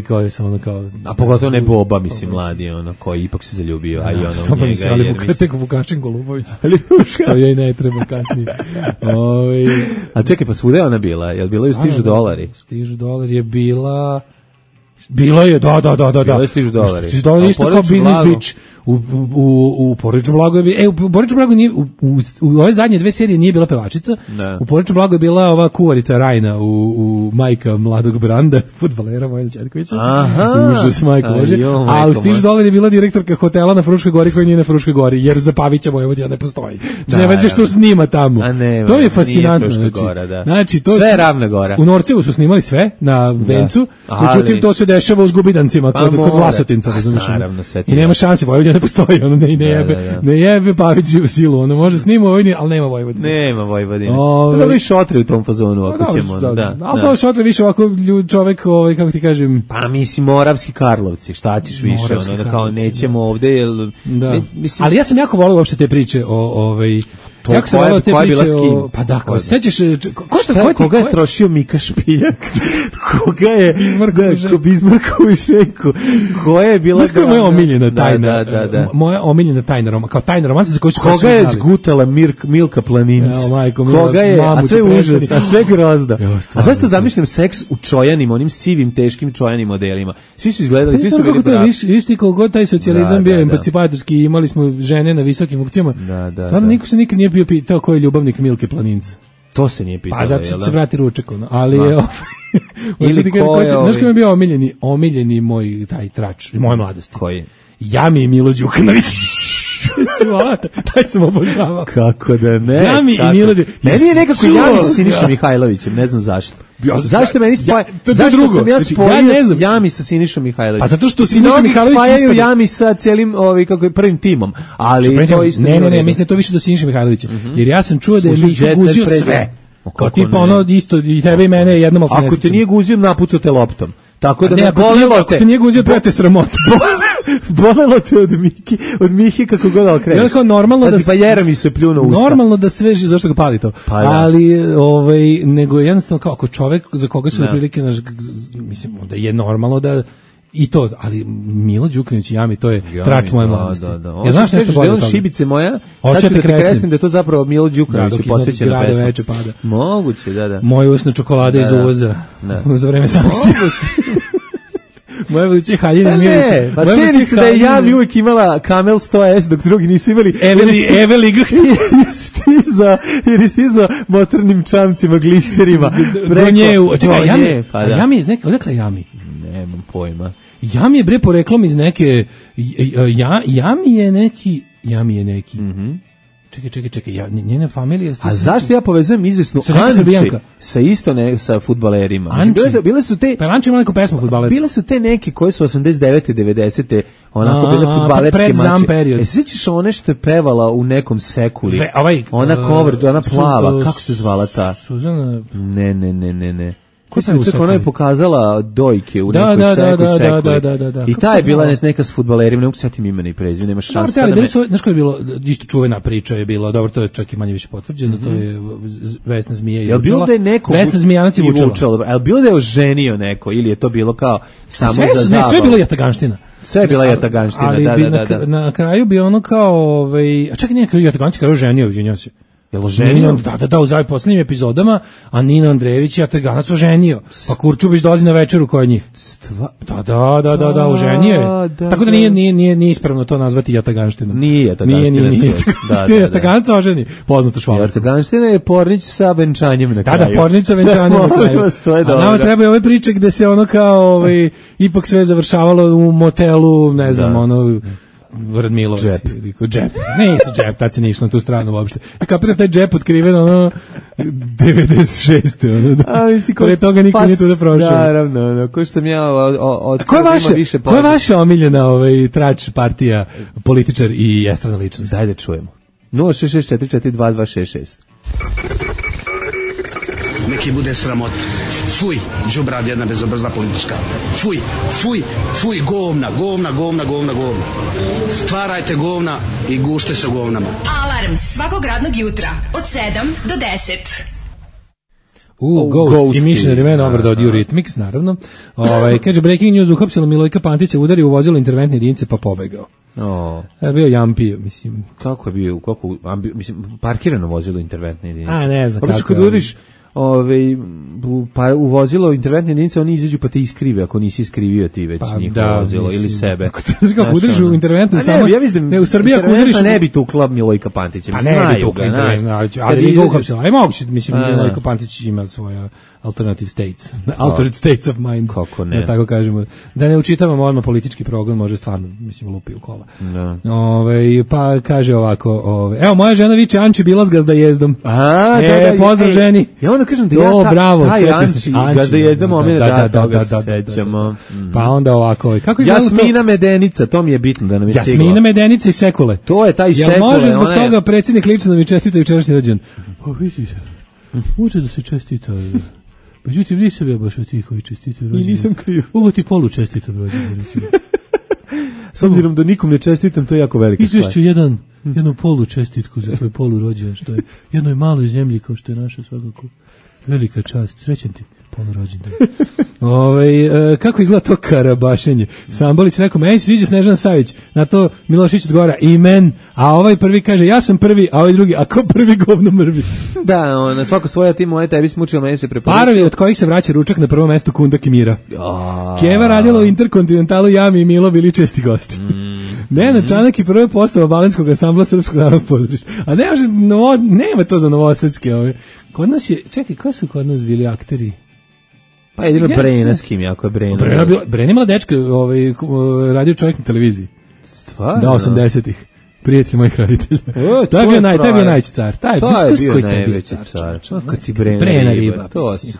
Koje su ono kao, a pogotovo ne Boba, mislim, mladi ono koji ipak se zaljubio, a i ono u njega, ali tek Vukašin Golubović što joj ne treba kasnije. A čekaj, pa svuda je ona bila? Je li bila i Stižu dolari? Stižu dolari je bila Bilo je, da. Bilo je stižu dolari. Stižu dolari isto kao Business Beach. U Porodičnom Blagu je bilo, u Porodičnom Blagu nije, u ove zadnje dve serije nije bila pevačica, u Porodičnom Blagu je bila ova kuvarica Rajna, u majka mladog Branda, fudbalera Vojna Ćerkovića, užas majka Bože, a u Stižu dolari je bila direktorka hotela na Fruškoj gori koji nije na Fruškoj gori, jer za Pavića Vojvodina ne postoji. Znači, nema što snima tamo. To je fascinantno. Znači, to sve je Ravna Gora. U Norcevu su snimali sve na Vencu, međutim to se dešava u Zgubidancima kod Vlasotinca, i nema šanse, Vojvodina ne postoji, ono ne jebe Pavić u silu, ono može snima Vojvodini, ali nema Vojvodine. Nema Vojvodine. Dobro i šotre u tom fazonu, ako ćemo. Ali to šotre više ovako čovek, kako ti kažem... Pa mislim, Moravski Karlovci, šta ćeš više, ono, kao nećemo ovde, ali ja sam jako volio uopšte te priče o jako sam volio te priče o... Pa da, ko sećaš... Koga je trošio Mika Špiljak? Koga je... Bizmarkovu šenku. Koja je bila... Znaš koja je moja omiljena tajna? Moja omiljena tajna, kao tajna romansa za koju su... Koga je zgutala Milka Planinc? Koga je... A sve užas, a sve grozda. A zašto zamišljam seks u čojanim, onim sivim, teškim čojanim modelima? Svi su izgledali, svi su bili bravi. Viš ti koliko taj socijalizam bio emancipatorski, imali smo žene na visokim funkcijama. Stvarno niko se nikad nije bio pitao ko je ljubavnik Milke Planinca. To se nije pitalo. Pa zato se vrati ručak, ali ili ko je... Znaš ko je bio omiljeni moj taj trač, moje mladosti? Koji? Jami i Milo Đukanović. Taj sam obožavao. Kako da ne? Jami i Milo Đukanović. Meni je nekako Jami sa Sinišom Mihajlovićem, ne znam zašto. Zašto meni spaja? Zašto sam ja spojio Jami sa Sinišom Mihajlovićem? Pa zato što Siniša Mihajlović spajaju Jami sa cijelim kako je prvim timom. Ali to isto ne, mislim to više do Siniša Mihajlovića. Jer ja sam čuo da je Miha guzio sve. Kao tipa ono isto i tebe i mene jednom ali ako te nije guzio, napucao te loptom. Tako da ne bolelo te. Ako te nije guzio, treba te sramota. Bolelo te od Mihe kako god da okreneš. Je kao normalno da pa Jera mi se pljuno usta. Normalno da sve zašto ga pali to. Pa, ali nego jednostavno kao ako čovjek za koga su prilike mislim da je normalno da i to, ali Milo Đukanović i Jami, to je trač moje mladosti. Ja znaš nešto bolje od toga? Šibice moja, sad ću da kreslim da je to zapravo Milo Đukanović posvećena pesma. Veče pada. Moguće, da. Moje usne čokolade iz uvoza za vreme sankcija. Moje buduće haljine Milića. Ne, pa sjenica da je Jami uvijek imala Kamel 100S, dok drugi nisu imali. Eveli ga jer je stizao motornim čamcima, gliserima. Do nje, Jami iz neke, odakle Jami? Nemam pojma. Jami je bre poreklom iz neke, Jami je neki. Čekaj, njena familija... A zašto ja povezujem izvesnu Anči sa isto sa fudbalerima? Bile su te... Pa Anči ima neku pesmu fudbalerca. Bile su te neke koje su 89. 90. onako bile fudbalerske mače. Se sjećaš one što je pevala u nekom sekuli? Ona cover, ona plava, kako se zvala ta? Suzana... Ne. Ona je pokazala dojke u nekoj sekuli. I ta je bila neka s fudbalerima, ne mogu setim imena i prezime, nemaš šanse. Znaš koja je bilo, isto čuvena priča je bila, dobro, to je čak i manje više potvrđeno, to je Vesna Zmija i Vučala. Vesna Zmijanac i Vučala. Je li bilo da je oženio neko ili je to bilo kao samo za zabavu? Sve je bilo jataganština. Sve je bila jataganština, da. Na kraju bi ono kao, a čak i nije kao jataganština, kao ženio, izvinjao se. Jel oženio? Da, u zadnjim posljednjim epizodama, a Nino Andrejević je Jataganac oženio. Pa Kurčubić dolazi na večeru kod njih. Da, oženio je. Tako da nije ispravno to nazvati Jataganština. Nije Jataganština. Nije Jataganac oženi. Poznato švala. Jataganština je Pornić sa venčanjem na kraju. Da, Pornić sa venčanjem na kraju. A nama treba ove priče gde se ono kao ipak sve završavalo u motelu, ne znam, ono... Radmilovac. Džep. Nisu džep, tad se nije išlo na tu stranu uopšte. Kapiram taj džep otkriven, 96. Kore toga niko nije tu da prošao. Naravno, ko što sam ja Ko je vaša omiljena trač partija, političar i estrana ličnost? Dajde čujemo. 066442266. Neki bude sramot. Fuj, đubrad jedna bezobrazna politička. Fuj, govna. Stvarajte govna i gušte se govnama. Alarm svakog radnog jutra od 7 do 10. Ghost i Missionary Man Overdose od Eurythmics, naravno. Kaže, breaking news, uhapsilo Milojka Pantića, udari u vozilo interventne jedinice pa pobegao. Bio jampio, mislim. Kako je bio? Mislim, parkirano vozilo interventne jedinice. A, ne znam kako je. pa u vozilo interventne jedinice oni izađu pa te iskrive ako nisi iskrivio ti već njihovo vozilo ili sebe. Kako udariš u interventnu samo ne, u Srbiji ako udariš ne bi tukla Milojka Pantića. Pa ne bi tukla, ali bi ga uhapsila. Aj moguće, mislim Milojko Pantić ima svoja alternative states, alternate states of mind. Kako ne? Da tako kažemo. Da ne učitavamo odmah politički program, može stvarno, mislim, lupi u kola. Da. Pa kaže ovako, evo moja žena viče Anči bila s gazdajezdom. Pozdrav ženi. Ja onda kažem da taj Anči gazdajezdom omena toga se sećamo. Pa onda ovako, kako je Jasmina Medenica, to mi je bitno da nam je stiglo. Jasmina Medenica i Sekule. To je taj Sekule. Jel može zbog toga predsjednik lično da mi čestita jučerašnji rođendan? Pa vidi se. Može da se čestita. Međutim, nisam ja baš od tih koji čestitaju rođendan. I nisam kriv. Ovo ti polu čestitam rođendan, recimo. S obzirom da nikom ne čestitam, to je jako velika stvar. Izvešću jednu polu čestitku za tvoj polu rođendan, što je jednoj maloj zemlji kao što je naša svakako velika čast. Srećan ti polu rođendan. Kako izgleda to karabašenje? Sambolić rekao, meni se sviđa Snežana Savić. Na to Milošić odgovara, amen. A ovaj prvi kaže, ja sam prvi, a ovaj drugi, a ko prvi govno mrvi? Da, na svako svoje ti moje tebi smučilo, meni se preporučio. Parovi od kojih se vraća ručak na prvom mestu Kundak i Mira. Keva radila u Interkontinentalu, Jami i Milo bili česti gosti. Nenad Čanak i prve postava Balenskog ansambla Srpskog narodnog pozorišta. A nema to za novosadske ove. Kod nas je, čekaj, ko su kod nas bili akteri? Pa jedino Brena s kim, jako je Brena. Brena imala dečka, radio čovjek na televiziji. Stvarno? Da, 80-ih. Prijatelj mojih roditelja. To je bio najveći car. To je bio najveći car. Kad ti Brena riba.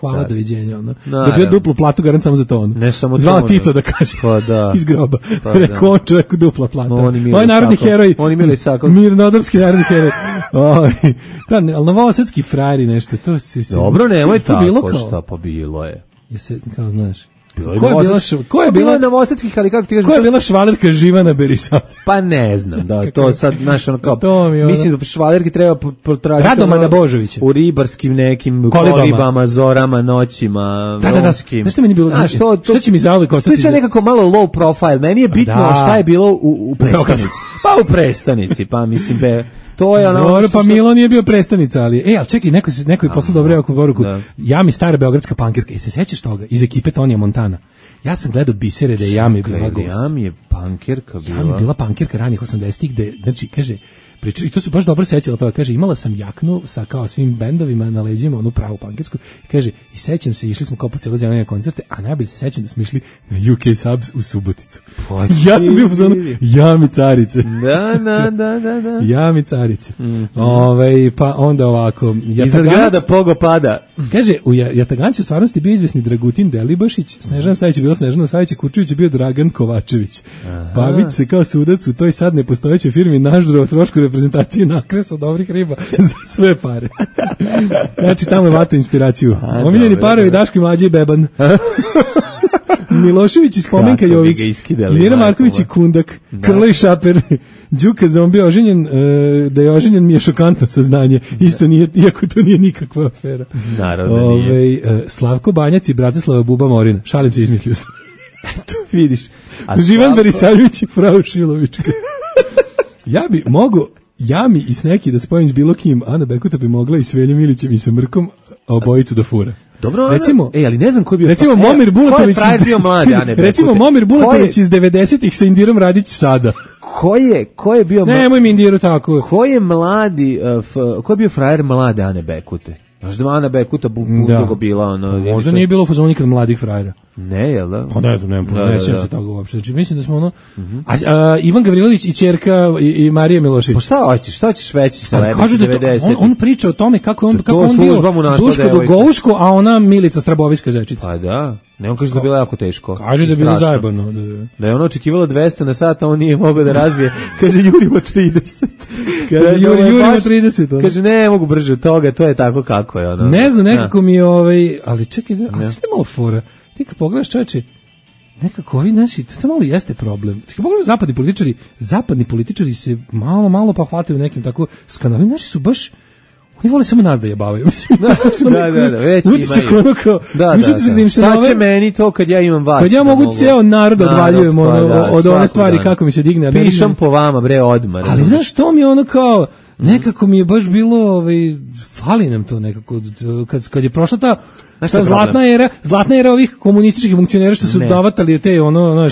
Hvala, doviđenja. Dobio duplu platu, garant samo za to. Ne samo to. Zvala Tito da kaže. Pa da. Iz groba. Rekao on čovjeku dupla plata. Ovaj narodni heroj. Oni Mili Sakov. Mirnodopski narodni heroj. Ali novosadski frajeri nešto. Dobro, nemoj tako šta pa bilo je. Jesi, kao znaš. Ko je bila novosadskih, ali kako ti kažeš? Ko je bila švalerka Živana Berisavljević? Pa ne znam, da, to sad, znaš, ono kao, mislim da švalerki treba potražiti Radovana Božovića. U ribarskim nekim kolibama, zorama, noćima, romskim. Znaš što meni bilo? Šta će mi zauvijek ostati? To je sve nekako malo low profile, meni je bitno šta je bilo u prestanici. Pa u prestanici, pa mislim, to je ono. Dobro, pa Milo nije bio prestanica, ali ali čekaj, neko je poslao dobro poruku. Jami stara beogradska pankirka. Se sećaš toga iz ekipe Tonija Montana? Ja sam gledao bisere da je Jami bila gost. Jami je pankirka bila. Jami bila pankirka ranih 80-ih, gde, znači, kaže, i to su baš dobro sećala toga, kaže, imala sam jaknu sa kao svim bendovima na leđima, onu pravu pankirsku, kaže, i sećam se, išli smo kao po cijelo zemlje na koncerte, a najbolje se sećam da smo išli na UK Subs u Suboticu. Ja sam bio u zonu Jami carice. Da. Jami carice. Pa onda ovako. Iznad grada Pogo pada. Kaže, u Jataganci u stvarnosti bio izvesni Dragutin Delibašić, Snežana Savić je bila Snežana Savić, Kučević je bio Dragan Kovačević. Pavić se kao sudac u toj sad nepostojećoj firmi naždro trošku reprezentacije nakresu dobrih riba za sve pare. Znači, tamo je vato inspiraciju. Omiljeni parovi Daško i Mlađe i Beban. Milošević i Spomenka Jović, Mira Marković i Kundak, Krla i Šaper, Đuka Zombi oženjen, da je oženjen mi je šokantno saznanje, isto nije, iako to nije nikakva afera. Naravno nije. Slavko Banjac i Bratislava Buba Morina, šalim se, izmislio sam. Eto, vidiš. Živan Berisavljević i Frau Šilovička. Ja bi mogo Jami i Sneki da spojim s bilo kim, Ana Bekuta bi mogla i s Veljom Ilićem i sa Mrkom, a obojicu da fura. Dobro, recimo, ali ne znam ko je bio. Recimo Momir Bulatović. Recimo Momir Bulatović iz 90-ih sa Indirom Radić sada. Ko je bio? Nemoj mi Indiru tako. Ko je mladi, ko je bio frajer mlade Ane Bekute? Znaš da Ana Bekuta dugo bila ono. Možda nije bilo fazon nikad mladih frajera. Ne, jel da? Pa ne znam, ne sjećam se toga uopšte. Znači mislim da smo ono Ivan Gavrilović i ćerka i Marija Milošević. Pa šta ćeš veći sa Lebić 90? On priča o tome kako on bio Duško Dugovško, a ona Milica Straboviska zečica. Pa da. Ne, on kaže da je bilo jako teško. Kaže da je bilo zajebano. Da je ono očekivalo 200 na sat, a on nije mogao da razvije. Kaže Jurimo 30. Kaže Jurimo 30. Kaže ne mogu brže od toga, to je tako kako je. Ono. Ne znam, nekako mi je ali čekaj, a što je malo fora? Ti kad pogledaš, čoveče, nekako ovi naši, to malo jeste problem. Ti kad pogledaš zapadni političari se malo pa hvataju nekim tako skandalima. Naši su baš, oni vole samo nas da jebavaju. Mislim, već imaju. Šta će meni to kad ja imam vas? Kad ja mogu cijel narod odvaljujem od one stvari kako mi se digne. Pišem po vama, bre, odmah. Ali znaš što mi je ono kao, Nekako mi je baš bilo, fali nam to nekako, kad je prošla ta zlatna era ovih komunističkih funkcionera što su davatali te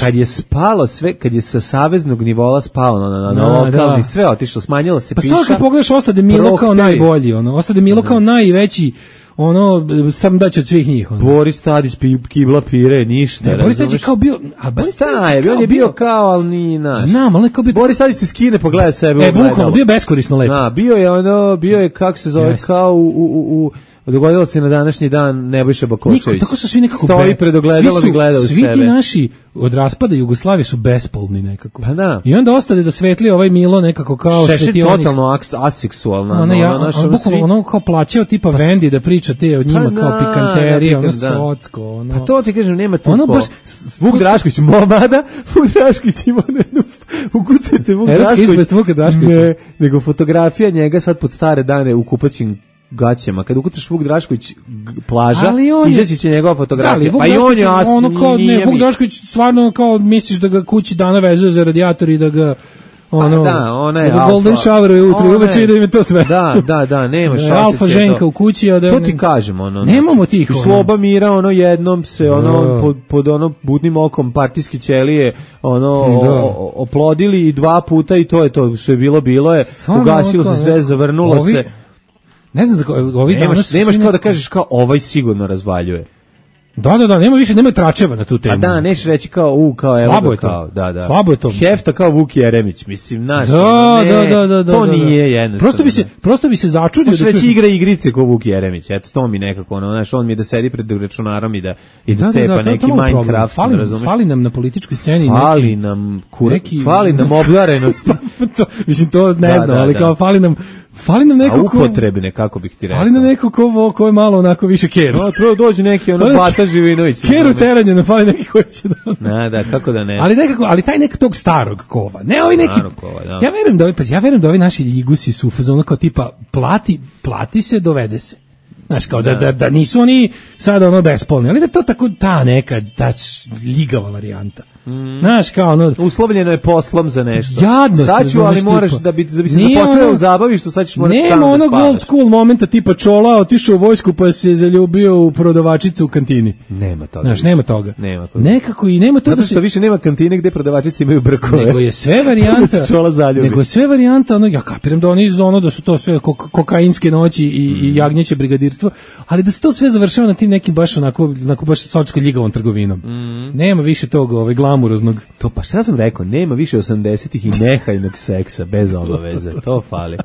kad je spalo sve, kad je sa saveznog nivoa spalo na lokalni, sve otišlo, smanjilo se piša. Pa sad kad pogledaš, ostade Milo kao najbolji, ostade Milo kao najveći, sam daće od svih njih. Boris Tadić kibla pire, ništa. Boris Tadić je kao bio, on je bio kao, ali nije naš. Znam, ali kao bio. Boris Tadić se skine, pogleda sebe. Bukvalno, bio beskorisno lepo. Bio je kako se zove, kao u dogodilo se na današnji dan Nebojša Bakočević. Tako su svi nekako stoji pred ogledalom i gleda u sebe. Svi ti naši od raspada Jugoslavije su bespolni nekako. Pa da. I onda ostade da svetli ovaj Milo nekako kao svetionik. Totalno aseksualna. Ono kao plaćao tipa Vendi da priča te od njima kao pikanterije, socko. Pa to ti kažem, nema tu ko. Vuk Drašković, momada, Vuk Drašković ima jednu, ukucajte Vuk Drašković. Nego fotografija njega sad pod stare dane u kupaćim gaćama. Kad ukucaš Vuk Drašković plaža, izaći će njegova fotografija. Pa i on je Vuk Drašković stvarno kao misliš da ga kući dana vezuje za radijator i da ga golden shower ujutru, uveče da im je to sve. Da, nema šanse. Alfa ženka u kući. To ti kažem, nemamo tih. Sloba mira, jednom se, pod budnim okom partijske ćelije, oplodili i 2 puta i to je to, što je bilo je, ugasilo se sve, zavrnulo se. Ne znam za nemaš kao da kažeš kao ovaj sigurno razvaljuje. Da, nema tračeva na tu temu. A da, neš reći kao slabo je to. Slabo je to. Hefta kao Vuk Jeremić, mislim, naš. Da. To nije jednostavno. Prosto bi se začudio da reći igra igrice kao Vuk Jeremić. Eto, to mi nekako, on mi je da sedi pred računarom i da cepa neki Minecraft, razumeš? Fali nam na političkoj sceni fali nam oblarenosti. Mislim, to ne znam, ali kao fali nam neko upotrebne, kako bih ti rekao. Fali nam neko ko je malo onako više keru. Prvo dođe neki Bata Živinović. Keru teranje, ne fali neki koji će da... Da, kako da ne. Ali taj nek tog starog kova. Ne, ovi neki... Ja verujem da ovi naši ljigusi su ono kao tipa plati se, dovede se. Znaš, kao da nisu oni sada bespolni, ali da to tako ta neka ljigava varijanta. Znaš, kao uslovljeno je poslom za nešto. Jadnost. Sad ću, ali moraš da bi se zaposlio u zabavištu, sad ćeš morati sam da spavaš. Nema old school momenta tipa Čola otišao u vojsku pa se zaljubio u prodavačicu u kantini. Nema toga. Znaš, nema toga. Nekako i nema to zato što više nema kantine gde prodavačice imaju brkove. Nego je sve varijanta. Ja kapiram da oni da su to sve kokainske noći i jagnjeće brigadirstvo, ali da se to sve završava na tim nekim baš onako baš socsko ljigavom trgovinom. Nema više tog glamuroznog. To pa šta sam rekao, nema više 80-ih i nehajnog seksa bez obaveze. To fali.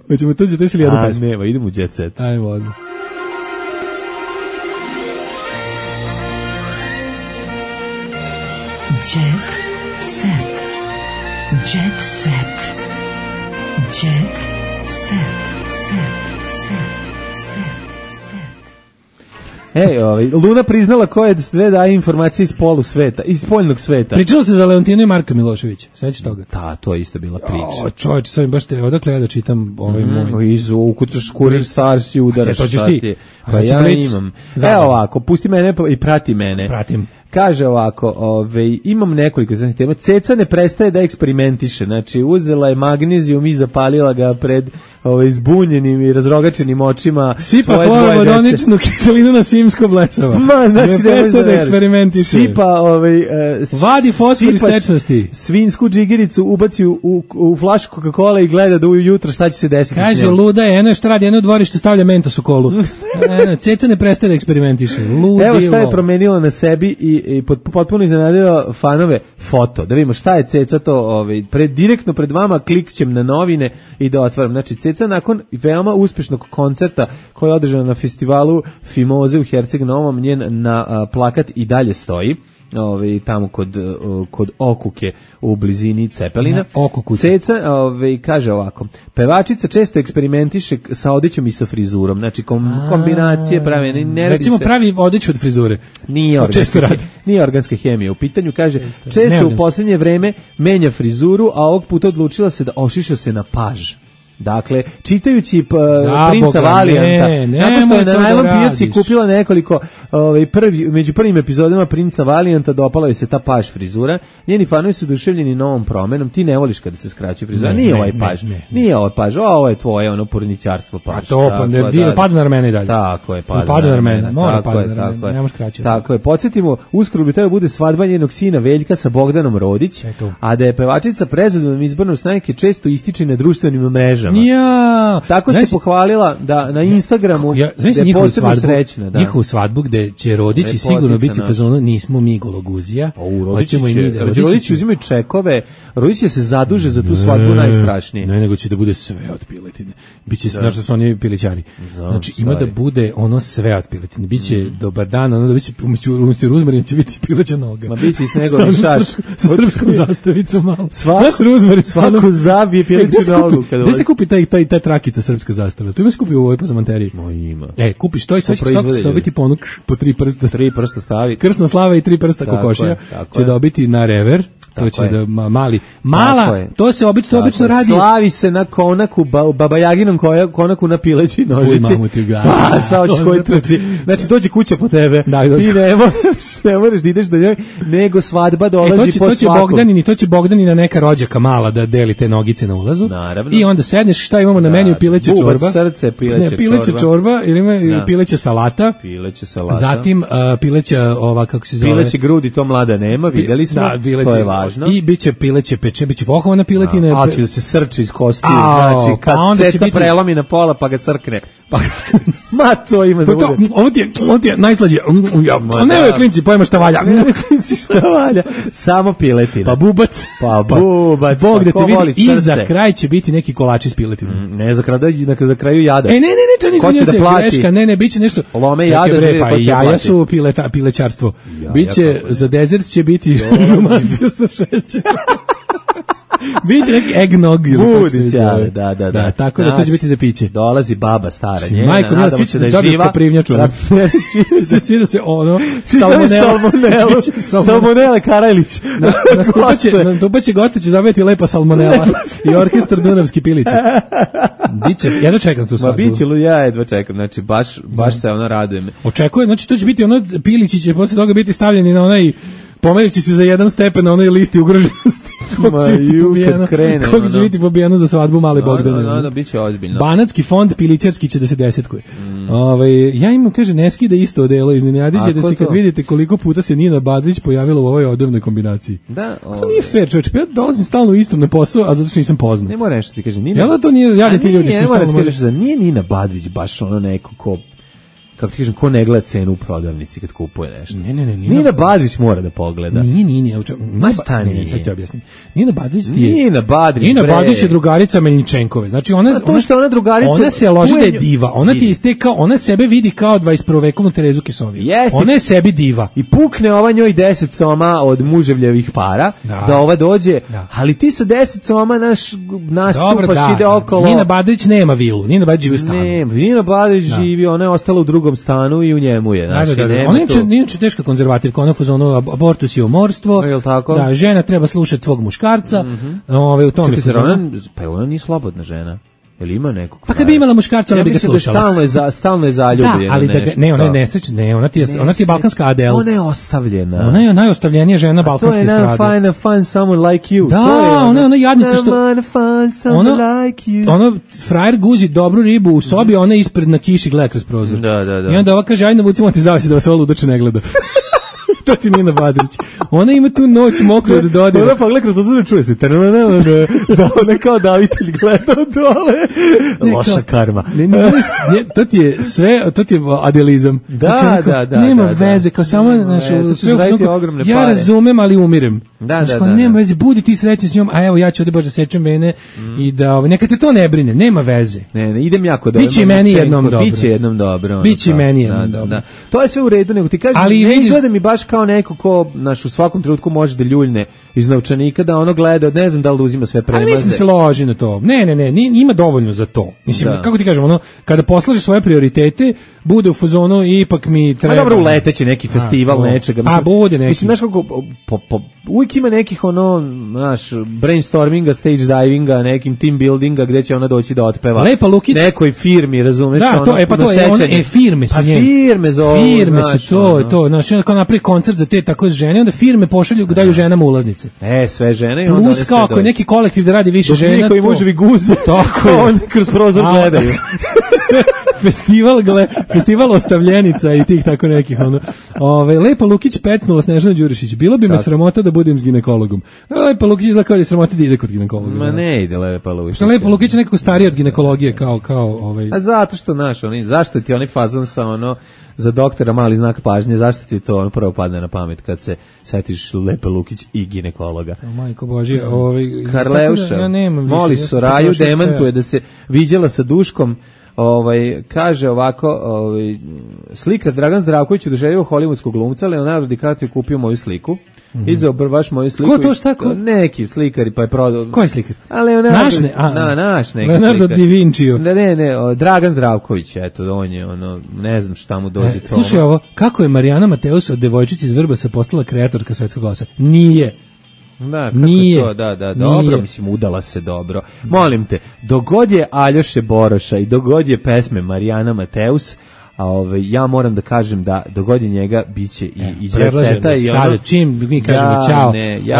Hoćemo to ćete ili jednu pesmu? Nema, idemo u Jet Set. Ajmo odmah. Jet Set. Jet Set. Jet Set. Luna priznala koje sve daje informacije iz sveta, iz spoljnog sveta. Pričalo se za Leontina i Marka Miloševića. Sveći toga? Da, to je isto bila priča. Čovječ, sad baš odakle ja da čitam moj. Iz ukucaš Kurir Stars i udaraš. To ćeš ti. Pa ja imam. Evo ovako, pusti mene i prati mene. Pratim. Kaže ovako, imam nekoliko tema. Ceca ne prestaje da eksperimentiše. Znači, uzela je magnezijum i zapalila ga pred zbunjenim i razrogačenim očima. Sipa hlorovodoničnu kiselinu na simsko blesava. Ne prestaje da eksperimentiše. Sipa vadi fosfor iz tečnosti. Svinsku džigericu ubaci u flašu Coca-Cola i gleda da ujutro šta će se desiti. Kaže, luda je, eno što radi, eno u dvorište stavlja mentos u kolu. Ceca ne prestaje da eksperimentiše. Evo šta je promenila na sebi i potpuno iznenadila fanove foto. Da vidimo šta je Ceca to, direktno pred vama klikćem na novine i da otvaram. Znači, Ceca nakon veoma uspešnog koncerta koji je održan na festivalu Fimoze u Herceg Novom, njen na plakat i dalje stoji. Tamo kod Okuke u blizini Cepelina. Ceca kaže ovako: pevačica često eksperimentiše sa odećom i sa frizurom, znači kombinacije prave, recimo pravi odeću od frizure. Nije organska hemija u pitanju. Kaže, često u posljednje vreme menja frizuru, a ovog puta odlučila se da ošiša se na paž. Dakle, čitajući Princa Valijanta, nakon što je na najlon pijaci kupila nekoliko među prvim epizodama Princa Valijanta dopala joj se ta paž frizura. Njeni fanovi su oduševljeni novom promenom. Ti ne voliš kada se skraćuje frizura. Nije ovaj paž. Nije ovaj paž. Ovo je tvoje ono porničarstvo paž. A to pada na ramena i dalje. Tako je, pada na ramena. Mora pada na ramena. Nemaš kraće. Tako je. Podsjetimo, uskoro bi trebalo bude svadba njenog sina Veljka sa Bogdanom Rodić, a da je pevačica prezadovoljnom izbornom snajke često ističe na društvenim mrežama. Ja. Tako se pohvalila da na Instagramu je posebno srećna. Njihovu svadbu gde će Rodići sigurno biti u fazonu nismo mi gologuzija. Hoćemo i mi da Rodići uzimaju čekove, Rodić će se zaduže za tu svadbu najstrašnije. Ne, nego će da bude sve od piletine. Biće se, što su oni pilićari. Znači ima da bude ono sve od piletine. Biće dobar dan, ono da biće umjesto ruzmarina će biti pileća noga. Ma biće i snegovni šaš. Sa srpskom zastavicom malo. Svaku zabije pileću nogu. Gde se kupi ta trakica srpska zastava? Tu ima se kupi u ovoj pazamanteriji. Ima. Kupiš to i sve će dobiti ponuk po 3 prsta. 3 prsta stavi. Krsna slava i 3 prsta kokošija će dobiti na rever. To će da mala, to se obično radi. Slavi se na konaku, Baba Jaginom konaku na pileći nožici. Pa, šta hoćeš koji trči? Znači, dođe kuća po tebe. Ti ne moraš da ideš do njoj, nego svadba dolazi po svakom. To će Bogdanina neka rođaka mala da deli te nogice na ulazu. Naravno. I onda sedneš, šta imamo na meniju, pileća čorba. Bubac srce, pileća čorba, ili ima pileća salata. Zatim pileća, kako se zove? Pileće grudi, to mlada nema, videli smo, to je važno. I biće pileće peče, biće pohovana piletina. A će da se srči iz kostiju, znači kad ceca prelomi na pola pa ga srkne. Ma to ima da bude. Ovo ti je najslađe. Nemoj klinci, pojma šta valja. Nemoj klinci šta valja. Samo piletina. Pa bubac. Bog da te vidi. I za kraj će biti neki kolači s piletinom. Ne, za kraju jadac. Ne, to nisu greška. Ne, biće nešto. Lome jadac. Pa jaja su pilećarstvo. Biće, za dezert će biti romancija sa šećerom. Biće neki eggnog. Budića, da. Tako da to će biti za piće. Dolazi baba stara njena. Majko, mila, svi će da dobiju koprivnjaču. Svi da se ono... Salmonele Karajlić. Nastupaće goste će zabaviti lepa salmonela i orkestar Dunavski piliće. Biće, jedno čekam tu svadbu. Ma biće, ja jedva čekam, znači baš se ona radujem. Očekuje, znači to će biti ono, pilići će posle toga biti stavljeni na onaj... Pomerit se za jedan stepen na onoj listi ugroženosti. Kako će biti pobijeno za svadbu male Bogdane. Da, bit će ozbiljno. Banatski fond pilićarski će da se desetkuje. Ja imam, kaže, ne skida isto odelo, iznenadiće da se kad vidite koliko puta se Nina Badrić pojavila u ovoj odevnoj kombinaciji. Da. To nije fair, čovječ, ja dolazim stalno istom na posao, a zato što nisam poznat. Ne mora nešto ti kaže, Nina. Jel' to nije, ja ti ljudi ne mora ti kažeš da nije Nina Badrić baš ono neko ko... kako ti kažem, ko ne gleda cenu u prodavnici kad kupuje nešto. Ne. Nina Badrić mora da pogleda. Nije. Ma stani. Sad ću ti objasnim. Nina Badrić je drugarica Melničenkove. Znači ona drugarica... Ona se loži da je diva. Ona ti istekao, ona sebe vidi kao 21. vekovnu Terezu Kisoviju. Ona je sebi diva. I pukne ova njoj 10 soma od muževljevih para, da ova dođe, ali ti sa 10 soma nastupaš, ide okolo. Nina Badrić nema vilu. Nina Badrić živi u stanu. Nina Badrić živi, ona je ostala u drugom stanu i u njemu je. Ona je teška konzervativka, ona fuzonu abortus i umorstvo. Da, žena treba slušati svog muškarca. U tome pa ona nije slobodna žena. Jel ima nekog? Pa kad bi imala muškarca, ona bi ga slušala. Stalno je zaljubljena. Da, ali ona je nesrećna, ona ti je balkanska Adele. Ona je ostavljena. Ona je najostavljenija žena balkanske estrade. To je find someone like you. Da, ona jadnica što... Ona frajer guzi dobru ribu u sobi, ona ispred na kiši gleda kroz prozor. Da. I onda ova kaže, ajde navucimo ti zavisi da vas ovo ludače ne gleda. To ti Nina Badrić. Ona ima tu noć mokru da dodira. Ona pa gleda kroz to čuje se. Da ona kao davitelj gleda dole. Loša karma. To ti je sve, to ti je adelizam. Da. Nema veze, kao samo ja razumem, ali umirem. Nema veze, budi ti srećan s njom, a evo ja ću ovdje baš da sečem mene i da neka te to ne brine, nema veze. Ne, idem jako dobro. Biće meni jednom dobro. Biće jednom dobro. Biće meni jednom dobro. To je sve u redu, nego ti kažem, ne izgleda mi baš kao neko ko u svakom trenutku može da ljuljne iz novčanika da ono gleda, ne znam da li uzima sve premaze. Ali mislim se loži na to. Ne, ima dovoljno za to. Mislim, kako ti kažem, ono, kada poslaže svoje prioritete, bude u fazonu i ipak mi treba... A dobro, uleteće neki festival nečega. Mislim, bude neki. Mislim, znaš kako, uvijek ima nekih ono, znaš, brainstorminga, stage divinga, nekim team buildinga gde će ona doći da otpeva. Lepa Lukić. Nekoj firmi, razumeš? Da, to, to je ono, firme su njene. Firme zovu. Firme su to, znaš, ako napravi koncert za te tako žene, onda firme pošalju, daju ženama ulaznice. Sve žene i onda plus kao ako je neki kolektiv da radi više žena. Niko i muževi guze. Tako je. Oni kroz prozor gledaju. Festival ostavljenica i tih tako nekih ono. Lepa Lukić pecnula Snežana Đurišić. Bilo bi me sramota da budem s ginekologom. Lepa Lukić izgleda kao da je sramota da ide kod ginekologa. Ma ne ide Lepa Lukić. Što Lepa Lukić je nekako stariji od ginekologije kao A zato što zašto ti onaj fazon sa ono za doktora mali znak pažnje, zašto ti to ono prvo padne na pamet kad se setiš Lepe Lukić i ginekologa. Majko Božje, Karleuša, moli Soraju, demantuje da se viđala sa Duškom. Kaže ovako, slikar Dragan Zdravković oduševio hollywoodskog glumca, Leonardo DiCaprio kupio moju sliku. Izao baš moju sliku. Ko to šta? Neki slikari, pa je prodao. Koji slikar? A Leonardo. Naš neki Leonardo slikar. da Vinci. Ne, Dragan Zdravković, eto, on je, ne znam šta mu dođe to. Slušaj ovo, kako je Marijana Mateus od devojčice iz Vrbasa postala kreatorka Svetskog glasa? Nije. Da, kako nije, to, da, dobro, mislim, udala se dobro. Molim te, dogod je Aljoše Boroša i dogod je pesme Marijana Mateus, ja moram da kažem da dogod je njega biće i Đerceta i ono... Sada, čim mi kažemo ćao,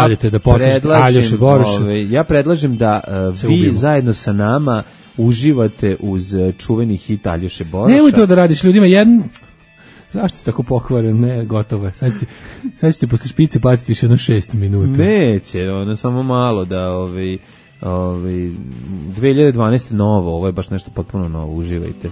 odite da poslušate Aljoše Boroša. Ja predlažem da vi zajedno sa nama uživate uz čuveni hit Aljoše Boroša. Nemoj to da radiš ljudima, zašto si tako pokvaren? Ne, gotovo je. Sad ćete posle špice platiti još jedno 6 minuta. Neće, samo malo da 2012. novo, ovo je baš nešto potpuno novo, uživajte.